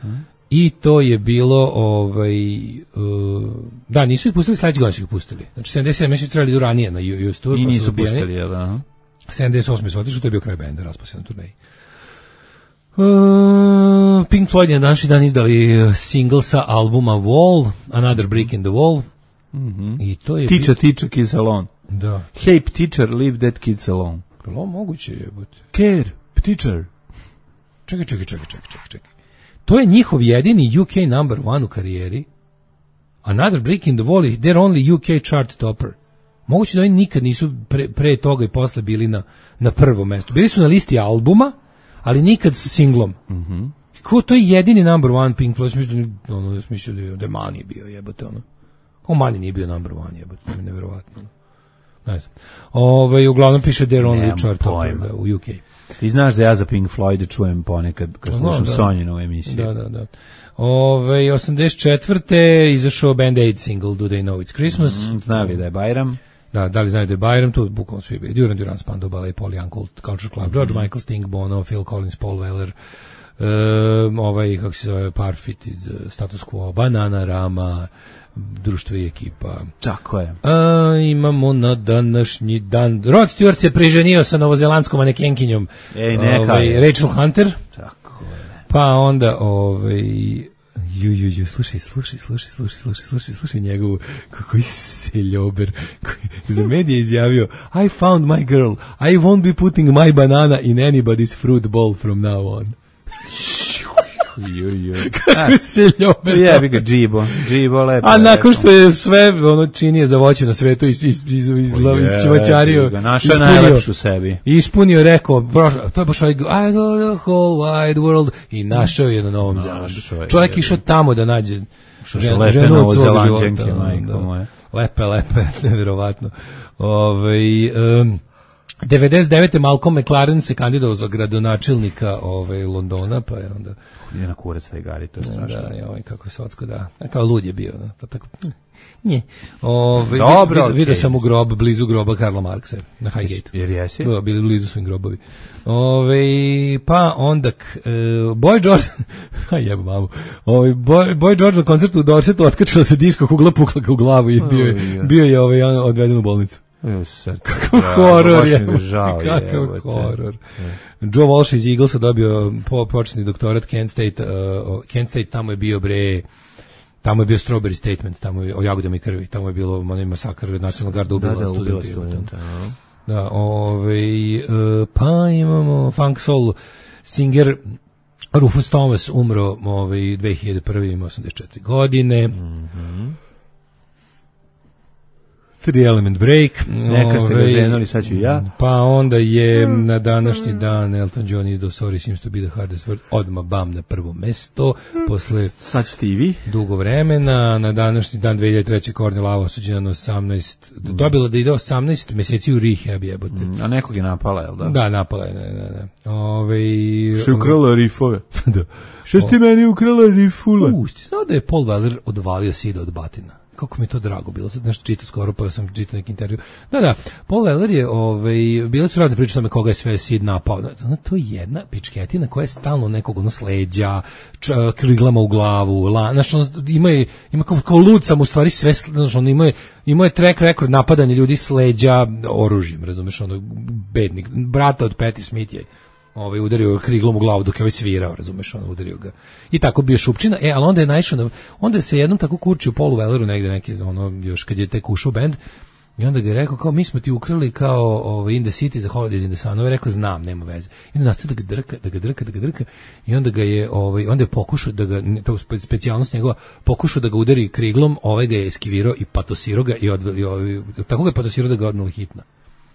Mm-hmm. I to je bilo ovaj uh, da, nisu ih pustili, sledeće godine su ih pustili. Znači sedamdeset sedme meseci trebali idu ranije na U S Tour. I pa nisu su pustili, jel da? sedamdeset osme su otišli, to je bio kraj benda, raspao se na turneji. Uh, Pink Floyd je na današnji dan izdali single sa albuma Wall, Another Brick in the Wall. Mm-hmm. I to je Teacher, bio... teacher, kids alone. Da. Hey, teacher, leave that kids alone. Prvo moguće je. But... Care, teacher. Čekaj, čekaj, čekaj, čekaj, čekaj. To je njihov jedini U K number one u karijeri. Another Brick in the Wall is their only U K chart topper. Moguće da oni nikad nisu pre, pre toga i posle bili na, na prvom mestu. Bili su na listi albuma, ali nikad sa singlom. Mm-hmm. Ko to je jedini number one Pink Floyd? Smišljaju da, ono, smišljaju da je, da je Money bio, jebote, ono. Ko Money nije bio number one, jebote, to mi je nevjerovatno. Ne znam. Ove, uglavnom piše their only chart topper da, u U K. Ti znaš da ja za Pink Floyd čujem ponekad kad slušam da. Sonjinu emisiju. Da, da, da. Ove, osamdeset četvrte izašao Band Aid single Do They Know It's Christmas. Mm, znali da je Bajram. Da, da li znaju da je Bajram, to bukvalno svi bili. Duran Duran, Spandau Ballet, Paul Young, Culture Club, George mm-hmm. Michael, Sting, Bono, Phil Collins, Paul Weller, um, ovaj, kako se zove, Parfit iz uh, Status Quo, Banana Rama, društvo i ekipa. Tako je. A, imamo na današnji dan. Rod Stewart se priženio sa novozelandskom manekenkinjom. Ej, neka ovaj, je. Rachel Hunter. Tako je. Pa onda, ovaj... Ju, ju, ju, slušaj, slušaj, slušaj, slušaj, slušaj, slušaj, slušaj njegovu, koji seljober, koji za medije izjavio, I found my girl, I won't be putting my banana in anybody's fruit bowl from now on. Ju, ju. Kako seljober. Jebi ga, džibo, džibo, lepo. A nakon što je sve ono činije za voće na svetu iz, iz, iz, iz, iz čuvačario, našao najlepšu sebi. Ispunio, rekao, to je baš I go, I go the whole wide world i našao je na Novom Zelandu. Čovjek išao tamo da nađe ženu, ženu od svog života. Da. Lepe, lepe, nevjerovatno. Ove, um, devedeset devete Malcolm McLaren se kandidovao za gradonačelnika ovaj, Londona, pa je onda... Je na kurac taj Gari, to je strašno. Da, je ovaj, kako je socko, da. Kao lud je bio, da. Tako, nje. Ove, Dobro, vid, vidio okay. sam u grob, blizu groba Karla Marksa, na Highgate. Jer jesi? Da, bili blizu svojim grobovi. Ove, pa onda, uh, Boy George, a jebo mamu, Ove, Boy, Boy George na koncertu u Dorsetu otkačila se disko, kugla pukla ga u glavu i bio, oh, bio je ovaj, odveden u bolnicu. Kakav horor je. Kakav horor. Joe Walsh iz Eaglesa dobio po, početni doktorat Kent State, uh, Kent State, tamo je bio bre, tamo je bio Strawberry Statement, tamo je o jagodama i krvi, tamo je bilo onaj masakr Nacionalna garda ubila da, da, studenta. studenta. Da, ovaj, uh, pa imamo funk soul singer Rufus Thomas umro ovaj, dve hiljade prve, ima osamdeset četiri godine. Mhm. Three Element Break. Neka ste ga ženuli, sad ću ja. Pa onda je na današnji dan Elton John izdao Sorry Seems to be the hardest word, odmah bam na prvo mesto, posle sad ćete i vi. Dugo vremena, na današnji dan dve hiljade treće. Courtney Love osuđena na osamnaest, dobila da ide osamnaest meseci u rehab, jebote. A nekog je napala, jel da? Da, napala je, ne, ne, ne. Ove, što je ukrala rifove. Da. Što ste meni ukrala rifule? U, ti znao da je Paul Weller odvalio sida od batina? Kako mi je to drago bilo, sad nešto čitao skoro, pa sam čitao neki intervju. Da, da, Paul Weller je, ovaj, bile su razne priče tome koga je sve Sid napao. Ono, to je jedna pičketina koja je stalno nekog ono sleđa, č, kriglama u glavu, la, znaš, ono, ima, je, ima kao, kao lud sam u stvari sve, znaš, ono, ima je, ima je track record napadanja ljudi sleđa oružjem, razumeš, ono, bednik, brata od Patti Smith je ovaj udario kriglom u glavu dok je ovaj svirao, razumeš, on udario ga. I tako bio šupčina, e, ali onda je naišao na, onda se jednom tako kurčio Paulu Welleru negde neki, ono, još kad je tek ušao bend, i onda ga je rekao, kao, mi smo ti ukrali kao ovaj, In the City za Holidays in the Sun, ovaj rekao, znam, nema veze. I onda nastavio da ga drka, da ga drka, da ga drka, i onda ga je, ovaj, onda je pokušao da ga, to specijalnost njegova, pokušao da ga udari kriglom, ovaj ga je eskivirao i patosirao ga i odveli, ovaj, tako ga je patosirao da ga odnali hitna.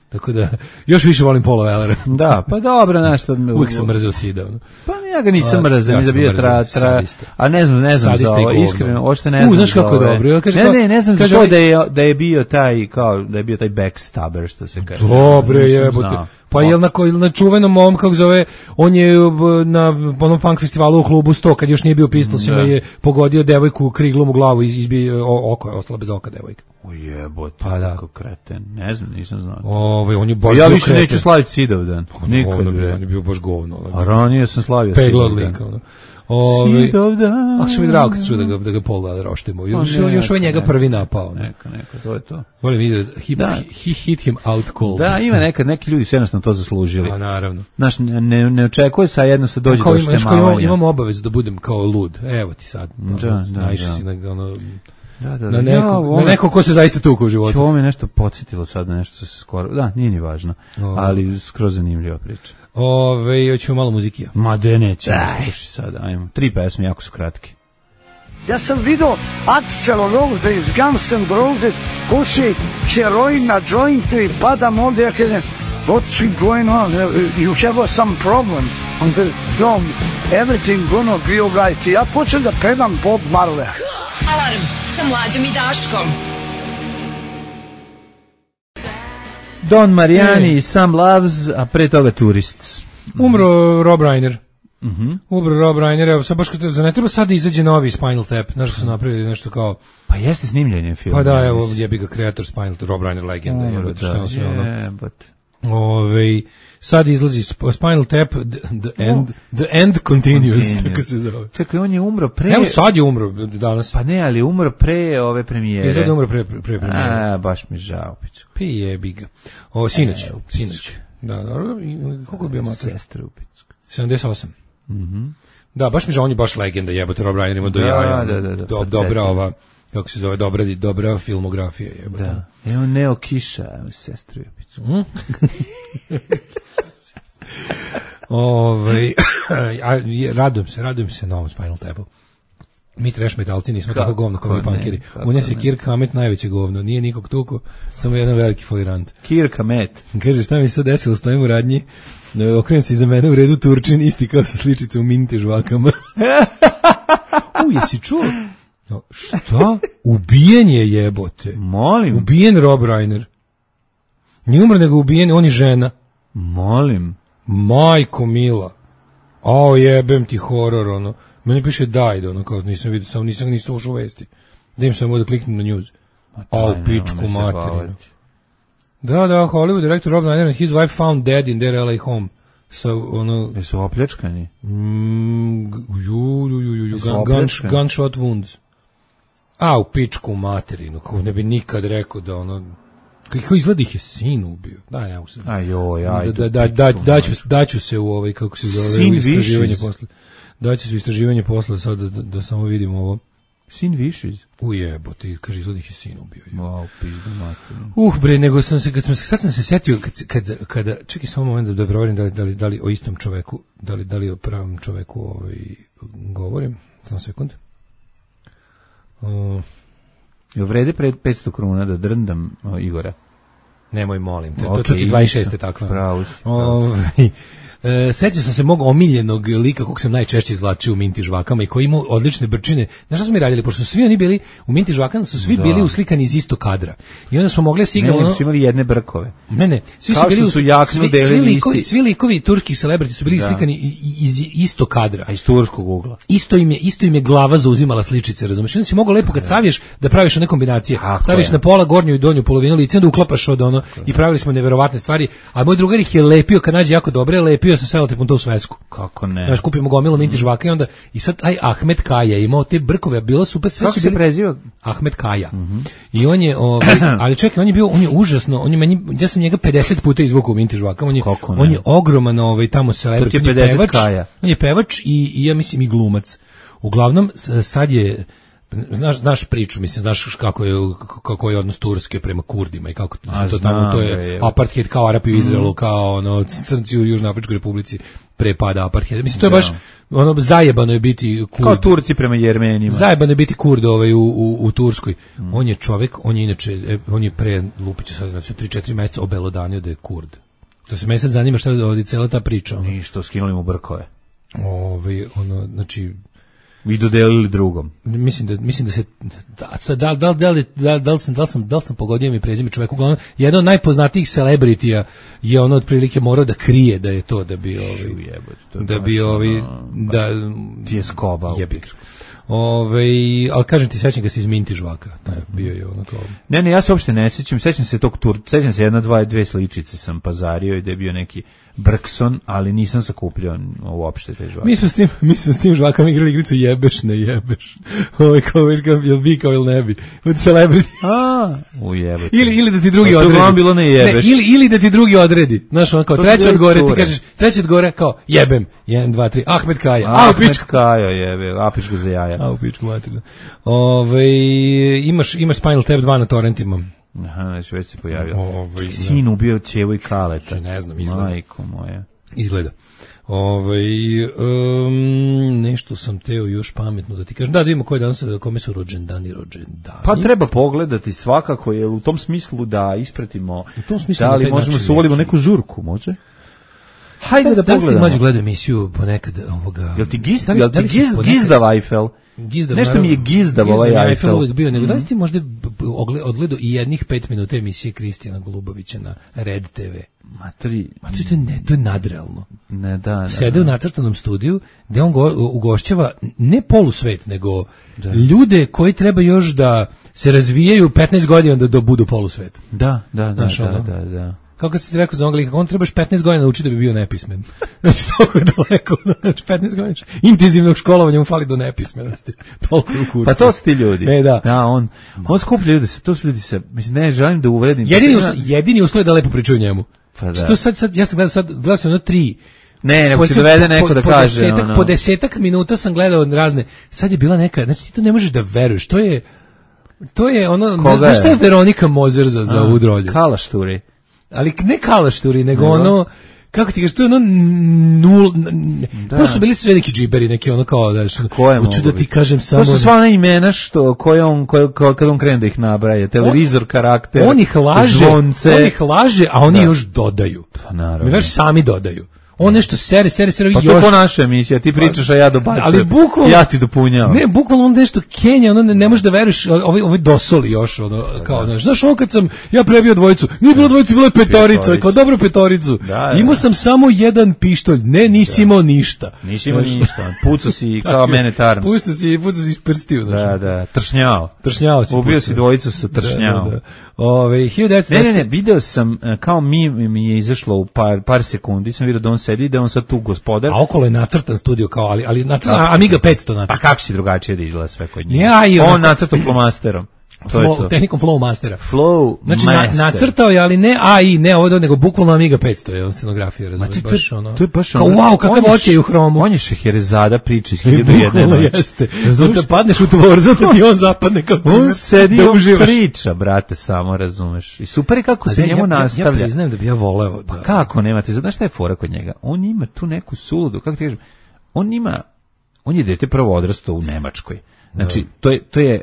Tako da, još više volim Paula Wellera. Da, pa dobro, nešto... Uvijek sam mrzeo Sida. Pa ja ga nisam mrzeo, mi da bio tra... tra a ne znam, ne znam za ovo, iskreno, ošte ne znam. U, znaš kako je dobro. Kaže, ne, ne, ne znam za to da je, da je bio taj, kao, da je bio taj backstabber, što se kaže. Dobre jebote. Pa jel na, na čuvenom mom, kako zove, on je na onom punk festivalu u klubu sto, kad još nije bio Pistolsima, je pogodio devojku kriglom u glavu i izbio oko, je ostala bez oka devojka. O jebote, pa da. Kako kreten, ne znam, nisam znao. Ove, on je baš ja više neću slaviti Sidov dan, nikad. On je bio baš govno. A ranije sam slavio Sidov dan. Sidov dan. Ako što mi drago kad čuo da ga, da ga Paul Weller oštemo. Još, još ovaj njega prvi napao. Neka, neka, to je to. Volim izraz, he, da. he hit him out cold. Da, ima nekad, neki ljudi su jednostavno to zaslužili. A naravno. Znaš, ne, ne očekuje sa jedno se dođe do štemavanja. Imam, imam obavezu da budem kao lud. Evo ti sad. Da, da, naišao da. si na ono... Da, da, da. Na, neko, ja, ovo, na neko ko se zaista tuku u životu. Ovo me nešto podsjetilo sad na nešto se skoro... Da, nije ni važno, o. ali skroz zanimljiva priča. Ove, hoćemo malo muzikija. Ma de nećemo, sluši sad, ajmo. Tri pesme, jako su kratke. Ja sam vidio Axl Rose iz Guns N' Roses, puši heroin na jointu i padam ovdje, ja kažem, what's going on? You have some problem. On kaže, no, everything gonna be alright. Ja počnem da pevam Bob Marley. Alarm sa Mlađom i Daškom. Don Marijani i Sam Loves, a pre toga Tourists. Umro Rob Reiner. Mm-hmm. Umro Rob Reiner, evo sad baš kad za ne treba sad da izađe novi Spinal Tap, znaš što su napravili nešto kao... Pa jeste snimljenje filma. Pa da, evo, jebi ga kreator Spinal Tap, Rob Reiner legenda, Umro, jebote, što sve ono. Jebote. Ove, sad izlazi Spinal Tap, the, the, end, the end continues, continues. Tako se zove. Čekaj, on je umro pre... Evo sad je umro danas. Pa ne, ali umro pre ove premijere. Sad je umro pre, pre, pre premijere. A, baš mi žao, piću. Pi jebi ga. O, sinoć, e, sinoć. Da, dobro, koliko je bio mater? Sestra u Picku. sedamdeset osam. Mhm. Da, baš mi žao, on je baš legenda, jebote, Rob Reiner ima do da, jaja. Da, da, da, do, dobra ova, kako se zove, dobra, dobra filmografija, jebote. Da. Evo Neo Kiša, sestru u Picku. Mm? Ove, a, radujem se, radujem se novom Spinal Tapu. Mi trash metalci nismo Ka, tako govno kao mi punkeri. U nje se Kirk Hammett najveće govno, nije nikog tuko, samo jedan veliki folirant. Kirk Hammett. Kaže, šta mi se desilo, stojim u radnji, okrenem se iza mene u redu Turčin, isti kao sa sličice u minte žvakama. U, jesi čuo? Šta? Ubijen je, jebote. Molim. Ubijen Rob Reiner. Nije umro, nego ubijen, on je žena. Molim. Majko mila. Ao, jebem ti horor, ono. Meni piše died, ono, kao nisam vidio, samo nisam nisam ušao u vesti. Da im samo da kliknem na news. Ao, pičku materinu. Da, da, Hollywood director Rob Reiner and his wife found dead in their L A home. So, ono... Jesu opljačkani? Mm, ju, ju, ju, ju, gun, gun, gunshot wounds. A, u pičku materinu, kao ne bi nikad rekao da ono... Kako izgleda ih je sin ubio. Da, ne, usam. Aj, joj, ajde. Da, da, da, daću, daću se u ovaj, kako se zove, sin u istraživanje višiz. posle. Daću se u istraživanje posle, sad da, da, da samo vidimo ovo. Sin višiz? Ujebote, kaže, izgleda ih je sin ubio. Wow, pizdu materinu. Uh, bre, nego sam se, kad sam, sad sam se setio, kad, kad, kada, čekaj samo moment da, da proverim da li, da, li, da li o istom čoveku, da li, da li o pravom čoveku ovaj, govorim. Samo sekund. Uh, Jel vrede pred petsto kruna da drndam o, Igora? Nemoj, molim. To, Okay, to, to ti dvadeset šeste takva. Pravo si. Ovaj, e, sećam sam se mog omiljenog lika kog sam najčešće izvlačio u Minti žvakama i koji imao odlične brčine. Znaš šta smo mi radili? Pošto su svi oni bili, u Minti žvakama su svi Da. bili uslikani iz istog kadra. I onda smo mogli da se igramo... Ne, ono- su imali jedne brkove. Ne, ne, svi Kao su bili što us- su jaknu svi, delili svi likovi, isti. svi likovi turskih celebrity su bili Da. slikani i- i- iz istog kadra. A iz turskog ugla. Isto im je isto im je glava zauzimala sličice, razumeš? Onda si mogao lepo kad saviješ da praviš one kombinacije. Tako Saviješ je. na pola gornju i donju polovinu lica, da uklapaš od ono i pravili smo neverovatne stvari. A moj drugar ih je lepio kad nađe jako dobre, lepio sa selotipom to u svesku. Kako ne? Znaš, kupimo gomilu Minti žvaka i onda i sad taj Ahmet Kaja je imao te brkove, a bilo super, sve Kako su se bili preziva? Ahmet Kaja. I on je, ovaj, ali čekaj, on je bio, on je užasno, on je meni, ja sam njega pedeset puta izvukao u Minti žvaka, on je, Kako ne? on je ogroman, ovaj, tamo To ti celebrity, je on je pedeset pevač, Kaja. on je pevač i, i ja mislim i glumac. Uglavnom, s- sad je, znaš, znaš priču, mislim, znaš kako je, kako je odnos Turske prema Kurdima i kako to, A, to tamo, znam to ga, je je. apartheid kao Arapi u Izraelu, kao ono, crnci u Južnoafričkoj republici pre pada apartheida. Mislim, to je Da. baš, ono, zajebano je biti Kurd. Kao Turci prema Jermenima. Zajebano je biti Kurd ovaj u, u, u Turskoj. On je čovjek, on je inače, e, on je pre Lupiću sad, znači tri četiri mjeseca obelodanio da je Kurd. To se me sad zanima šta je ovdje cela ta priča. Ono. Ništa, skinuli mu brkove. Ovaj, ono, znači, I dodelili drugom. mislim da mislim da se da sad, da da da li da, da li sam da li sam da li sam pogodio mi prezime čovjeka, uglavnom jedan od najpoznatijih celebritija je ono otprilike morao da krije da je to da bi ovaj Jebote, to je da baš bi ovaj ono, da ti je skoba u jebi. Ovaj, al kažem ti, sećam ga se iz Minti žvaka. Taj bio je ono kao. Ne, ne, ja se uopšte ne sećam, sećam se tog tur, sećam se jedna, dva, dve sličice sam pazario i da je bio neki Brkson, ali nisam sakupljao uopšte te žvake. Mi smo s tim, mi smo s tim žvakama igrali igricu jebeš, ne jebeš. Ovaj kao već kao jel bi kao ili ne bi. Od celebrity. A, ujebote. Ili ili da ti drugi Pa to odredi. uglavnom bilo ne jebeš. ili ili da ti drugi odredi. Znaš, on kao To su treći bile od gore, ti cure. kažeš treći od gore kao jebem. jedan dva tri Ahmet Kaja. A, Ahmet pičku. Kaja jebe, a pičku za jaja. A, u pičku materinu. Ove, imaš, imaš Spinal Tap dva na torrentima. Aha, znači već se pojavio. Ovaj, Sin ubio ćevu i kaleta. Ne znam, izgleda. Majko moja. Izgleda. Ove, um, nešto sam teo još pametno da ti kažem. Da, da vidimo koji danas, kome su rođendani, rođendani. Pa treba pogledati svakako, je u tom smislu da ispratimo, U tom smislu da na li taj možemo način se uvolimo neki- neku žurku, može? Hajde da, Da li ste pogledamo. mlađe gledao emisiju ponekad ovoga? Jel ti giz, Da li- jel da ti li si giz, ponekad- gizdav Eiffel? Gizdav, Nešto mi je naravno. gizdav ovaj mi je Eiffel. uvijek bio, nego da li Mhm. ste možda b- b- ogle- odgledao i jednih pet minuta emisije Kristijana Golubovića na Red te ve? Ma tri, Ma to je, ne, to je nadrealno. ne da, da. Sede da. u nacrtanom studiju gde on go, ugošćava ne polusvet, nego ljude koji treba još da se razvijaju petnaest godina da do budu polusvet. Da, da, da, Znaš, da, ono. da, da. Kako kad si ti rekao za onoga lika, on trebaš petnaest godina naučiti da bi bio nepismen. Znači, toliko je daleko, znači petnaest godina intenzivnog školovanja mu fali do nepismenosti. Toliko je u kurcu. Pa to su ti ljudi. E, da. Da, on, on skuplja ljudi, se- to su ljudi se, mislim, ne želim da uvredim. Jedini, Pa, uslov, jedini uslov je da lepo pričaju o njemu. Pa da. Što sad, sad, ja sam gledao sad, gledao sam ono tri, Ne, nego po- će dovede po- neko da po kaže, desetak, ono. po desetak minuta sam gledao razne, sad je bila neka, znači ti to ne možeš da veruješ, to je, to je ono, Koga znaš šta je? je Veronika Mozer za, za A, ovu drolju? Kalašturi. Ali ne kalašturi, nego Nego? ono, kako ti kažeš, to je ono nul, Da. to su bili sve neki džiberi, neki ono kao, da, Ko je hoću mogu da ti biti? kažem samo... To su sva ona imena što, koje on, koje, koje, kad on krene da ih nabraja, televizor, karakter, on ih laže, zvonce. on ih laže, a oni Da. još dodaju. Pa naravno. Mi već sami dodaju. On nešto sere, sere, sere, Pa još... to ko naša emisija, ti pričaš, a ja dobacujem. Ali bukvalno... Ja ti dopunjavam. Ne, bukvalno on nešto Kenja, ono ne, ne možeš da veruješ, ovaj, ovaj dosoli još, ono, kao, znaš, znaš, ono kad sam ja prebio dvojicu, nije bilo dvojicu, bilo je petorica, Petorica. kao dobro petoricu. Da, da. Imao sam samo jedan pištolj, ne, nisi imao ništa. Nisi imao Znaš, ništa, pucao si tako kao je. mene Tarms. Puštao si, puštao si iz prstiju, znaš. Da, da, tršnjao. Tršnjao si. Ubio pucao. si dvojicu sa tršnjao. Da, da, da. Ove, hiljadu devetsto Ne, ne, ne, video sam, e, kao mi mi je izašlo u par, par sekundi, sam vidio da on sedi, da je on sad tu gospodar. A okolo je nacrtan studio kao, ali, ali nacrtan, Da. Amiga petsto Pa nacrtan. kako si drugačije da izgleda sve kod njega? Ja, i on onako- nacrtao flomasterom. To je Flow, to. tehnikom Flow Mastera. Flow Znači, na, master. nacrtao je, ali ne A I, ne ovo, nego bukvalno Amiga petsto je on scenografija, Ma razumiješ, to, baš to, ono. to je baš kao, ono. wow, kakav on je oči je u hromu. On je Šeherezada priča iz hiljadu i jedne Bukvalno noći. jeste. Razumeš? Da padneš u tvor, zato ti on zapadne kao On cimer, sedi da i on uživaš. priča, brate, samo razumeš. I super je kako A se da, njemu ja, ja, ja nastavlja. priznajem da bi ja voleo da... Kako nemate? Znaš šta je fora kod njega? On ima tu neku suludu, kako ti kažem, on ima, on je dete prvo odrastao u Nemačkoj. Znači, to je, to je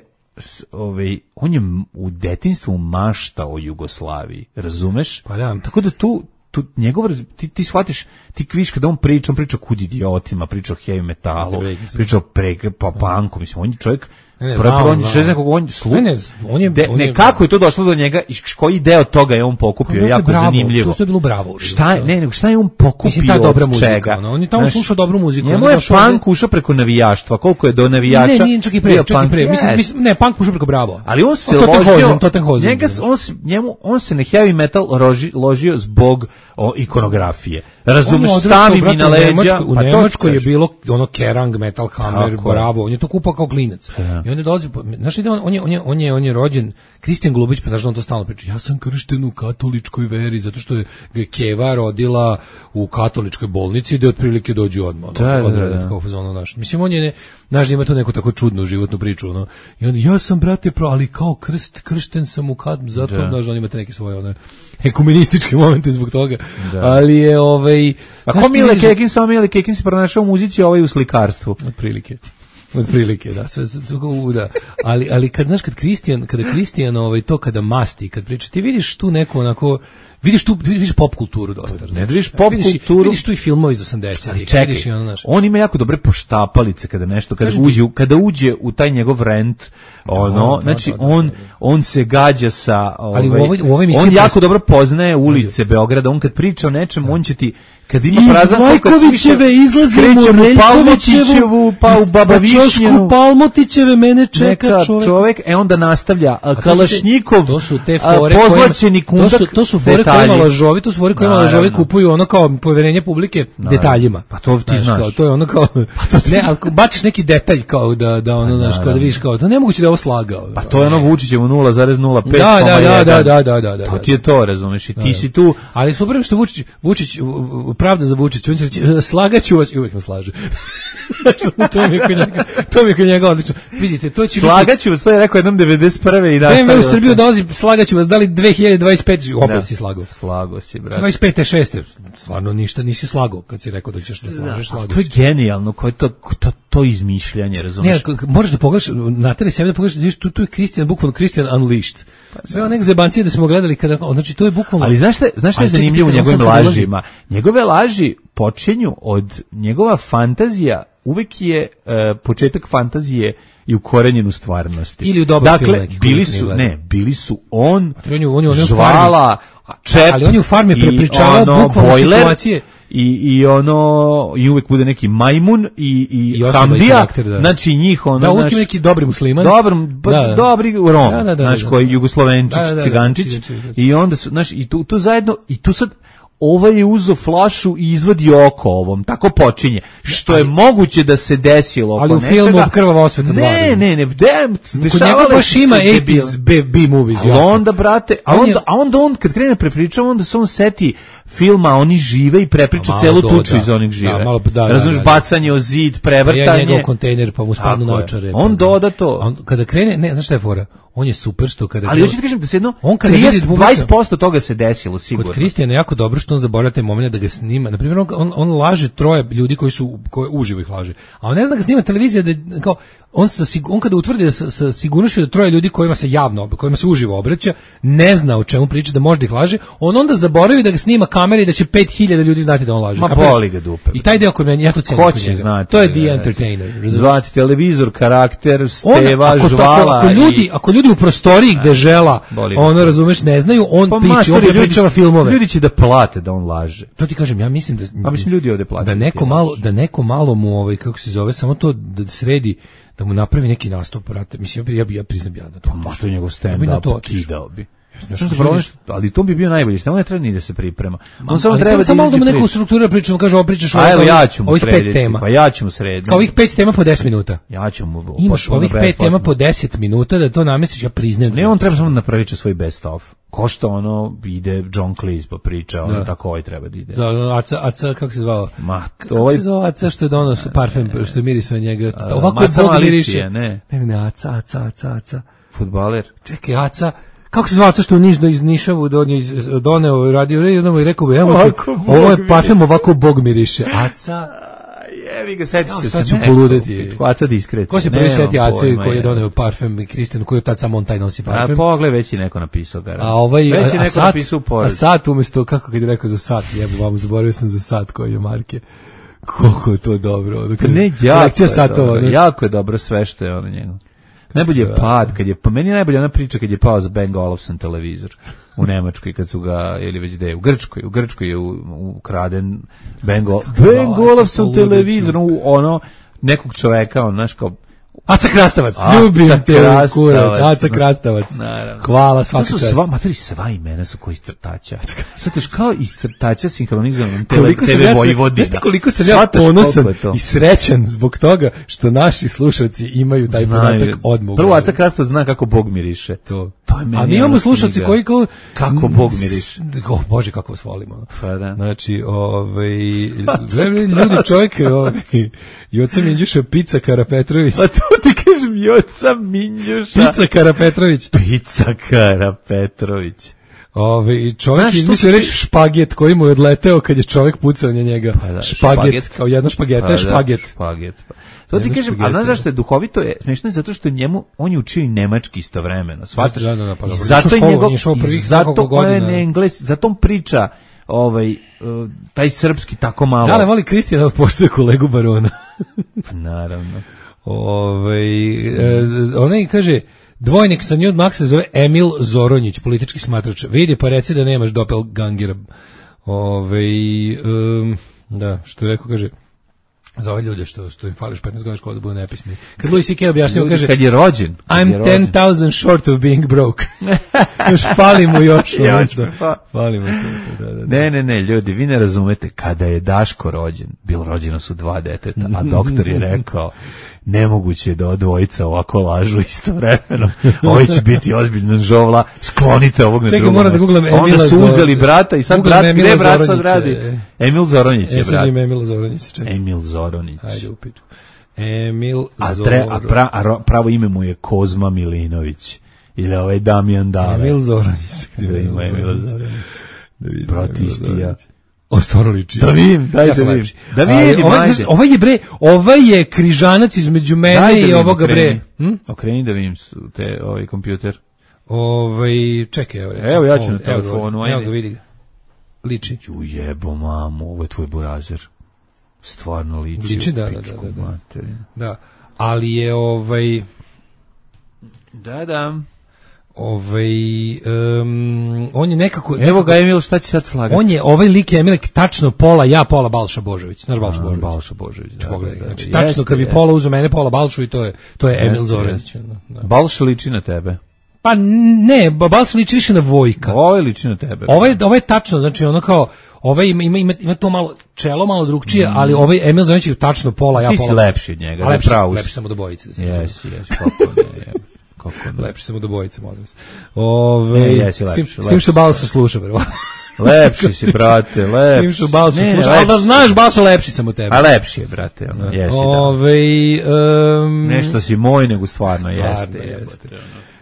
ovaj, on je u detinjstvu maštao o Jugoslaviji, razumeš? Pa da. Tako da tu, tu njegov, ti, ti shvatiš, ti kviš kada on priča, on priča kud idiotima, priča o heavy metalu, priča o preg, pa punku, mislim, on je čovjek, Ne, prvo znam, on je znam. nekog on slu. Ne, ne, on je, De, on je ne kako je to došlo do njega i koji deo toga je on pokupio, on je jako bravo, zanimljivo. To je bilo bravo. Šta je, ne, nego šta je on pokupio? Mislim, ta dobra od muzika, čega? ono, on je tamo Znaš, slušao dobru muziku. Njemu on je došao punk ušao preko navijaštva, koliko je do ovde- navijača. Ne, nije čak i pre, bio čak i punk? pre. Mislim, Yes. mislim, ne, punk ušao preko bravo. Ali on se O, Tottenhausen, ložio, Tottenhausen, njega, znaš. on, se, njemu, on se na heavy metal loži, ložio zbog o, ikonografije. Razumeš, On je odrastao, stavi mi brate, na u leđa. Nemačkoj- U pa to Nemačkoj je kažem. bilo ono Kerrang, Metal Hammer, Tako je. Bravo, on je to kupao kao klinac. Ja. I onda dolazi, po- znaš, ide on, on, je, on, je, on, je, on je rođen, Kristijan Golubić, pa znaš da on to stalno priča, ja sam kršten u katoličkoj veri, zato što je ga Keva rodila u katoličkoj bolnici, gde otprilike dođu odmah. ono, Da, da, odrede da. kao fazonu, znaš. Mislim, on je, ne, znaš, da ima tu neku tako čudnu životnu priču, ono. I onda, ja sam, brate, pro, ali kao krst, kršten sam u kat, zato, Da. znaš, on imate neke svoje, one, ekumenističke momente zbog toga. Da. Ali je, ovaj... A znaš, ko ti Mile vidiš- Kekin, samo Mile Kekin se pronašao u muzici, ovaj u slikarstvu. Otprilike. Otprilike, da, sve, sve, sve, da. Ali, ali kad, znaš, kad Kristijan, kada Kristijan, ovaj, to kada masti, kad priča, ti vidiš tu neku onako, vidiš tu, vidiš pop kulturu dosta. Ne vidiš pop Vidiš i- kulturu. Vidiš tu i filmove iz osamdesetih. Ali čekaj, vidiš i ono, znaš, on ima jako dobre poštapalice kada nešto, kada Kažem ti- uđe, u- kada uđe u taj njegov rent, ono, da, znači da, da, on, da, da. on se gađa sa, Ali u ovaj, ovoj- u ovoj emisiji on pres- jako dobro poznaje ulice Beograda, on kad priča o nečemu, on će ti, kad ima iz prazan koliko Lajkovićeve izlazimo, skrećemo Reljkovićevu, Palmotićevu, pa u iz- Baba na ćošku Višnjenu, Palmotićeve mene čeka neka čovek. čovek, e onda nastavlja, a, to su te- Kalašnjikov, to su te a, fore pozlaćeni kojima- kundak, to su, to su fore detalji. kojima lažovi, to su fore kojima lažovi Naravno. kupuju ono kao poverenje publike detaljima. Pa to ti znaš. Kao, to je ono kao, ne, ako baciš neki detalj kao da, da ono, znaš, kao da vidiš kao, da nemoguće da je ovo slagao. Pa to je ono Vučićevu nula zarez nula pet. Da, da, da, da, da, da, da, da. To ti je to, razumeš, i ti si tu. Ali super je što Vučić, Vučić, u- u- pravda za Vučić, on će reći, slagaću vas, i uvijek me slaže. to mi je kod njega, to mi je kod njega odlično. Vidite, to će biti... Slagaću vas, to je rekao jednom devedeset prve i B M W u nastavio Srbiju se. dolazi, slagaću vas, da li dve hiljade dvadeset pete, opet Da. si slagao. Slago si, brate. dvadeset pete šeste stvarno ništa nisi slagao kad si rekao da ćeš da slažeš, A slagao to je si. genijalno, koje to, to, to izmišljanje, Ne, razumeš? k- k- moraš da pogledaš, nateri sebe da pogledaš, da vidiš, tu, tu je Kristijan, bukvalno Kristijan Unleashed. Sve one zebancije da smo gledali kada, znači to je bukvalno... Ali znaš šta, znaš šta je Ali čekaj, zanimljivo u čekaj, on njegovim sad kad ulazi- lažima? Njegove laži počinju od njegova fantazija, uvek je e, početak fantazije i ukorenjen u stvarnosti. Ili u dobar dakle, film neki koji bili nikad nije su, gledao. ne, bili su on, On je, on je, on je u žvala, farmi. čep, Ali on je u farmi i prepričavao ono, bukvalno bojler, situacije. I, i ono, i uvek bude neki majmun i, i, I osoba i Hamdija, karakter, da. znači njih ono, Da, uvijek znaš, ima neki dobri musliman. Dobar, ba, Da, da. dobri Rom, Da, da, da, znaš, da. koji Jugoslovenčić, Da, da, da, da, Cigančić, Cigančić. i onda su, znaš, i tu, tu zajedno, i tu sad, ovaj je uzo flašu i izvadi oko ovom, tako počinje, što je moguće da se desilo oko Ali u nečega. filmu Krvava osveta dva. Ne, ne, ne, de, Kod njega dešavale baš su ima se debil- osamdeset B, B movies. Ali jako. onda, brate, a On je- onda, a onda on, kad krene prepričava, onda se on seti filma, oni žive i prepriča A malo celu do, tuču da. iz onih žive. Da, malo, da, da, Razumeš, da, da. bacanje o zid, Pa ja prevrtanje. njegov kontejner, pa mu spadnu Tako je. naočare. On pa- doda to. On, kada krene, ne, znaš šta je fora? On je super što kada... Ali hoću ti kažem da se jedno On kada trideset, vidi publika- dvadeset posto toga se desilo sigurno. Kod Kristijana je jako dobro što on zaboravlja taj moment da ga snima. Na primjer, on, on, on laže troje ljudi koji su koji uživo ih laže. A on ne zna da ga snima televizija da kao on sa sig- on kada utvrdi da sa, sa sigurnošću da troje ljudi kojima se javno kojima se uživo obraća, ne zna o čemu priča, da možda ih laže, on onda zaboravi da ga snima kamera i da će pet hiljada ljudi znati da on laže. Ma Kapiraš? boli ga dupe. I taj deo kod mene ja to cenim. Ko kod će njega. znati? To je da, the da, entertainer. razumeš? Zvati televizor, karakter, On, Steva, ako, to- žvala. ako, ljudi, i- ako ljudi u prostoriji gde žela, boli ga ono to. razumeš, ne znaju, on Pa priča, matori, on ljudi- prepričava filmove. Ljudi će da plate da on laže. To ti kažem, ja mislim da Pa mislim ljudi ovde plate. da neko malo da neko malo mu ovaj kako se zove samo to da sredi da mu napravi neki nastup, brate. Mislim ja bi ja, bi, ja priznam ja da to. Ma to je njegov Ja bi na to stand-up, otišao. kidao bi. Znaš, Znaš, što problem vidiš- što- ali to bi bio najbolji, samo ne treba ni da se priprema. On samo Ali treba da samo malo da mu izađe neku priča. strukturu pričamo, kaže ovo pričaš A ovih- evo ja ću mu ovih pet srediti. tema. Pa ja ću mu srediti. Kao ovih pet tema po deset minuta. Ja ću mu... Imaš potpuno ovih pet besplatno. tema po deset minuta da to namestiš, ja priznajem. Ne, on treba samo da napravi svoj best of. Ko što ono ide John Cleese pa priča, ono Da. tako ovaj treba da ide. Za ono, Aca, Aca, kako se zvao? Ma, Kako ovaj- se zvao Aca što je dono parfem, što je mirisao njega? A, Ovako je Maca Bog Malicija, miriše. ne. Ne, ne, ne, Aca, Aca, Aca, Aca. Fudbaler. Čekaj, Aca, kako se zvao Aca što u Nižno iz Nišavu donio, iz- doneo radio i jednom i rekao bi, evo, Ovako ovo Bog je parfem, ovako Bog miriše. Aca, Jevi ga, seti se. Sad ću poludeti. Aca diskrecija. Ko se prvi seti Ace koji je doneo parfem i Kristijanu, koji je tad samo on taj nosi parfem? A pogled, već je neko napisao. Gara. A ovaj, već je a, neko sat, napisao pored. A sat umjesto, kako kad je rekao za sat, jebo vam, zaboravio sam za sat koji je marke. Koliko je to dobro. Ono, kad, ne, jako je, satova, dobro, jako je dobro sve što je ono njegov. Najbolje je pad, kad je, pa meni je najbolje ona priča kad je pao za Bang Olufsen televizor u Nemačkoj, kad su ga, ili već gde, u Grčkoj, u Grčkoj je ukraden Bang Olufsen televizor, ono, nekog čoveka, on, znaš, kao, Aca Krastavac, ljubim te kurac, Aca Krastavac. Hvala svaki čast. Sva, matori, sva imena su koji iz crtača. Svatiš, kao iz crtača sinhronizovanom te ve Vojvodina. Jeste koliko sam ja ponosan i srećan zbog toga što naši slušalci imaju taj podatak odmah. Prvo, Aca Krastavac zna kako Bog miriše. To. A mi imamo slušalci koji kao... Kako Bog miriše. Oh, Bože, kako vas volimo. Pa da. Znači, ovaj... ljudi, čovjek, ovaj... Joca Minđuša, Pica Karapetrović. A to ti kažem, Joca Minđuša. Pica Karapetrović. Pica Karapetrović. Ove, čovjek izmislio reći špaget koji mu je odleteo kad je čovjek pucao na njega. Pa da, špaget, špaget, kao jedna špageta pa je špaget. Da, špaget. Pa. To ti kažem, a znaš zašto je duhovito je, smiješno je zato što njemu, on je učio i nemački istovremeno, shvataš? Da, da, da, pa dobro. Zato je njegov, zato on je engles, zato on priča ovaj, taj srpski tako malo. Da, ali voli Kristijana poštuje kolegu Barona. Naravno. Ovaj, e, onaj kaže, dvojnik sa nju od Maksa zove Emil Zoronjić, politički smatrač. Vidi, pa reci da nemaš doppelgangera. Ovaj, um, da, što je rekao, kaže, za ove ljude što, što im fališ petnaest godina škola da budu nepismeni. Kad Louis C K objašnjava, kaže, kad je rođen, kad I'm je rođen. ten thousand short of being broke. Još fali mu još. još fa. Fali mu to. Da, da, da. Ne, ne, ne, ljudi, vi ne razumete, kada je Daško rođen, bilo rođeno su dva deteta, a doktor je rekao, nemoguće je da dvojica ovako lažu istovremeno. Ovo će biti ozbiljna žovla, sklonite ovog na drugom. Čekaj, moram da googlam Emila Onda su uzeli brata i sad googlam brat, Emila gde brat sad Zoronić, radi? je. Emil Zoronić je e, brat. Emil Zoronić, čekaj. Emil Zoronić. Ajde upitu. Emil a, Zoronić. A, pra, a pravo ime mu je Kozma Milinović. Ili ovaj Damjan Dale. Emil Zoronić. Da ima Emil Zoronić. Brat isti ja. O, stvarno liči. Da vidim, daj ja da vidim. Lepši. Da vidim, ovaj, ovaj je bre, ovaj je križanac između mene daj i da ovoga bre. Hm? Okreni da vidim te, ovaj kompjuter. Ovaj, čekaj, evo. Recimo, evo ja ću na ovdje, telefonu. Evo, evo ga vidi. Liči. Ju jebo mamu, ovo je tvoj burazer. Stvarno liči. Liči, da, da, da, da, da. Da, ali je ovaj... Da, da. Ovaj um, on je nekako evo nekako, ga Emil, šta će sad slagati? On je ovaj lik Emil tačno pola ja, pola Balša Božović. Znaš Balša Božović? Balša Božović, da, da, da. Znači, tačno jest, kad bi jest. Pola uzeo mene, pola Balšu i to je to je jest, Emil Zoranić. Da. Balša liči na tebe. Pa ne, Balša liči više na Vojka. Ovo je liči na tebe. Ovo je, ovo je tačno, znači ono kao ovaj ima ima ima, ima to malo čelo malo drugčije, mm. ali ovaj Emil Zoranić je tačno pola ja, ti pola. Ti si lepši od njega, lepši, pravo. Lepši samo do bojice da se. Jesi, jesi, kako ne. Lepši samo do bojice, molim vas. Ove, ne, jesi lepši. S tim što Balša sluša, verovatno. Lepši si, brate, lepši. S tim što Balša sluša, ali da znaš, Balša lepši sam od tebe. A lepši je, brate, ono, jesi, Ove, da. Um, Nešto si moj, nego stvarno, stvarno jeste. jeste.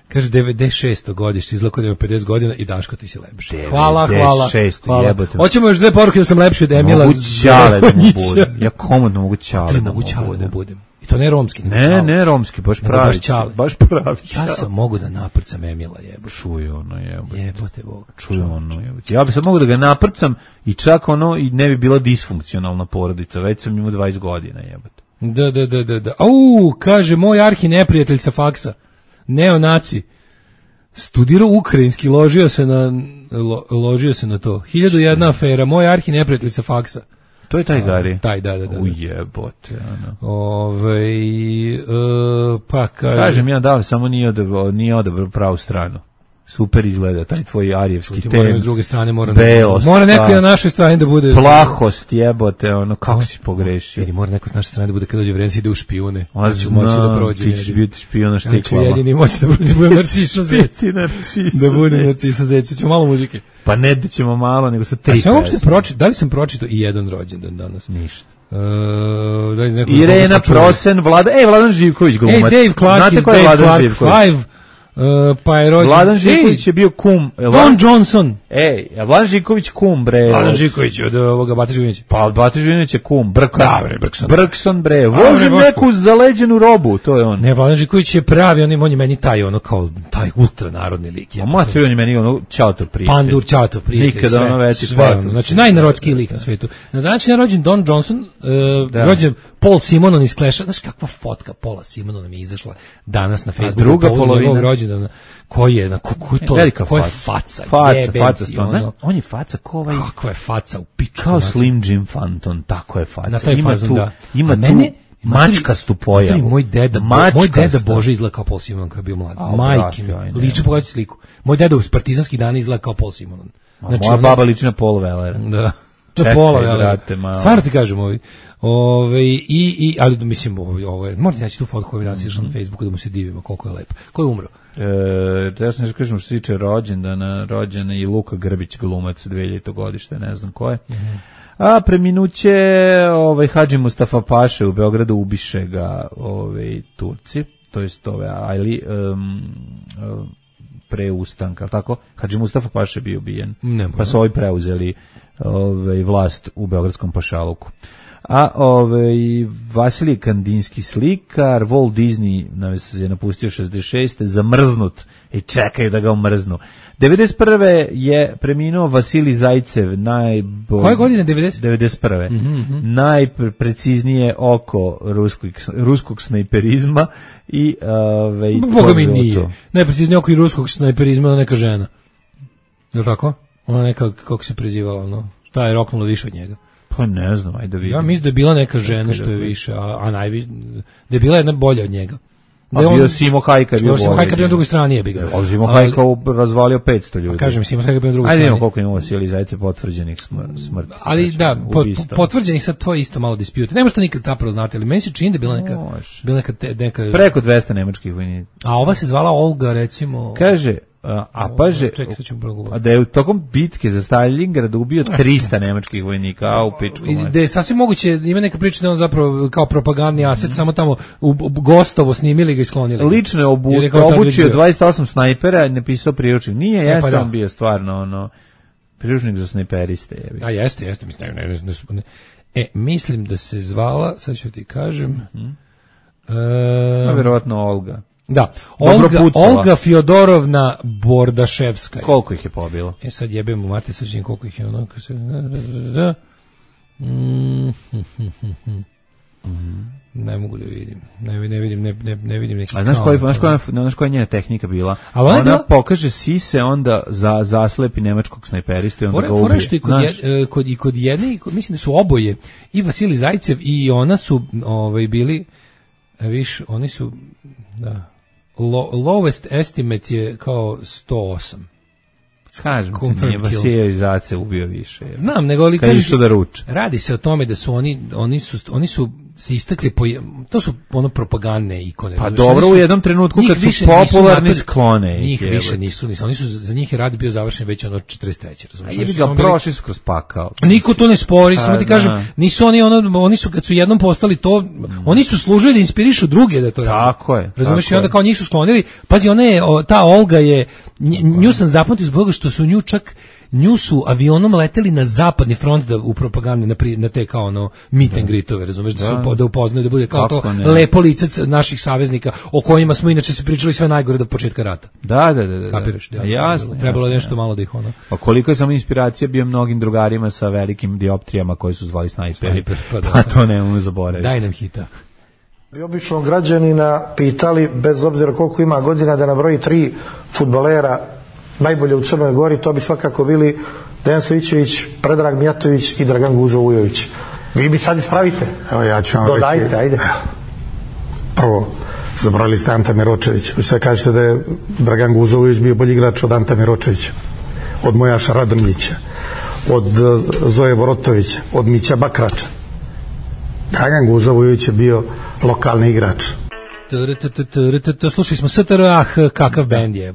Kaže devedeset šesto godište, izlako da ima pedeset godina i Daško ti si lepši. Hvala, hvala. hvala. Jebote. Hoćemo još dve poruke da sam lepši od Emila. Mogu ćale da mu budem. Ja komodno mogu ćale da mu budem. budem. I to ne romski. Ne, čale. Ne romski, baš pravi. Baš, čale. baš pravi. Ja sam mogu da naprcam Emila, jebote. Čuj ono, jebote. Jebote Boga. Čuj ono, jebote. Ja bi sad mogu da ga naprcam i čak ono i ne bi bila disfunkcionalna porodica. Već sam imao dvadeset godina, jebote. Da, da, da, da, da. Au, kaže moj arhi neprijatelj sa faksa. Neonaci. Studirao ukrajinski, ložio se na lo, ložio se na to. Hiljadu jedna afera, moj arhi neprijatelj sa faksa. To je taj Gari. Taj, da, da, da. Ujebote, ono. Ovej, uh, pa kaže... Kažem ja, da li samo nije odabrao, nije odabrao pravu stranu. Super izgleda, taj tvoj arijevski ten. Moram s druge strane, mora, belost, mora neko pa, na našoj strani da bude... Plahost, jebote, ono, kako si pogrešio. Vidi, mora neko s naše strane da bude kad dođe vreme, ide u špijune. A ću moći da prođe. Ti ćeš biti špijuna štiklama. Znači, jedini moći da budem Narciso Zec. Da budem Narciso Zec. Ćemo malo muzike. Pa ne da ćemo malo, nego sa tri pesme. A sam uopšte pročitao, da li sam pročitao i jedan rođendan danas? Ništa. Uh, da Irena Prosen, Vlada, ej, Vladan Živković glumac. Ej, Dave Clark znate iz ko je Dave Vladan Clark Živković? Five. Uh, pa je rođen... Vladan Živković je bio kum. Don Vladan... Johnson. Ej, Vladan Živković kum, bre. Vladan Živković od ovoga Bate Živkovića. Pa Bate Živković je kum. Brkson. Da, bre, Brkson. Brkson, bre. Vozi neku zaleđenu robu, to je on. Ne, Vladan Živković je pravi, on je, on je meni taj, ono, kao, taj ultranarodni lik. Ja, Matri, on je meni, ono, Ćalatov prijatelj. Pandur, Ćalatov prijatelj. Nikada ono veći sve, ono, znači, najnarodskiji lik na svetu. Na današnji je rođen Don Johnson, uh, rođen Paul Simonon iz Clash-a. Znaš kakva fotka Paula Simonona mi je izašla danas na Facebooku. A druga polovina. Rođena, koji je, na ko je to, velika ko je faca, faca, faca, faca stvarno. Ono, on je faca ko ovaj, kakva je faca u pičku, kao Slim Jim Phantom, tako je faca. Na taj ima fazon, tu, da. ima tu mene, mačkastu pojavu. Moj deda, moj deda Bože izgleda kao Paul Simonon kad je bio mlad. Majke mi, liči pogledaj sliku. Moj deda u partizanskih dana izgleda kao Paul Simonon. Znači, moja baba liči na Paul Wellera. Da. Čekaj, Pola, brate, malo. Stvarno ti kažem, ovi. Ove, i, i, ali mislim, ovo, ovo je, morate naći tu fotku koju mi danas išla na Facebooku da mu se divimo koliko je lepo. Ko je umro? E, ja sam nešto kažem što se tiče rođendana, rođena i Luka Grbić, glumac dve hiljadito godište, ne znam ko je. Mm-hmm. A preminuće ovaj, Hadži Mustafa Paše u Beogradu, ubiše ga ovaj, Turci, to jest ove Ajli, um, um, pre ustanka, tako? Hadži Mustafa Paše bio ubijen, pa su ovi preuzeli ovaj, vlast u beogradskom pašaluku. A ovaj Vasilij Kandinski slikar, Walt Disney nas je napustio šezdeset šeste zamrznut i čekaju da ga umrznu. devedeset prve je preminuo Vasilij Zajcev, najbolji. Koje godine devedeset? devedeset prve Mm-hmm. Najpreciznije oko ruskog ruskog snajperizma i ovaj Boga mi nije. Najpreciznije oko i ruskog snajperizma neka žena. Je li tako? Ona neka, kako se prezivala, ono. Šta je roknulo više od njega? Pa ne znam, ajde vidim. Ja mislim da je bila neka žena što je više, a, a najviše, da je bila jedna bolja od njega. Da je on, bio Simo Hajka bio bolji. Simo Hajka bio na drugoj strani je bi ga. A Simo Hajka razvalio petsto ljudi. Kažem, Simo Hajka bio na drugoj strani. Ajde vidimo koliko ima Vasilij Zajcev potvrđenih smrti. Ali da, po, potvrđenih sad to je isto malo dispute. Nema što nikad zapravo znati, ali meni se čini da je bila neka, bila neka, te, neka... Preko dvesta nemačkih vojnika. A ova se zvala Olga, recimo... Kaže... A, a paže, a da je u tokom bitke za Stalingrad ubio trista nemačkih vojnika, a u pičku. Da je sasvim moguće, ima neka priča da on zapravo kao propagandni aset, mm-hmm. samo tamo u, u Gostovo snimili ga i sklonili. Lično je obu, obučio dvadeset osam snajpera i napisao priručnik. Nije, jeste e, pa on bio stvarno ono, priručnik za snajperiste. Je. A jeste, jeste. Mislim, ne, ne, ne, ne. E, mislim da se zvala, sad ću ti kažem, mm-hmm. e, a vjerovatno Olga. Da, Olga, Olga Fjodorovna Bordaševska. Koliko ih je pobilo? E sad jebemo mate, sad ćem koliko ih je ono... Se, da, mm, mm, ne mogu da vidim. Ne, ne vidim, ne, ne, ne vidim neki... A znaš koja, znaš koja, znaš koja je njena tehnika bila? A ona, ona pokaže sise, onda za, zaslepi nemačkog snajperistu i onda fore, ga ubije. Fore što i kod, je, kod, i kod jedne, i kod, mislim da su oboje, i Vasilij Zajcev i ona su ovaj, bili, viš, oni su... Da. Lo, lowest estimate je kao sto osam. Kažem ti, nije Vasilij Zajcev ubio više. Je. Znam, nego ali kažeš da ruče. Radi se o tome da su oni, oni su, oni su se istakli po, to su ono propagandne ikone. Pa dobro, su, u jednom trenutku kad su popularni sklone. Njih je, više nisu, nisu, oni su, za njih je rad bio završen već ono četrdeset treće razumiješ? A je ga prošli skroz pakao. Niko to ne spori, samo ti kažem, nisu oni ono, oni su kad su jednom postali to, mm. oni su služili da inspirišu druge da to rade. Tako je. Razumiješ, i onda kao njih su sklonili, pazi, ona je, ta Olga je, nju sam zapamtio zbog toga što su nju čak, nju su avionom leteli na zapadni front da u propagandi na, pri, na te kao ono meet and greetove, razumeš, da, da, su, da upoznaju, da bude kao Kako to ne? lepo lice naših saveznika o kojima smo inače se pričali sve najgore do početka rata. Da, da, da. da. Kapiraš? Da, jasno. Trebalo je nešto malo da ih ono. Pa koliko je samo inspiracija bio mnogim drugarima sa velikim dioptrijama koji su zvali snajperi. Snajper, pa, da. Pa to nemamo zaboraviti. Daj nam hita. Bi običnog građanina pitali, bez obzira koliko ima godina, da nabroji tri fudbalera najbolje u Crnoj Gori, to bi svakako bili Dejan Savićević, Predrag Mijatović i Dragan Guzo Vujović. Vi bi sad ispravite. Evo ja ću vam Dodajte, reći. Ajde. Prvo, zabrali ste Anta Miročević. Vi sad kažete da je Dragan Guzo Vujović bio bolji igrač od Anta Miročevića, od Mojaša Radrljića, od Zoje Vorotovića, od Mića Bakrača. Dragan Guzo Vujović je bio lokalni igrač. Slušali smo S T R A H, kakav bend je,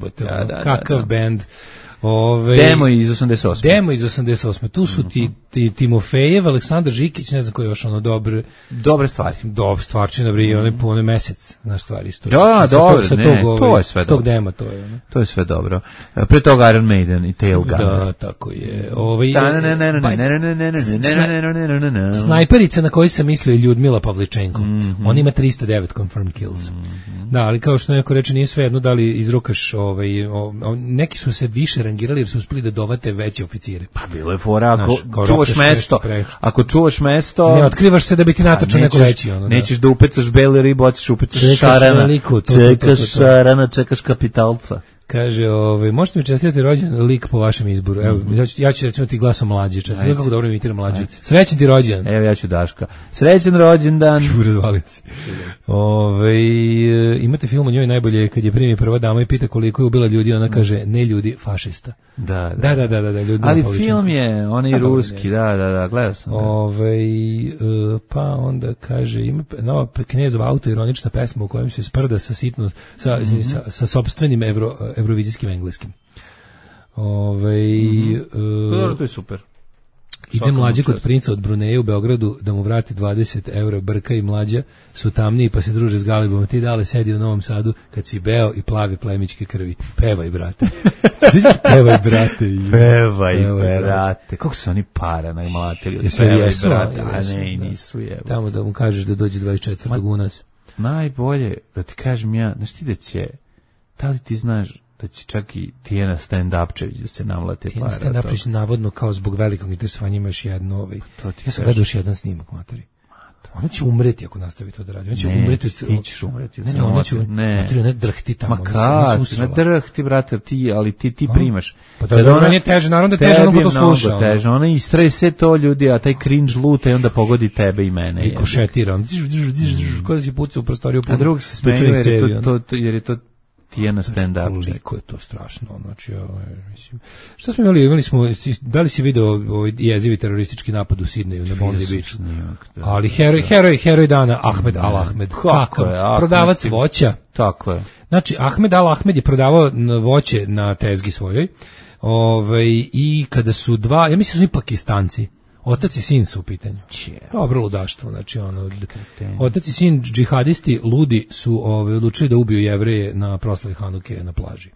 kakav bend. Ove, Demo iz osamdeset osme. Demo iz osamdeset osme. Tu su ti, ti Timofejev, Aleksandar Žikić, ne znam koji je još ono dobre... Dobre stvari. Dobre stvarčina, bri, mm. one pune mesec na stvari. Isto. Da, sa, dobro, sa ne, tog, ovaj, to je sve s tog dobro. dema, to je. Ne? To je sve dobro. Pre toga Iron Maiden i Tailgunner. Da, tako je. Ovaj, snajperica na koju sam mislio je Ljudmila Pavličenko. Mm-hmm. On ima tristo devet confirmed kills. Mm-hmm. Da, ali kao što neko reče, nije sve jedno da li izrukaš, ovaj, o, o, neki su se više rangirali jer su uspeli da dovate veće oficire. Pa bilo je fora, ako Znaš, čuvaš mesto, ako čuvaš mesto... Ne otkrivaš se da bi ti natačao neko veći. Ono, da. Nećeš da upecaš bele ribu, hoćeš upecaš čekaš šarana. Veliku, to, čekaš to, to, to, to. šarana, čekaš kapitalca. Kaže, ovaj, možete mi čestitati rođendan lik po vašem izboru. Evo, mm-hmm. ja, ću, ja ću recimo ti glasom mlađe. Čestitati kako dobro imitira mlađe. Srećan ti rođendan. Evo ja ću Daška. Srećan rođendan. Razvalim se. Ove, imate film o njoj najbolje kad je primi prva dama i pita koliko je ubila ljudi, ona kaže ne ljudi, fašista. Da, da, da, da, da, da ljudi. Ali film je onaj ruski, da, da, da, gledao sam. Ove, pa onda kaže ima nova Knezova autoironična pesma u kojem se sprda sa sitno sa mm-hmm. sa, sa sopstvenim evro, evrovizijskim engleskim. Ove, mm-hmm. uh, to, to je super. Ide mlađe kod princa od Bruneja u Beogradu da mu vrati dvadeset eura. Brka i mlađa su tamniji pa se druže s Galibom. Ti dale sedi u Novom Sadu kad si beo i plavi plemićke krvi. Pevaj, brate. Pevaj, brate. I... Pevaj, Pevaj, brate. Kako su oni para najmlatili? Jesu, jesu, brate. A jesu, ne, i da. nisu jeba. Tamo da mu kažeš da dođe dvadeset četvrtog u nas. Najbolje, da ti kažem ja, znaš ti da će, da li ti znaš da će čak i Tijena Stand-Upčević da se namlate para. Tijena Stand-Upčević navodno kao zbog velikog interesovanja ima još jedno ovaj. Ja sam gledao još jedan snimak, materi. Ona će umreti ako nastavi to da radi. Ona će ne, umreti. Ti ćeš umreti. Ne, ne, ona će ne. Materi, ne drhti tamo. Ma kad, ne drhti, brate, ti, ali ti, ti primaš. Pa da, da ona je teže, naravno da je teže, ono ko to sluša. Teže, ona istrese to ljudi, a taj cringe luta i onda pogodi tebe i mene. I košetira. Ko da si puca u prostoriju. A drugi se smeju jer je to, to, jer je to Tijena stand-up. Koliko je to strašno, znači, mislim. Šta smo imali? Imali smo, da li si video ovaj jezivi teroristički napad u Sidneju na Bondi Beachu? Ali heroj, heroj, heroj dana, Ahmed Al Ahmed. Kako je? Prodavac voća. Tako je. Znači, Ahmed Al Ahmed je prodavao voće na tezgi svojoj. Ovaj, i kada su dva, ja mislim su oni Pakistanci, otac i sin su u pitanju. Dobro ludaštvo, znači ono, otac i sin džihadisti ludi su ove, odlučili da ubiju Jevreje na proslavi Hanuke na plaži.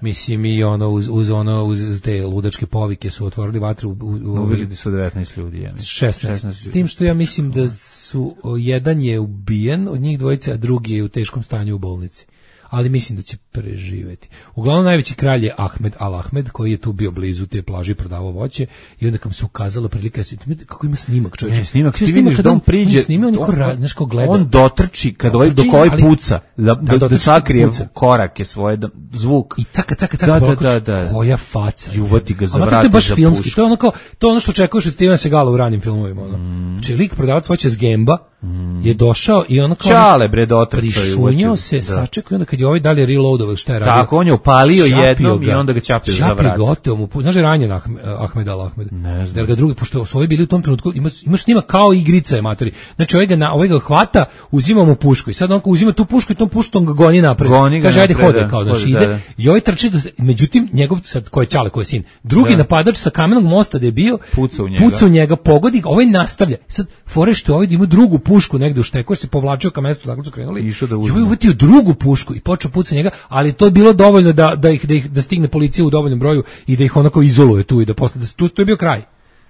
Mislim i ono uz, uz ono uz te ludačke povike su otvorili vatru u, u, u ubili su devetnaest ljudi, ja šesnaest. šesnaest. S tim što ja mislim da su jedan je ubijen od njih dvojice, a drugi je u teškom stanju u bolnici. Ali mislim da će preživeti. Uglavnom najveći kralj je Ahmed Al Ahmed, koji je tu bio blizu te plaže, prodavao voće i onda kam se ukazala prilika, kako ima snimak, čovječe. Ne, snimak, ti vidiš da on priđe, snima, on, on, znaš ko gleda. On dotrči, kad ovaj, dok ovaj puca, da, da, da, da sakrije puca. Korake svoje, da, zvuk. I caka, caka, caka, da, da, da, da. koja faca. Juvati ga za vrati, to je baš filmski, to je ono kao, to je ono što očekuješ od Stevena Segala u ranim filmovima. Ono. Mm. Znači, lik prodavac voća s Gemba mm. je došao i ono kao... Čale, bre, dotrčao. Prišunjao se, sačekao, onda kad je ovaj dalje reloadovao, šta je radio? Tako, on je upalio jednom ga, i onda ga čapio za vrat. Čapio gotovo mu, znaš je ranjen Ahmed Al Ahmed. Ne znam. Jer ga drugi, pošto su ovi bili u tom trenutku, imaš, imaš snima kao igrica je matori. Znači ovaj ga, na, ovaj ga hvata, uzima mu pušku i sad on uzima tu pušku i tom puštom ga goni napred. Goni ga kaže, ajde napred, hode, kao da ide. Da, da. I ovaj trči, do, međutim, njegov, sad, ko je Čale, ko je sin, drugi da. napadač sa kamenog mosta da je bio, puca u njega, puca u njega pogodi ga, ovaj nastavlja. Sad, fore što ovaj ima drugu pušku negde u šteku, se povlačio ka mestu, dakle su krenuli. Išao da uzme. I ovaj uvatio drugu pušku i počeo puca njega, ali to je bilo dovoljno da, da, ih, da, ih, da stigne policija u dovoljnom broju i da ih onako izoluje tu i da posle, da tu, to je bio kraj.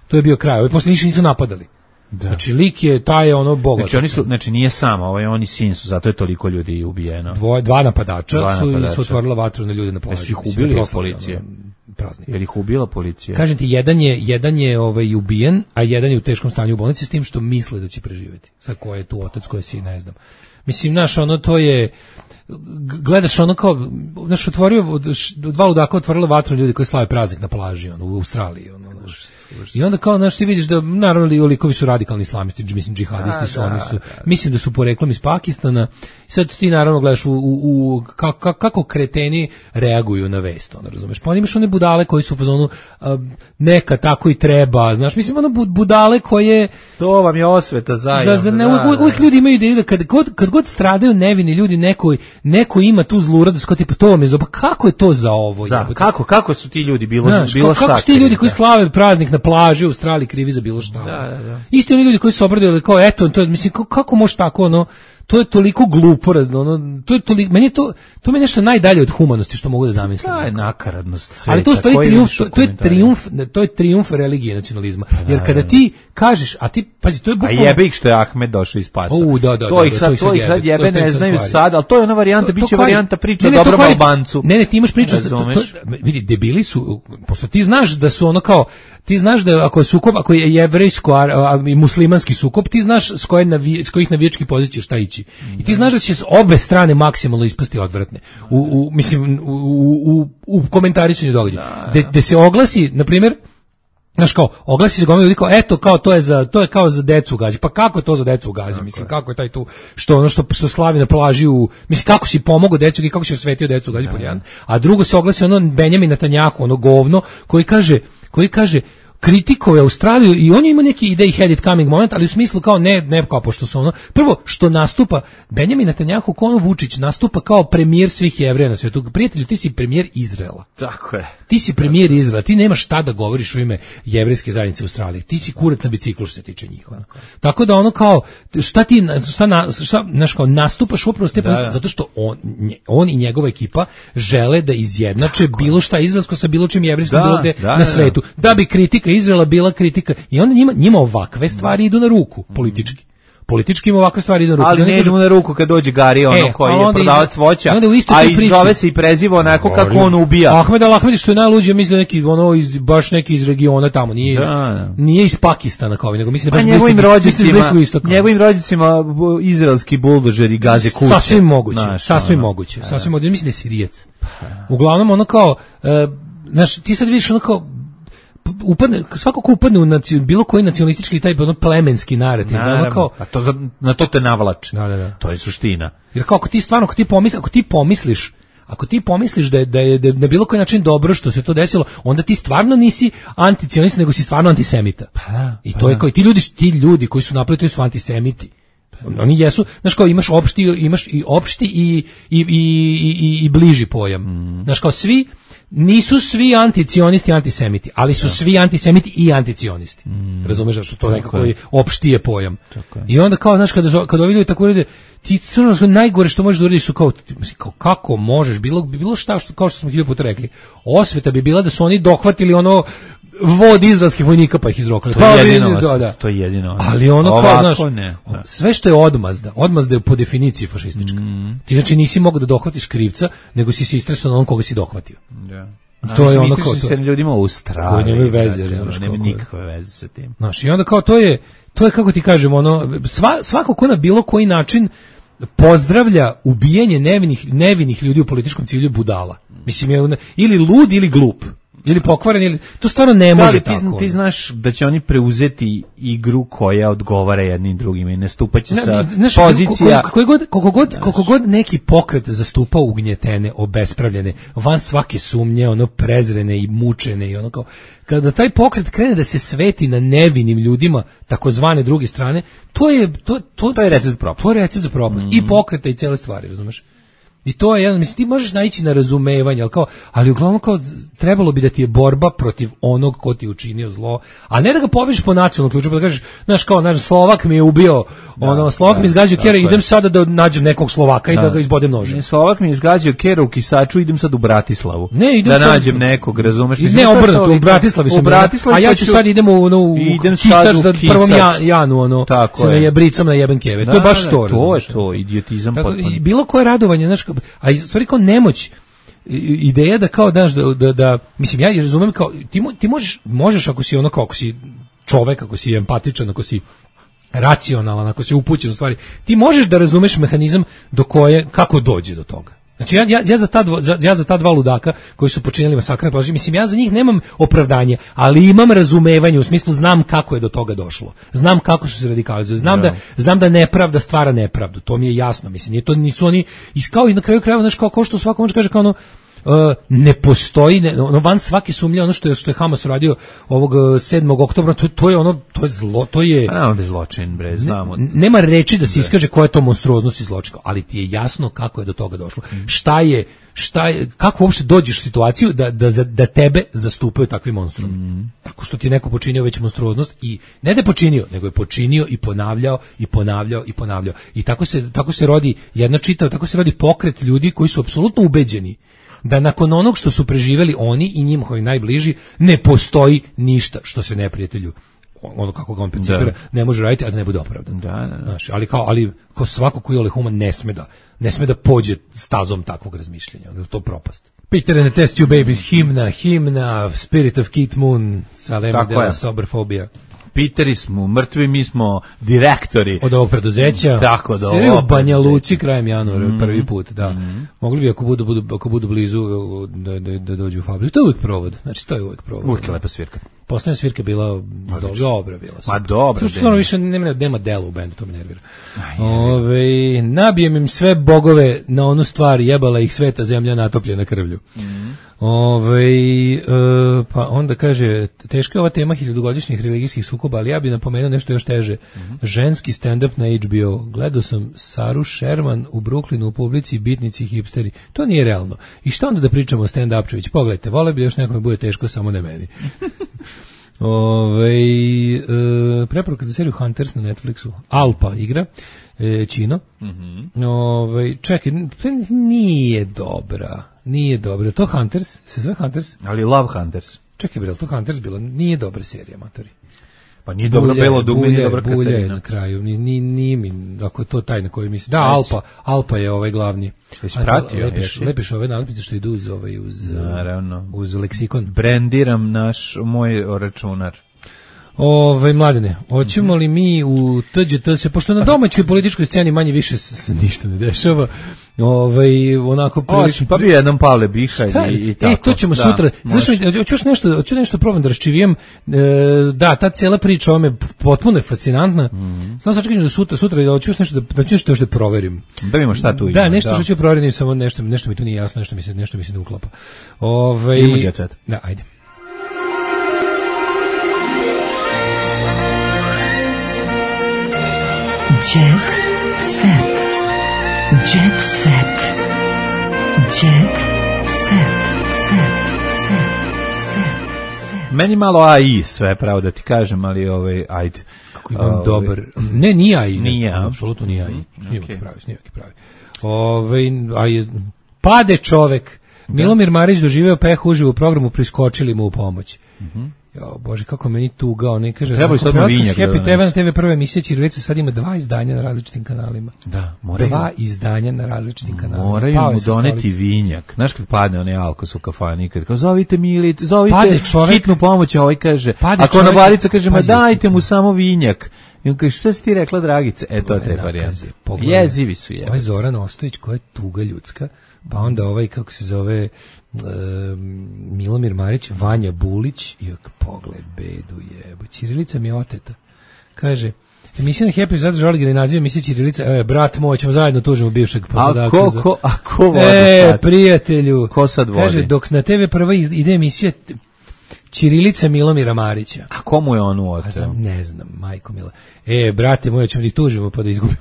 To je bio kraj. Ovi posle nisu napadali. Da. Znači lik je taj ono bogat. Znači oni su, znači nije samo, ovaj oni sin su, zato je toliko ljudi ubijeno. Dvoje, dva napadača dva su napadača. Su otvorila vatru na ljude na plaži. Jesu ih ubili od policije? Praznik. Je li ih ubila policija? Kažem ti, jedan je, jedan je ovaj, ubijen, a jedan je u teškom stanju u bolnici s tim što misle da će preživjeti. Sad ko je tu otac, ko je sin, ne znam. Mislim, znaš, ono to je, gledaš ono kao, znaš, otvorio, dva ludaka otvorila vatru ljudi koji slave praznik na plaži, ono, u Australiji, ono, znaš. I onda kao, znaš, ti vidiš da, naravno, li likovi su radikalni islamisti, mislim, džihadisti su, oni su, mislim da su poreklom iz Pakistana. Sad ti, naravno, gledaš u, u, u kako, kako kreteni reaguju na vest, ono, razumeš? Pa imaš one budale koji su u fazonu, neka tako i treba, znaš, mislim, ono budale koje... To vam je osveta zajedno. Za, za, ne, uvijek, uvijek ljudi imaju ideju da kad god, kad god stradaju nevini ljudi, neko, neko ima tu zluradost, kao tipa, to vam je za... Kako je to za ovo? Da, kako, kako su ti ljudi bilo, znaš, bilo šta? Kako su ti ljudi koji slave praznik na plaži u Australiji krivi za bilo šta? Da, da, da. Isti oni ljudi koji su obradili kao, eto, to, mislim, kako, kako može tako, ono, to je toliko glupo, ono, to je toliko, meni je to, to mi je nešto najdalje od humanosti što mogu da zamislim. To je nakaradnost sveta. Ali to stvari trijumf, to, to je trijumf, to je trijumf religije i nacionalizma. Jer kada ti kažeš, a ti, pazi, to je bukvalno... A jebe ih što je Ahmed došao iz Pasa. U, da, da, to da, ih sad, to ih sad jebe, ne znaju sad, ali to je ona varijanta, bit će varijanta priča o ne, dobrom Albancu. Ne, ne, ti imaš priču, to, to, vidi, debili su, pošto ti znaš da su ono kao, ti znaš da ako je sukob, ako je jevrejsko i muslimanski sukob, ti znaš s, koje navi, s kojih navijačkih pozicija šta ići. I ti znaš da će s obe strane maksimalno ispasti odvratne. U, u, mislim, u, u, u komentarisanju događaja. Gde se oglasi, na primjer, znaš kao, oglasi se gomila ljudi kao, eto, kao, to je, za, to je kao za decu u Gazi. Pa kako je to za decu u Gazi? Mislim, kako je taj tu, što ono što se slavi na plaži u, mislim, kako si pomogao decu i kako si osvetio decu u Gazi pod jedan. A drugo se oglasi ono Benjamin Netanjahu, ono govno, koji kaže, koji kaže, kritikove Australiju i on ima neki idej had it coming moment, ali u smislu kao ne, ne kao pošto su ono, prvo što nastupa Benjamin Netanjahu kao ono Vučić nastupa kao premijer svih Jevreja na svijetu. Prijatelju, ti si premijer Izraela. Tako je. Ti si premijer Izraela, ti nemaš šta da govoriš u ime jevrejske zajednice u Australiji. Ti si kurac na biciklu što se tiče njih. Ono. Tako da ono kao, šta ti, šta, na, šta znaš kao, nastupaš upravo s te pozicije, zato što on, on i njegova ekipa žele da izjednače tako bilo šta izraelsko sa bilo čim jevrejskom bilo gde da, na svetu. Da, da bi kritika Izraela bila kritika i onda njima, njima ovakve stvari idu na ruku politički. Politički im ovakve stvari idu na ruku. Ali ne idu na ruku kad dođe Gari, ono e, koji je prodavac voća, a i zove se i preziva onako kako on ubija. Ahmed Al-Ahmed što je najluđe, mislim neki ono iz baš neki iz regiona tamo, nije iz, da. Nije iz Pakistana kao, nego mislim da baš njegovim rođacima, njegovim rođacima izraelski buldožeri gaze kuće. Sasvim moguće, Naš, sasvim ono, moguće, a, sasvim moguće, mislim da je Sirijac. Uglavnom ono kao, uh, znaš, ti sad vidiš ono kao upadne, svako ko upadne u naci, bilo koji nacionalistički taj ono plemenski narativ, ono kao, a to za, na to te navlači. Da, da, da. To je suština. Jer kao ako ti stvarno, ako ti pomisliš, ako ti pomisliš, ako ti pomisliš da je, da je, da je na bilo koji način dobro što se to desilo, onda ti stvarno nisi anticionista, nego si stvarno antisemita. Pa da, I pa to je da. kao, ti ljudi, ti ljudi koji su napravili, to su antisemiti. Oni jesu, znaš kao imaš opšti, imaš i opšti i, i, i, i, i bliži pojam. Mm. Znaš kao svi, nisu svi anticionisti antisemiti, ali su da. Svi antisemiti i anticionisti. Mm. Razumeš da što to nekako je opšti je pojam. Tako je. I onda kao, znaš, kada, kada ovi ljudi tako urede, ti crno, najgore što možeš da urediš su kao, kao, kako možeš, bilo, bilo šta, što, kao što smo hiljadu puta rekli, osveta bi bila da su oni dohvatili ono vod izraelskih vojnika pa ih izrokali. To je jedino, da, da. To je jedino. Ali ono ovako, kao, znaš, ne, da. Sve što je odmazda, odmazda je po definiciji fašistička. Mm. Ti znači nisi mogao da dohvatiš krivca, nego si se istresao na onom koga si dohvatio. Da. I to je ono kao to. Se ljudima u Australiji. Koji nemaju veze, znači, nema nikakve veze sa tim. Znaš, i onda kao to je, to je kako ti kažem, ono, sva, svako ko na bilo koji način pozdravlja ubijanje nevinih, nevinih ljudi u političkom cilju budala. Mislim, je ili lud ili glup. Ili pokvaren, ili to stvarno ne može da, ti, tako. Ti znaš da će oni preuzeti igru koja odgovara jednim drugim i nastupaće sa znaš, pozicija. Koliko god, koliko god, koliko god neki pokret zastupa ugnjetene, obespravljene, van svake sumnje, ono prezrene i mučene i ono kao, kada taj pokret krene da se sveti na nevinim ljudima, takozvane druge strane, to je to to, to je recept za propast. To je recept za propast. Mm. I pokreta i cele stvari, razumeš? I to je jedan, mislim, ti možeš naići na razumevanje, ali, kao, ali uglavnom kao trebalo bi da ti je borba protiv onog ko ti je učinio zlo, a ne da ga poviš po nacionalnom ključu, pa da kažeš, znaš, kao, naš Slovak mi je ubio, da, ono, Slovak da, mi izgazio kjera, idem sada da nađem nekog Slovaka da. I da ga izbodem nožem. Slovak mi je izgazio kjera u Kisaču, idem sad u Bratislavu, ne, idem da sad, nađem nekog, razumeš? Mislim, ne, obrnuto, u Bratislavi sam, a ja ću sad idem u, ono, u Kisač da prvom Janu, ono, se na jebricom na jeben keve, to je baš to, to je to, idiotizam potpuno. Bilo koje radovanje, znaš, a stvari kao nemoć, ideja da kao daš da, da, da mislim ja razumem kao ti, ti možeš možeš ako si ono kao ako si čovek, ako si empatičan, ako si racionalan, ako si upućen u stvari, ti možeš da razumeš mehanizam do koje kako dođe do toga. Znači ja, ja, ja, za ta dvo, za, ja za ta dva ludaka koji su počinili masakr na plaži, mislim ja za njih nemam opravdanje, ali imam razumevanje, u smislu znam kako je do toga došlo. Znam kako su se radikalizovali. Znam da, da znam da nepravda stvara nepravdu. To mi je jasno, mislim, nije to nisu oni iskao i na kraju krajeva, znači kao, kao što svako može kaže kao ono Uh, ne postoji, ne, ono van svake sumnje, ono što je što je Hamas uradio ovog sedmog oktobra, to, to je ono, to je zlo, to je a onda je zločin, bre, znamo. Ne, nema reči da se iskaže koja je to monstruoznost i zločin, ali ti je jasno kako je do toga došlo. Mm. Šta je, šta je, kako uopšte dođeš u situaciju da da da tebe zastupaju takvi monstrumi. Mm. Tako što ti je neko počinio već monstruoznost i ne da je počinio, nego je počinio i ponavljao i ponavljao i ponavljao. I tako se tako se rodi jedna čitava, tako se rodi pokret ljudi koji su apsolutno ubeđeni da nakon onog što su preživeli oni i njima koji najbliži ne postoji ništa što se neprijatelju ono kako ga on percipira ne može raditi a da ne bude opravdan. Da, da, da. Znaš, ali kao ali ko svako ko je human ne sme da ne sme da pođe stazom takvog razmišljanja, onda je to propast. Peter and the Test Tube Babies, himna, himna, Spirit of Keith Moon, Salema de la Soberfobia. Piteri smo, mrtvi, mi smo direktori. Od ovog preduzeća. Tako, da ovo. U Banja Luci krajem januara, mm-hmm. prvi put, da. Mm-hmm. Mogli bi, ako budu, budu, ako budu blizu, da, da, da dođu u fabriku. To je uvijek provod, znači to je uvijek provod. Uvijek je lepa svirka. Poslednja svirka je bila do, dobra, bila Ma dobra. Samo što stvarno više nema, nema dela u bendu, to me nervira. Ove, nabijem im sve bogove na onu stvar, jebala ih sveta zemlja natopljena krvlju. Mm-hmm. Ove, e, pa onda kaže, teška je ova tema hiljadugodišnjih religijskih sukoba, ali ja bih napomenuo nešto još teže. Mm-hmm. Ženski stand-up na H B O. Gledao sam Saru Sherman u Brooklynu u publici, bitnici, hipsteri. To nije realno. I šta onda da pričamo o stand-upčević? Pogledajte, vole bi još nekome bude teško, samo ne meni. Ove, e, preporuka za seriju Hunters na Netflixu. Alpa igra. E, Čino. Mm-hmm. Ove, čekaj, nije dobra. Nije dobro. To Hunters? Se zove Hunters? Ali Love Hunters. Čekaj, bre, to Hunters bilo? Nije dobra serija, matori. Pa nije dobro Belo dugme, nije dobra Katarina. Bulje na kraju, ni ni ni mi, ako je to taj na koji misli. Da, Alpa, Alpa je ovaj glavni. Jesi pratio? Lepiš, lepiš ove nalepnice što idu uz ovaj uz naravno uz leksikon. Brandiram naš moj računar. Ove, Mladene, hoćemo li mi u T Đ T se, pošto na domaćoj političkoj sceni manje više se ništa ne dešava, ovaj onako prilično, pa bi jednom Pavle Bihalj i, i tako. E, to ćemo da, sutra. Znaš, hoću nešto, hoću nešto probam da raščivijem. E, da, ta cijela priča o me potpuno je fascinantna. Mm-hmm. Samo sačekam do sutra, sutra da hoću nešto da hoću nešto da proverim. Da vidimo šta tu ima. Da, nešto što ću proveriti, samo nešto, nešto mi tu nije jasno, nešto mi se nešto mi se ne uklapa. Ovaj da, ajde. Jet set. Jet set. Jet set. Set. Set. Set. Meni malo A I sve, pravo da ti kažem, ali ovaj ajde. Kako imam ovaj, dobar. Ne, nije A I. Nije, ne, apsolutno nije A I. Nije okay. pravi, nije pravi. Ovaj aj pade čovek. Da. Milomir Marić doživeo peh uživo u programu, priskočili mu u pomoć. Mhm. Jo, bože, kako meni tugao, ne kaže. Treba i sad novinjak. Happy te ve na te ve prva emisija Ćirilica sad ima dva izdanja na različitim kanalima. Da, moraju. Dva izdanja na različitim kanalima. Moraju mu doneti vinjak. Znaš kad padne onaj alkos u kafani, kad kao zovite Mili, zovite hitnu pomoć, a ovaj kaže, ako ona barica kaže, ma dajte mu samo vinjak. I on kaže, šta si ti rekla, Dragice? E, to te varijante. Jezivi su je. Ovaj Zoran Ostojić, koja je tuga ljudska, pa onda ovaj, kako se zove, Uh, Milomir Marić, Vanja Bulić i pogled bedu jebo. Ćirilica mi je oteta. Kaže, emisija na Happy zato žali naziv emisije Ćirilica. E, brat moj, ćemo zajedno tužimo bivšeg poslodavca. A ko, ko, a ko vodi e, sad? Prijatelju. Ko sad vodi? Kaže, dok na te ve prva ide emisija Ćirilica Milomira Marića. A komu je on oteo? Ne znam, majko mila. E, brate moj, ćemo da ih tužimo pa da izgubimo.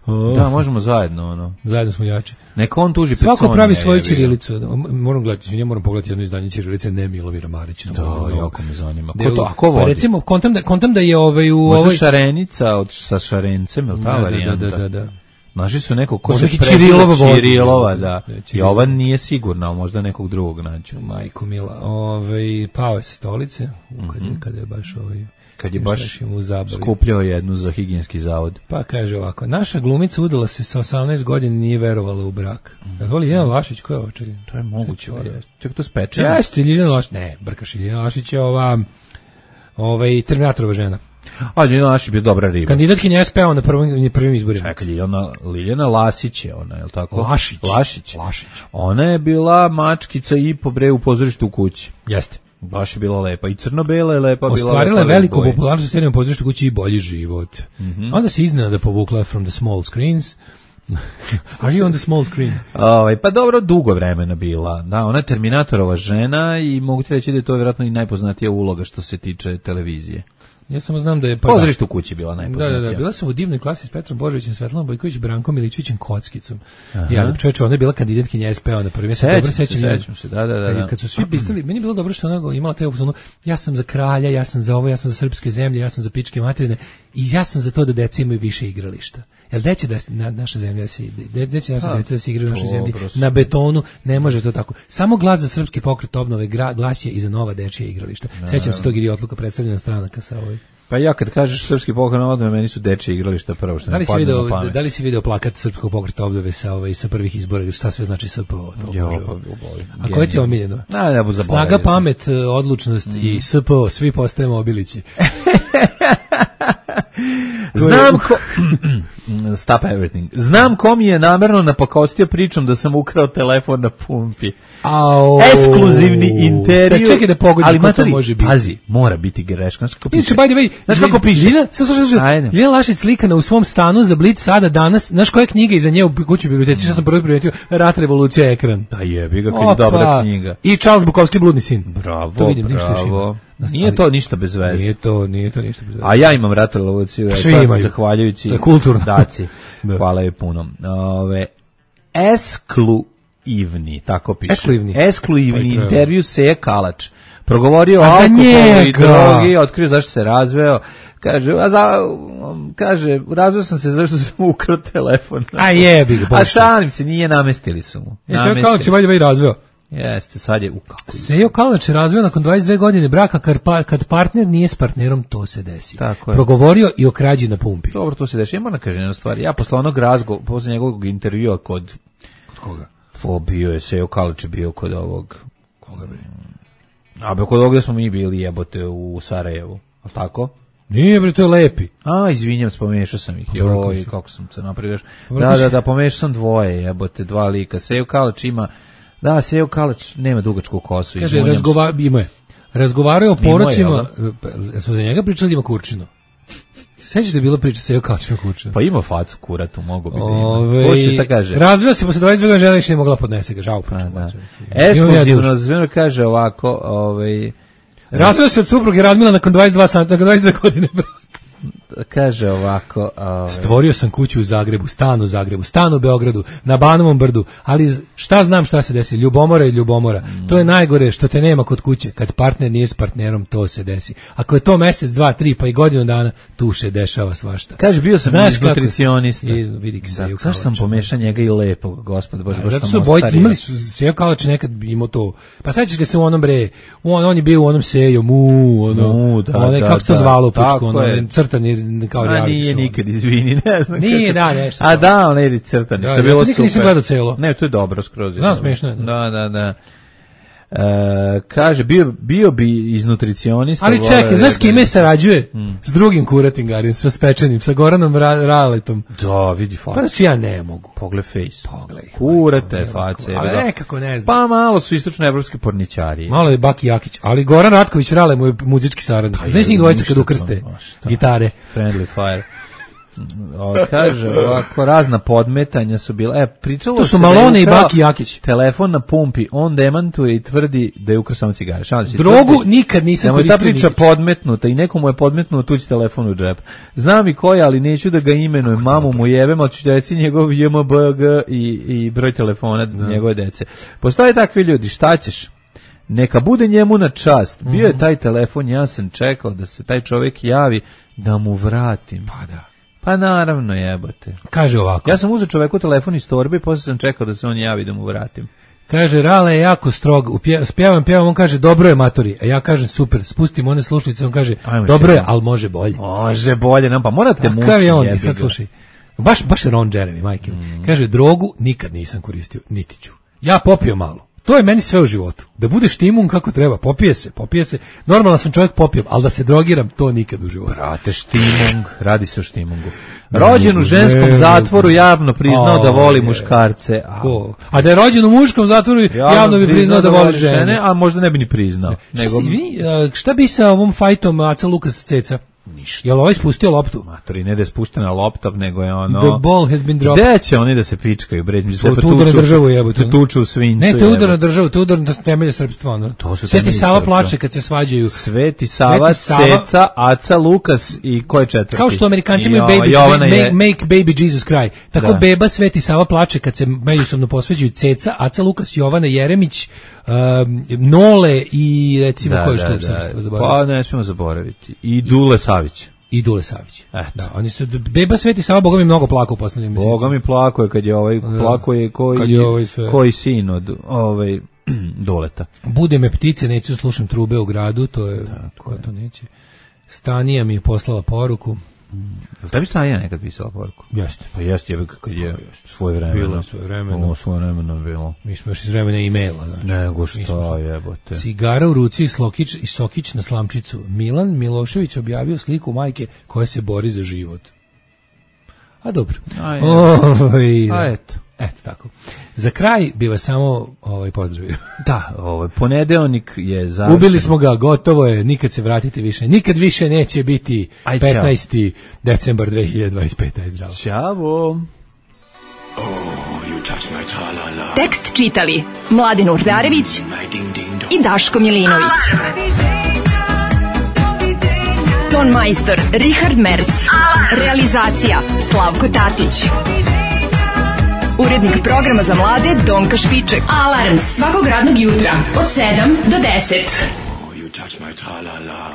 Oh. Da, možemo zajedno, ono. Zajedno smo jači. Neka on tuži pred Sonije. Svako pravi svoju ćirilicu. Moram gledati, ja moram pogledati jedno izdanje ćirilice, ne Milomira Marića. Da, no, jako me zanima. Ko to, a ko vodi? Pa recimo, kontam da, kontam da je ovaj u Možda ovoj... Šarenica od, sa Šarencem, je li ta da, varijanta? Da, da, da, da. Naši su nekog ko možda se preziva Čirilova, Čirilova, da. I ova nije sigurna, ali možda nekog drugog nađu. Majko mila, ovaj, pao je sa stolice, kad je, kad je baš ovaj... kad je baš skupljao jednu za higijenski zavod. Pa kaže ovako, naša glumica udala se sa osamnaest godina i nije verovala u brak. Mm. Voli Ljiljana Lašić, ko je ovo? Čekaj? To je moguće. Čekaj, to spečeno? Jeste, Ljiljana Lašić. Ne, brkaš, Ljiljana Lašić je ova ovaj Terminatorova žena. A Ljiljana Lasić je bio dobra riba. Kandidatkinja S P A na prvim, prvim izborima. Čekaj, Ljiljana, Liljana Lasić je ona, je li tako? Lašić. Lašić. Lašić. Ona je bila mačkica i po bre u pozorištu u kući. Jeste. Baš je bila lepa. I crno-bela je lepa. Ostvarila je veliku popularnost u serijom pozorištu kući i bolji život. Mm-hmm. Onda se iznenada povukla from the small screens. Are you on the small screen? Ovaj, pa dobro, dugo vremena bila. Da, ona je Terminatorova žena i mogu ti reći da je to vjerojatno i najpoznatija uloga što se tiče televizije. Ja samo znam da je... Pa pozorište u kući bila najpoznatija. Da, da, da, bila sam u divnoj klasi s Petrom Božovićem, Svetlanom Bojković, Brankom Milićevićem, Kockicom. Ja, čovječe, ona je bila kandidatkinja S P A na prvim. Ja se dobro sećam. Sećam se, da, da, da. Kad, kad su svi pisali, meni je bilo dobro što ona imala te ono, ja sam za kralja, ja sam za ovo, ja sam za srpske zemlje, ja sam za pičke materine i ja sam za to da deca imaju više igrališta. Jel deće da na, naša zemlja se deće naša deca da se igraju u našoj zemlji na betonu, ne može to tako. Samo glas za srpski pokret obnove gra, glas je i za nova dečija igrališta. Sećam se tog idiotluka predstavljena stranaka sa ovoj. Pa ja kad kažeš srpski pokret obnove, meni su dečije igrališta prvo što da mi padne na pamet. Da li si video plakat srpskog pokreta obnove sa ovaj sa prvih izbora, šta sve znači S P O? Jo, pa, a koje ti je omiljeno? Na, ne bu zaboravio. Snaga, pamet, odlučnost mm. i S P O, svi postajemo obilići. Znam ko... Stop everything. Znam ko mi je namerno napakostio pričom da sam ukrao telefon na pumpi. Au, ekskluzivni intervju. Čekaj da pogodim ali ko to može biti. Pazi, mora biti greška. Znaš kako piše? By the way, znaš kako piše? Ljiljana, sad slušaj, Ljiljana Lašić slikana u svom stanu za Blic sada danas. Znaš koja je knjiga iza nje u kući biblioteci? Što sam prvi primetio? Rat, revolucija, ekran. Da jebi ga, kad je dobra knjiga. I Charles Bukowski, Bludni sin. Bravo, to vidim, bravo. Nije to ništa bez veze. Nije to, nije to ništa bez veze. A ja imam Rat, revoluciju, zahvaljujući daci. Hvala je puno. Ove, esklu Ivni, tako piše. Esklivni. Esklivni intervju Seja Kalač. Progovorio o alkoholu i drogi, otkrio zašto se razveo. Kaže, a za, kaže, razveo sam se zašto sam ukrao telefon. A jebi ga. A šalim se, nije, namestili su mu. Je Seja Kalač je valjda razveo. Jeste, sad je u kako. Sejo Kalač je razveo nakon dvadeset dve godine braka kad partner nije s partnerom, to se desi. Tako je. Progovorio i o krađi na pumpi. Dobro, to se desi. Ja moram da kažem jednu stvar. Ja posle onog razgovora, posle njegovog intervjua kod... Kod koga? O, bio je, Sejo Kalač je bio kod ovog... Koga bi? A be kod ovog gde smo mi bili jebote u Sarajevu, a tako? Nije bre, to je Lepi. A, izvinjam se, pomešao sam ih. Joj, kako sam se napravio. Da, da, da, pomešao sam dvoje, jebote, dva lika. Sejo Kalač ima... Da, Sejo Kalač nema dugačku kosu. Kaže, razgova... ima je. Razgovarao je o porocima... Smo za njega pričali ima kurčinu. Sećaš da je bila priča Sejo Kalač ima kurčinu? Pa ima facu kuratu, mogu bi da ima. Slušaj šta kaže. Razveo se posle dvadeset dve godine žena više nije mogla podnese ga, žao priču. Ekskluzivno, zveno kaže ovako... Ovaj, razveo se od supruge Radmila nakon dvadeset dva sata, nakon dvadeset dve godine braka. Kaže ovako... Ovaj... Stvorio sam kuću u Zagrebu, stan u Zagrebu, stan u Beogradu, na Banovom brdu, ali šta znam šta se desi, ljubomora i ljubomora. Mm. To je najgore što te nema kod kuće, kad partner nije s partnerom, to se desi. Ako je to mesec, dva, tri, pa i godinu dana, tu se dešava svašta. Kaže, bio sam znaš nutricionista. Vidi da, zašto sam pomešao njega i lepog, gospod Bože, baš zato sam su bojiti, imali su, Sejo Kalač nekad imao to, pa sećaš ga se u onom bre, on, on je bio u onom Sejo, mu, ono, mu, da, onaj, da, kako se to da, zvalo, pučko, ono, crtani, kao a nije nikad, izvini, ne znam. Nije, da, nešto. A da, on je crtani, što je bilo super. Nikad nisam gledao celo. Ne, to je dobro skroz. Znam, smiješno je. Da, da, da. E, kaže, bio, bio bi iz nutricionista. Ali čekaj, znaš kime sarađuje? Hmm. S drugim kuratingarijom, s pečenim, sa Goranom Ra Raletom. Da, vidi face. Pa znači ja ne mogu. Pogled face. Pogled. Kurate face. Ali nekako ne znam. Pa malo su istočnoevropski porničari. Malo je Baki Jakić, ali Goran Ratković Rale mu je muzički saradnik. Znaš njih dvojica kad ukrste gitare. Friendly fire. O, kaže, ovako, razna podmetanja su bila. E, pričalo to su Malone i Baki Jakić. Telefon na pumpi, on demantuje i tvrdi da je ukrao samo cigare. Šalim se. Drogu tvrdi, nikad nisam koristio. Ta priča nikad. Podmetnuta i nekomu je podmetnuo tuđi telefon u džep. Znam i koji, ali neću da ga imenujem. Kako mamu mu jebem, ali ću reći njegov J M B G i, i broj telefona da. Njegove dece. Postoje takvi ljudi, šta ćeš? Neka bude njemu na čast. Bio je taj telefon, ja sam čekao da se taj čovjek javi da mu vratim. Pa da. Pa naravno jebote. Kaže ovako. Ja sam uzeo čoveku telefon iz torbe i posle sam čekao da se on javi da mu vratim. Kaže, Rale je jako strog, spjevam, pjevam, on kaže, dobro je matori, a ja kažem, super, spustim one slušnice, on kaže, ajmo dobro je, ali može bolje. Može bolje, no, pa morate mući. Kakav je on, i sad slušaj, baš, baš Ron Jeremy, majke. Mm. Kaže, drogu nikad nisam koristio, niti ću. Ja popio malo, To je meni sve u životu. Da budeš timun kako treba, popije se, popije se. Normalan sam čovjek, popijem, ali da se drogiram, to nikad u životu. Brate, štimung, radi se o štimungu. Rođen u ženskom zatvoru, javno priznao da voli muškarce. A, a da je rođen u muškom zatvoru, javno bi priznao da voli žene. A možda ne bi ni priznao. Nego... Izvini, šta bi sa ovom fajtom Aca Lukas Ceca? Ništa. Jel ovaj spustio loptu? Matori, ne da je spuštena lopta, nego je ono... The ball has been dropped. Gde će oni da se pičkaju, bre? To, to udar na državu jebote. To tuču u svincu. Ne, to udar na državu, to udar na temelje srpstva. Ono. To su Sveti Sava plače kad se svađaju. Sveti Sava, Sveti Sava, Ceca, Aca Lukas i ko je četvrti? Kao što Amerikanci imaju baby, make, je... make baby Jesus cry. Tako da. Beba Sveti Sava plače kad se međusobno posveđuju Ceca, Aca Lukas, Jovana Jeremić, um, Nole i recimo da, ko je što da, srpstva zaboraviti. Pa ne smijemo zaboraviti. I Dule Savić. I Dule Savić. Da, oni su Beba Sveti Sava, Boga mi mnogo plakao u poslednjim mesecima. Boga mi plakao je kad je ovaj plakao je koji kad je ovaj sve... koji sin od ovaj Duleta. Bude me ptice, neću slušam trube u gradu, to je da, ko to neće. Stanija mi je poslala poruku. Jel tebi Stanija nekad pisala poruku? Jeste. Pa jeste, je kad je svoje vreme. Bilo svoje vreme. Ovo svoje vremeno bilo. Mi smo još iz vremena e-maila. Znači. Nego što jebote. Cigara u ruci i, slokić, i sokić na slamčicu. Milan Milošević objavio sliku majke koja se bori za život. A dobro. A, Oj, A eto. Eto tako. Za kraj bi vas samo ovaj pozdravio. Da, ovaj ponedeljnik je završen. Ubili smo ga, gotovo je, nikad se vratite više. Nikad više neće biti Aj, petnaesti decembar dve hiljade dvadeset pete. Aj, zdravo. Ćao. Oh, tekst čitali Mladin Urdarević i Daško Milinović. Ton majstor Richard Merc. Realizacija Slavko Tatić. Urednik programa za mlade Donka Špiček. Alarms svakog radnog jutra od sedam do deset. Oh, you touch my tra-la-la.